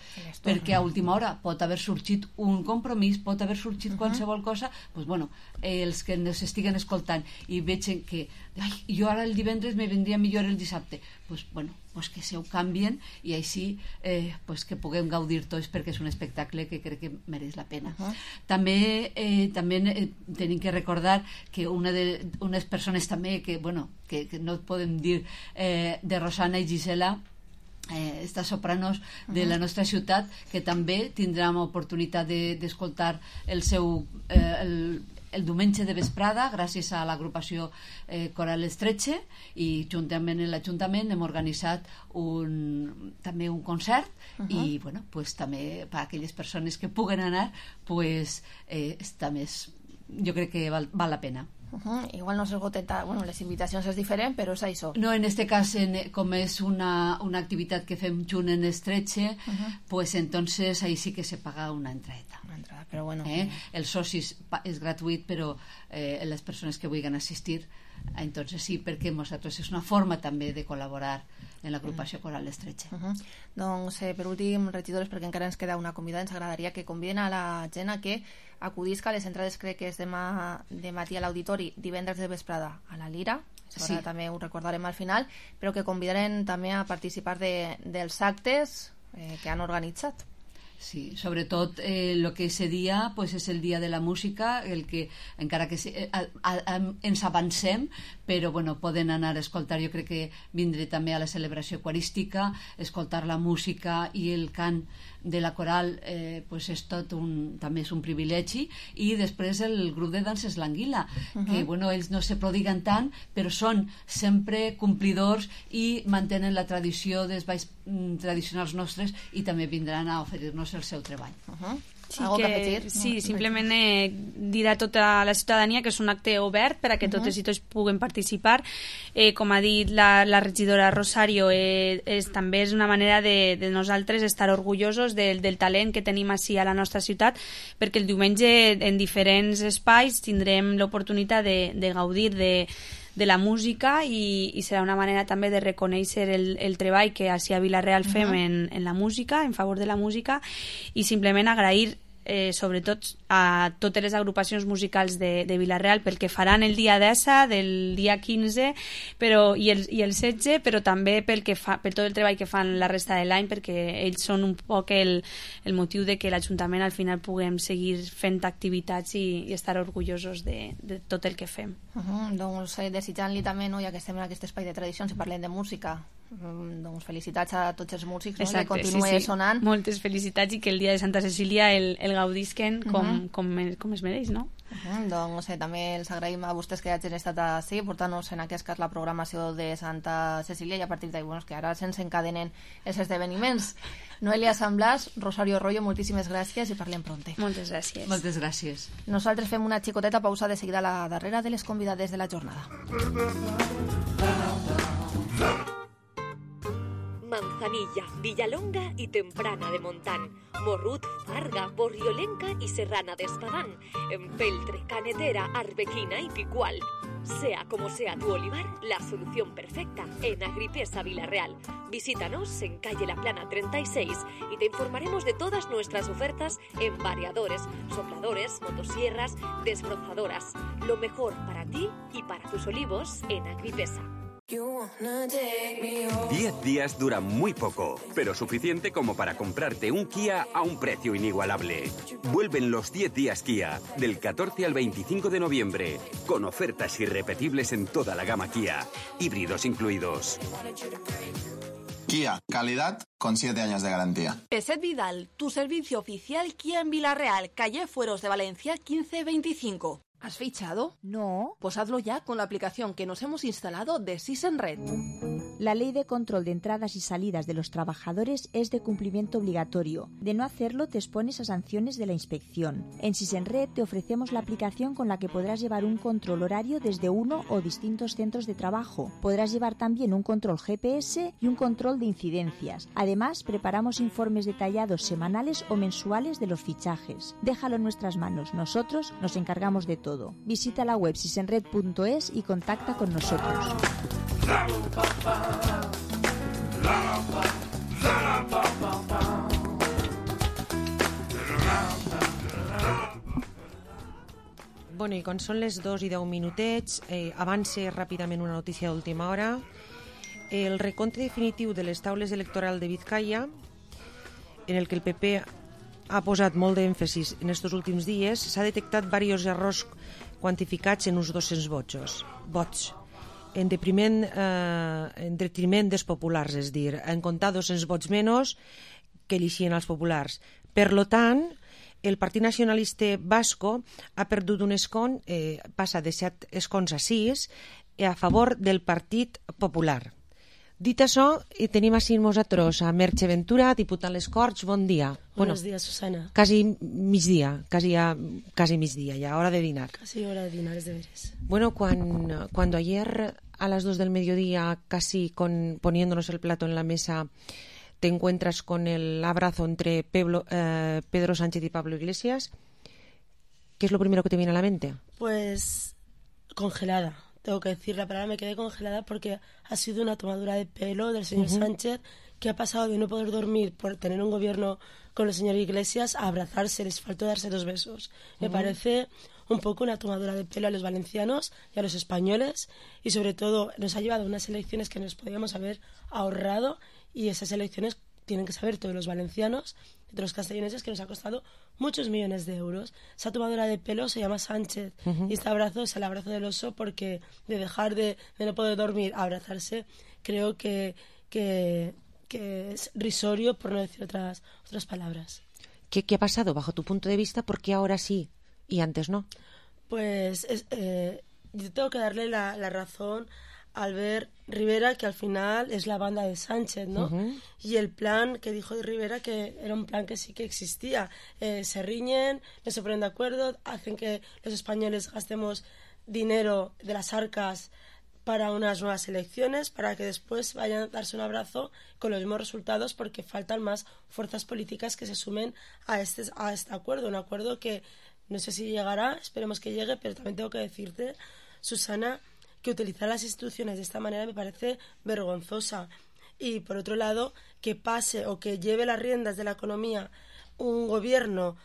perquè a última hora pot haver sorgit un compromís, pot haver sorgit uh-huh. qualsevol cosa, pues bueno, eh, els que ens estiguen escoltant i vegin que ai, jo ara el divendres me vendria millor el dissabte, pues bueno, pues que se ho canvien i així eh, pues que puguem gaudir tots, perquè és un espectacle que crec que mereix la pena. Uh-huh. També, eh, també eh, tenim que recordar que una de unes persones també que, bueno, que, que no podem dir eh, de Rosana i Gisela, Eh, estas sopranos de uh-huh. la nostra ciutat, que també tindrem oportunitat de, d'escoltar el seu eh, el, el diumenge de vesprada gràcies a l'agrupació eh, Coral Estretxe, i juntament amb l'Ajuntament hem organitzat un, també un concert uh-huh. i bueno, pues, també per a aquelles persones que puguen anar pues, eh, està més, jo crec que val, val la pena. Uh-huh. Igual no s'esgoten, bueno, les invitacions és diferent, però és això. No, en este cas, en, com és una, una activitat que fem junt en Estretxe, uh-huh. pues entonces ahí sí que se paga una entradeta. Una entrada, però bueno. Eh? El soci és gratuït, però eh, les persones que vulguin assistir, entonces sí, perquè nosaltres és una forma també de col·laborar en l'agrupació Coral Estretxe. Uh-huh. Doncs, eh, per últim, regidores, perquè encara ens queda una convidada, ens agradaria que conviden a la gent a que acudisca a les entrades, crec que és demà de matí a l'auditori, divendres de vesprada a la Lira, sí. També ho recordarem al final, però que convidarem també a participar de, dels actes eh, que han organitzat. Sí, sobretot el eh, que ese dia pues, és el dia de la música, el que encara que se, a, a, a, ens avancem, però bueno, poden anar a escoltar, jo crec que vindré també a la celebració eucarística, escoltar la música i el cant de la coral eh, pues és tot un, també és un privilegi, i després el grup de danses l'Anguila, uh-huh. que bueno, ells no se prodiguen tant, però són sempre complidors i mantenen la tradició dels balls mm, tradicionals nostres, i també vindran a oferir-nos el seu treball. Uh-huh. Sí, que, sí, simplement eh, dir a tota la ciutadania que és un acte obert per a que totes uh-huh. i tots puguen participar. Eh, com ha dit la, la regidora Rosario, eh, és, també és una manera de, de nosaltres estar orgullosos del, del talent que tenim així a la nostra ciutat, perquè el diumenge en diferents espais tindrem l'oportunitat de, de gaudir de de la música i, i serà una manera també de reconèixer el, el treball que així a Vila-real fem uh-huh. en, en la música, en favor de la música, i simplement agrair eh, sobretot a totes les agrupacions musicals de, de Vila-real pel que faran el dia desa, del dia quinze però, i, el, i el setze, però també pel que fa, per tot el treball que fan la resta de l'any, perquè ells són un poc el, el motiu de que l'Ajuntament al final puguem seguir fent activitats i, i estar orgullosos de, de tot el que fem. Uh-huh. Doncs eh, desitjant-li també, no, ja que estem en aquest espai de tradicions i parlem de música, doncs felicitats a tots els músics, no? Exacte, que continuï sí, sí. sonant. Moltes felicitats i que el dia de Santa Cecília el, el gaudisquen com, uh-huh. com, com es mereix, no? Uh-huh. Doncs eh, també els agraïm a vostès que hagin estat així, portant-nos en aquest cas la programació de Santa Cecília, i a partir d'ahí, bueno, que ara se'ns encadenen els esdeveniments. Noelia San Blas, Rosario Rollo, moltíssimes gràcies i parlem pronte. Moltes gràcies. Moltes gràcies. Nosaltres fem una xicoteta pausa, de seguida a la darrera de les convidades de la jornada. Manzanilla, Villalonga y Temprana de Montán, Morrut, Farga, Borriolenca y Serrana de Espadán, Empeltre, Canetera, Arbequina y Picual. Sea como sea tu olivar, la solución perfecta en Agripesa Vila-real. Visítanos en calle La Plana treinta y seis y te informaremos de todas nuestras ofertas en variadores, sopladores, motosierras, desbrozadoras. Lo mejor para ti y para tus olivos en Agripesa. Diez días duran muy poco, pero suficiente como para comprarte un Kia a un precio inigualable. Vuelven los diez días Kia, del catorce al veinticinco de noviembre, con ofertas irrepetibles en toda la gama Kia, híbridos incluidos. Kia, calidad con siete años de garantía. Peset Vidal, tu servicio oficial Kia en Vila-real, calle Fueros de Valencia quince veinticinco. ¿Has fichado? No. Pues hazlo ya con la aplicación que nos hemos instalado de Sisenred. La ley de control de entradas y salidas de los trabajadores es de cumplimiento obligatorio. De no hacerlo te expones a sanciones de la inspección. En Sisenred te ofrecemos la aplicación con la que podrás llevar un control horario desde uno o distintos centros de trabajo. Podrás llevar también un control G P S y un control de incidencias. Además, preparamos informes detallados semanales o mensuales de los fichajes. Déjalo en nuestras manos. Nosotros nos encargamos de todo. Visita la web sisenred punto es y contacta con nosotros. Bueno, i quan són les dos i deu minutets, eh, avance ràpidament una notícia d'última hora. El recompte definitiu de les taules electorals de Vizcaya, en el que el P P ha posat molt d'èmfasis en aquests últims dies, s'ha detectat diversos errors quantificats en uns dos-cents vots, vots en detriment, eh, en detriment dels populars, és dir, en comptar dos-cents vots menys que elixien els populars. Per lo tant, el Partit Nacionalista Basco ha perdut un escon, eh, passa de set escons a sis, a favor del Partit Popular. Dit això, tenim així nosaltres a Merche Ventura, diputat a les Corts, bon dia. Buenos bueno, días, Susana. Quasi migdia, quasi, ya, casi migdia, ya hora de dinar. Casi hora de dinar, es deberes. Bueno, cuando, cuando ayer a las dos del mediodía, casi con, poniéndonos el plato en la mesa, te encuentras con el abrazo entre Pedro, eh, Pedro Sánchez y Pablo Iglesias, ¿qué es lo primero que te viene a la mente? Pues congelada. Tengo que decir la palabra, me quedé congelada porque ha sido una tomadura de pelo del señor uh-huh. Sánchez, que ha pasado de no poder dormir por tener un gobierno con el señor Iglesias a abrazarse, les faltó darse dos besos. Me uh-huh. parece un poco una tomadura de pelo a los valencianos y a los españoles, y sobre todo nos ha llevado a unas elecciones que nos podíamos haber ahorrado, y esas elecciones tienen que saber todos los valencianos, de los castellaneses, que nos ha costado muchos millones de euros. Esa tomadura de pelo se llama Sánchez, uh-huh. y este abrazo es el abrazo del oso, porque de dejar de, de no poder dormir a abrazarse, creo que, que, que es risorio, por no decir otras, otras palabras. ¿Qué, ¿Qué ha pasado bajo tu punto de vista? ¿Por qué ahora sí y antes no? Pues es, eh, yo tengo que darle la, la razón Albert Rivera, que al final es la banda de Sánchez, ¿no? Uh-huh. Y el plan que dijo de Rivera, que era un plan que sí que existía. Eh, se riñen, no se ponen de acuerdo, hacen que los españoles gastemos dinero de las arcas para unas nuevas elecciones, para que después vayan a darse un abrazo con los mismos resultados, porque faltan más fuerzas políticas que se sumen a este, a este acuerdo. Un acuerdo que no sé si llegará, esperemos que llegue, pero también tengo que decirte, Susana, que utilizar las instituciones de esta manera me parece vergonzosa. Y, por otro lado, que pase o que lleve las riendas de la economía un gobierno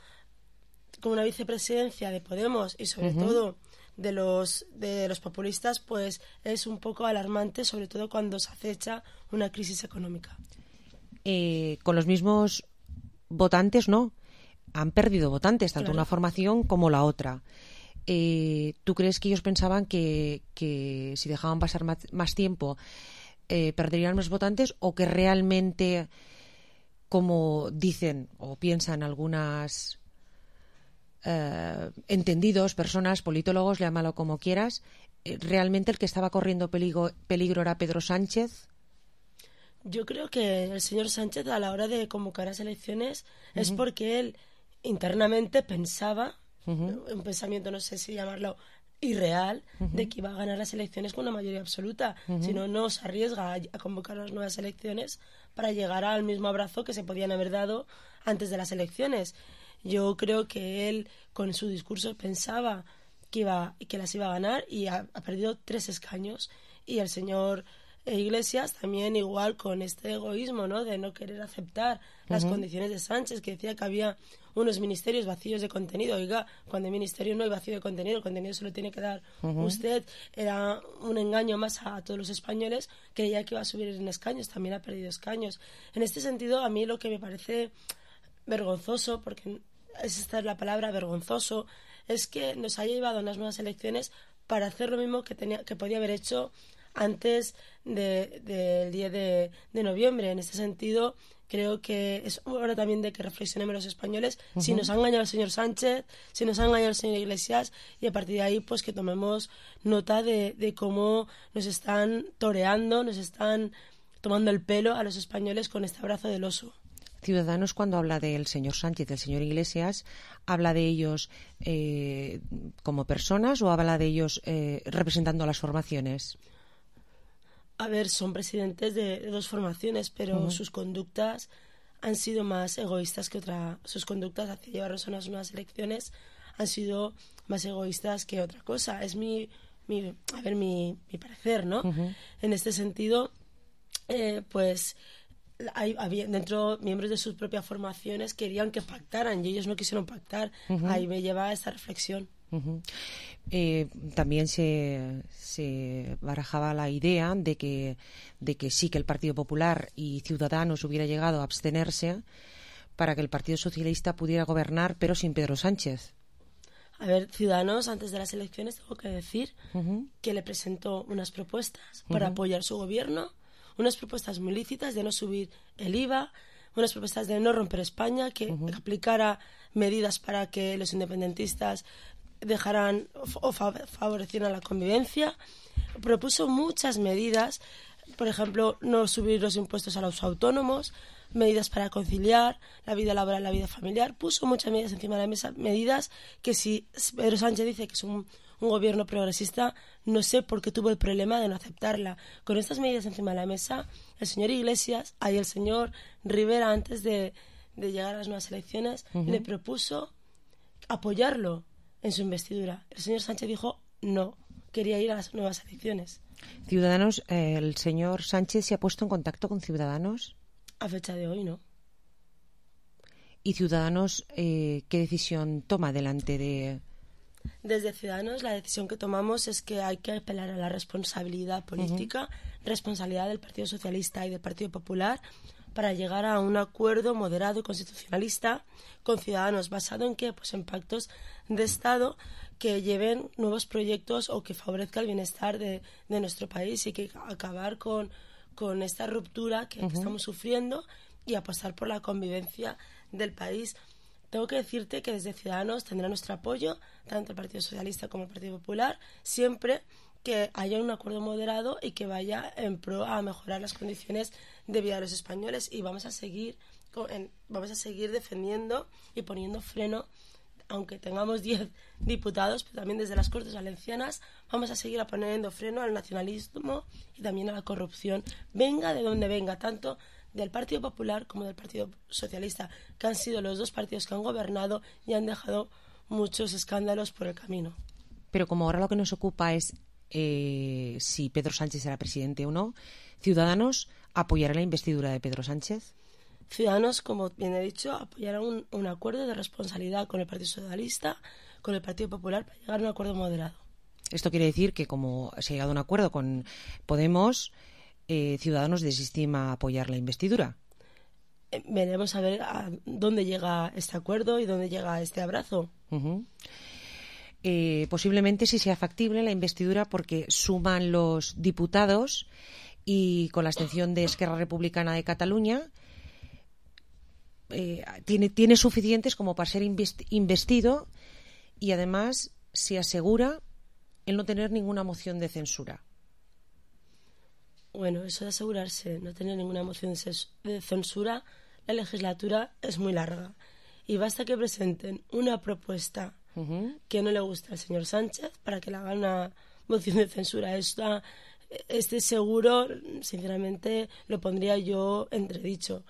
con una vicepresidencia de Podemos y, sobre uh-huh. todo, de los, de los populistas, pues es un poco alarmante, sobre todo cuando se acecha una crisis económica. Eh, con los mismos votantes, ¿no? Han perdido votantes, tanto claro. una formación como la otra. Eh, ¿Tú crees que ellos pensaban que, que si dejaban pasar más, más tiempo eh, perderían más votantes, o que realmente, como dicen o piensan algunas eh, entendidos, personas, politólogos, llámalo como quieras, eh, realmente el que estaba corriendo peligro, peligro era Pedro Sánchez? Yo creo que el señor Sánchez, a la hora de convocar las elecciones, uh-huh. es porque él internamente pensaba, Uh-huh. un pensamiento, no sé si llamarlo irreal, uh-huh. de que iba a ganar las elecciones con una mayoría absoluta. Uh-huh. Si no, no se arriesga a, a convocar unas nuevas elecciones para llegar al mismo abrazo que se podían haber dado antes de las elecciones. Yo creo que él, con su discurso, pensaba que iba que las iba a ganar, y ha, ha perdido tres escaños. Y el señor Iglesias también, igual, con este egoísmo, ¿no?, de no querer aceptar las uh-huh. condiciones de Sánchez, que decía que había unos ministerios vacíos de contenido. Oiga, cuando hay ministerio no hay vacío de contenido, el contenido se lo tiene que dar uh-huh. usted. Era un engaño más a, a todos los españoles. Creía que iba a subir en escaños, también ha perdido escaños. En este sentido, a mí lo que me parece vergonzoso, porque es esta es la palabra, vergonzoso, es que nos haya llevado a unas nuevas elecciones para hacer lo mismo que tenía que podía haber hecho antes de, de, del diez de, de noviembre. En este sentido, creo que es hora también de que reflexionemos los españoles, uh-huh. si nos ha engañado el señor Sánchez, si nos ha engañado el señor Iglesias, y a partir de ahí pues que tomemos nota de, de cómo nos están toreando, nos están tomando el pelo a los españoles con este abrazo del oso. Ciudadanos, cuando habla del señor Sánchez, del señor Iglesias, ¿habla de ellos eh, como personas o habla de ellos eh, representando a las formaciones? A ver, son presidentes de, de dos formaciones, pero uh-huh. sus conductas han sido más egoístas que otra. Sus conductas hacia llevarnos a unas nuevas elecciones han sido más egoístas que otra cosa. Es mi, mi a ver, mi, mi parecer, ¿no? Uh-huh. En este sentido, eh, pues hay, había, dentro miembros de sus propias formaciones querían que pactaran y ellos no quisieron pactar. Uh-huh. Ahí me lleva a esta reflexión. Uh-huh. Eh, también se, se barajaba la idea de que, de que sí que el Partido Popular y Ciudadanos hubiera llegado a abstenerse para que el Partido Socialista pudiera gobernar, pero sin Pedro Sánchez. A ver, Ciudadanos, antes de las elecciones, tengo que decir uh-huh. que le presentó unas propuestas para uh-huh. apoyar su gobierno, unas propuestas muy lícitas de no subir el I V A, unas propuestas de no romper España, que uh-huh. aplicara medidas para que los independentistas dejarán o favorecieran la convivencia. Propuso muchas medidas, por ejemplo, no subir los impuestos a los autónomos, medidas para conciliar la vida laboral y la vida familiar. Puso muchas medidas encima de la mesa, medidas que si Pedro Sánchez dice que es un, un gobierno progresista, no sé por qué tuvo el problema de no aceptarla. Con estas medidas encima de la mesa, el señor Iglesias, ahí el señor Rivera, antes de, de llegar a las nuevas elecciones, uh-huh. le propuso apoyarlo en su investidura. El señor Sánchez dijo no, quería ir a las nuevas elecciones. Ciudadanos, eh, ¿el señor Sánchez se ha puesto en contacto con Ciudadanos? A fecha de hoy, no. ¿Y Ciudadanos eh, qué decisión toma delante de...? Desde Ciudadanos la decisión que tomamos es que hay que apelar a la responsabilidad política, uh-huh. responsabilidad del Partido Socialista y del Partido Popular, para llegar a un acuerdo moderado y constitucionalista con Ciudadanos, basado en qué, pues en pactos de Estado que lleven nuevos proyectos o que favorezca el bienestar de, de nuestro país y que acabar con, con esta ruptura que, uh-huh. que estamos sufriendo y apostar por la convivencia del país. Tengo que decirte que desde Ciudadanos tendrá nuestro apoyo, tanto el Partido Socialista como el Partido Popular, siempre que haya un acuerdo moderado y que vaya en pro a mejorar las condiciones de vida de los españoles, y vamos a seguir con, en, vamos a seguir defendiendo y poniendo freno, aunque tengamos diez diputados, pero también desde las Cortes Valencianas vamos a seguir poniendo freno al nacionalismo y también a la corrupción, venga de donde venga, tanto del Partido Popular como del Partido Socialista, que han sido los dos partidos que han gobernado y han dejado muchos escándalos por el camino. Pero como ahora lo que nos ocupa es eh, si Pedro Sánchez será presidente o no, ¿Ciudadanos apoyará la investidura de Pedro Sánchez? Ciudadanos, como bien he dicho, apoyará un, un acuerdo de responsabilidad con el Partido Socialista, con el Partido Popular, para llegar a un acuerdo moderado. Esto quiere decir que, como se ha llegado a un acuerdo con Podemos, eh, Ciudadanos desestima apoyar la investidura. Eh, veremos a ver a dónde llega este acuerdo y dónde llega este abrazo. Uh-huh. Eh, posiblemente sí sea factible la investidura porque suman los diputados y con la abstención de Esquerra Republicana de Cataluña eh, tiene, tiene suficientes como para ser investido, y además se asegura el no tener ninguna moción de censura. Bueno, eso de asegurarse no tener ninguna moción de censura, la legislatura es muy larga y basta que presenten una propuesta uh-huh. que no le gusta al señor Sánchez para que le hagan una moción de censura. Esta, este seguro, sinceramente, lo pondría yo entredicho.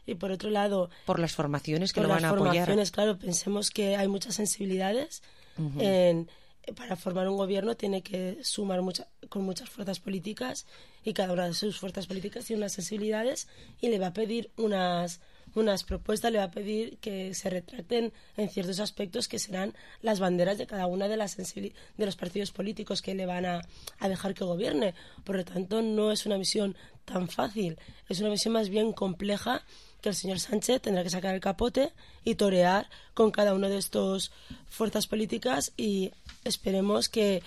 Y por otro lado... Por las formaciones que lo van a apoyar. Por las formaciones, claro, pensemos que hay muchas sensibilidades. Uh-huh. En, para formar un gobierno tiene que sumar mucha, con muchas fuerzas políticas, y cada una de sus fuerzas políticas tiene unas sensibilidades y le va a pedir unas, unas propuestas, le va a pedir que se retracten en ciertos aspectos que serán las banderas de cada una de las sensibili- de los partidos políticos que le van a, a dejar que gobierne. Por lo tanto, no es una misión tan fácil, es una misión más bien compleja, que el señor Sánchez tendrá que sacar el capote y torear con cada una de estas fuerzas políticas, y esperemos que,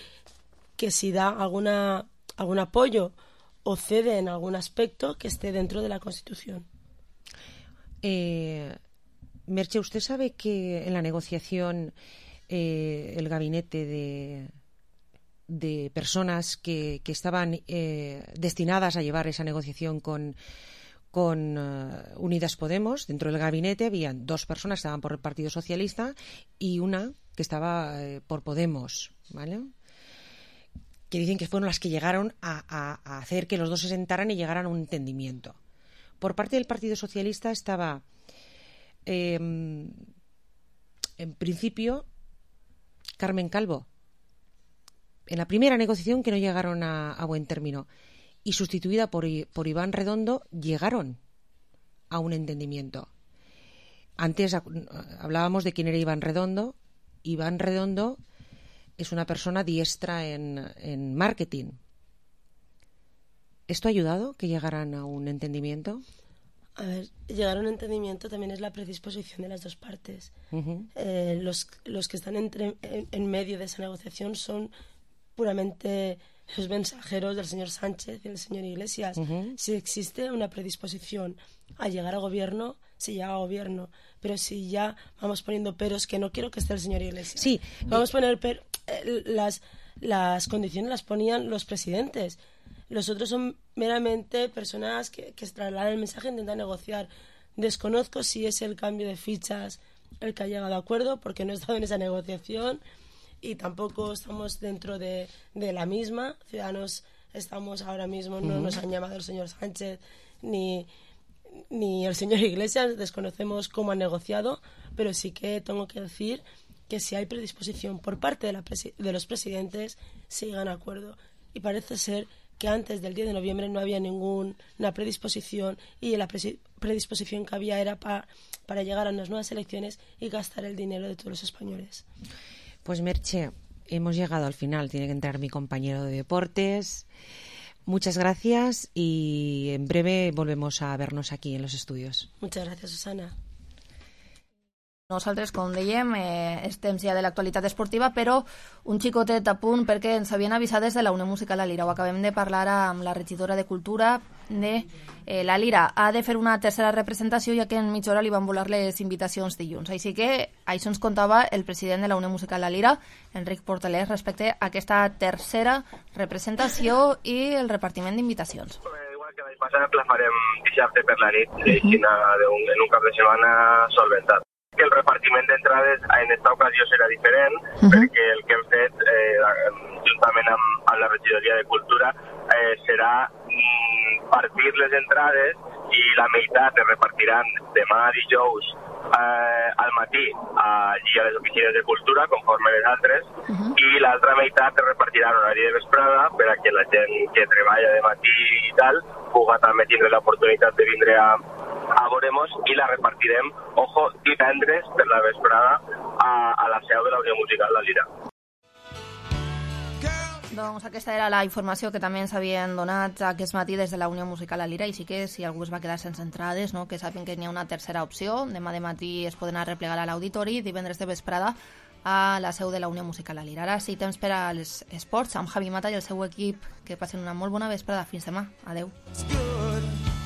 que si da alguna, algún apoyo o cede en algún aspecto, que esté dentro de la Constitución. Eh, Merche, ¿usted sabe que en la negociación eh, el gabinete de, de personas que, que estaban eh, destinadas a llevar esa negociación con con uh, Unidas Podemos, dentro del gabinete habían dos personas que estaban por el Partido Socialista y una que estaba eh, por Podemos, ¿vale? Que dicen que fueron las que llegaron a, a, a hacer que los dos se sentaran y llegaran a un entendimiento. Por parte del Partido Socialista estaba, eh, en principio, Carmen Calvo, en la primera negociación que no llegaron a, a buen término, y sustituida por, por Iván Redondo, llegaron a un entendimiento. Antes hablábamos de quién era Iván Redondo. Iván Redondo es una persona diestra en, en marketing. ¿Esto ha ayudado que llegaran a un entendimiento? A ver, llegar a un entendimiento también es la predisposición de las dos partes. Uh-huh. Eh, los, los que están entre, en, en medio de esa negociación son puramente los mensajeros del señor Sánchez y del señor Iglesias. Uh-huh. Si existe una predisposición a llegar al gobierno, se llega al gobierno. Pero si ya vamos poniendo peros, que no quiero que esté el señor Iglesias. Sí. Vamos a poner per, eh, las, las condiciones las ponían los presidentes. Los otros son meramente personas que, que trasladan el mensaje e intentan negociar. Desconozco si es el cambio de fichas el que ha llegado a acuerdo, porque no he estado en esa negociación y tampoco estamos dentro de, de la misma. Ciudadanos estamos ahora mismo, no uh-huh. nos han llamado el señor Sánchez ni, ni el señor Iglesias, desconocemos cómo han negociado, pero sí que tengo que decir que si hay predisposición por parte de, la presi- de los presidentes, se llegan a acuerdo. Y parece ser que antes del diez de noviembre no había ninguna predisposición, y la predisposición que había era pa, para llegar a unas nuevas elecciones y gastar el dinero de todos los españoles. Pues Merche, hemos llegado al final. Tiene que entrar mi compañero de deportes. Muchas gracias y en breve volvemos a vernos aquí en los estudios. Muchas gracias, Susana. Nosaltres, com dèiem, eh, estem ja de l'actualitat esportiva, però un xicotet a punt perquè ens havien avisat des de la Unió Musical La Lira. Ho acabem de parlar amb la regidora de Cultura de eh, La Lira. Ha de fer una tercera representació, ja que en mitja hora li van volar les invitacions dilluns. Així que això ens contava el president de la Unió Musical La Lira, Enric Portelés, respecte a aquesta tercera representació i el repartiment d'invitacions. Igual que l'any passat la farem dissabte per la nit, en un cap de setmana solventat. Que el repartiment d'entrades en esta ocasió serà diferent, uh-huh. perquè el que hem fet, eh, juntament amb, amb la regidoria de Cultura, eh, serà mm, partir les entrades i la meitat es repartiran demà dijous eh, al matí allí a les oficines de Cultura, conforme les altres, uh-huh. i l'altra meitat es repartirà en horari de vesprada per a que la gent que treballa de matí i tal puga també tindre l'oportunitat de vindre a a Voremos i la repartirem, ojo, divendres per la vesprada a, a la seu de la Unió Musical La Lira. Doncs aquesta era la informació que també ens havien donat aquest matí des de la Unió Musical La Lira, i sí que si algú es va quedar sense entrades, no, que sàpiguen que n'hi ha una tercera opció. Demà de matí es poden anar a replegar a l'auditori, divendres de vesprada a la seu de la Unió Musical La Lira. Ara sí, temps per als esports amb Javi Mata i el seu equip. Que passen una molt bona vesprada. Fins demà. Adeu.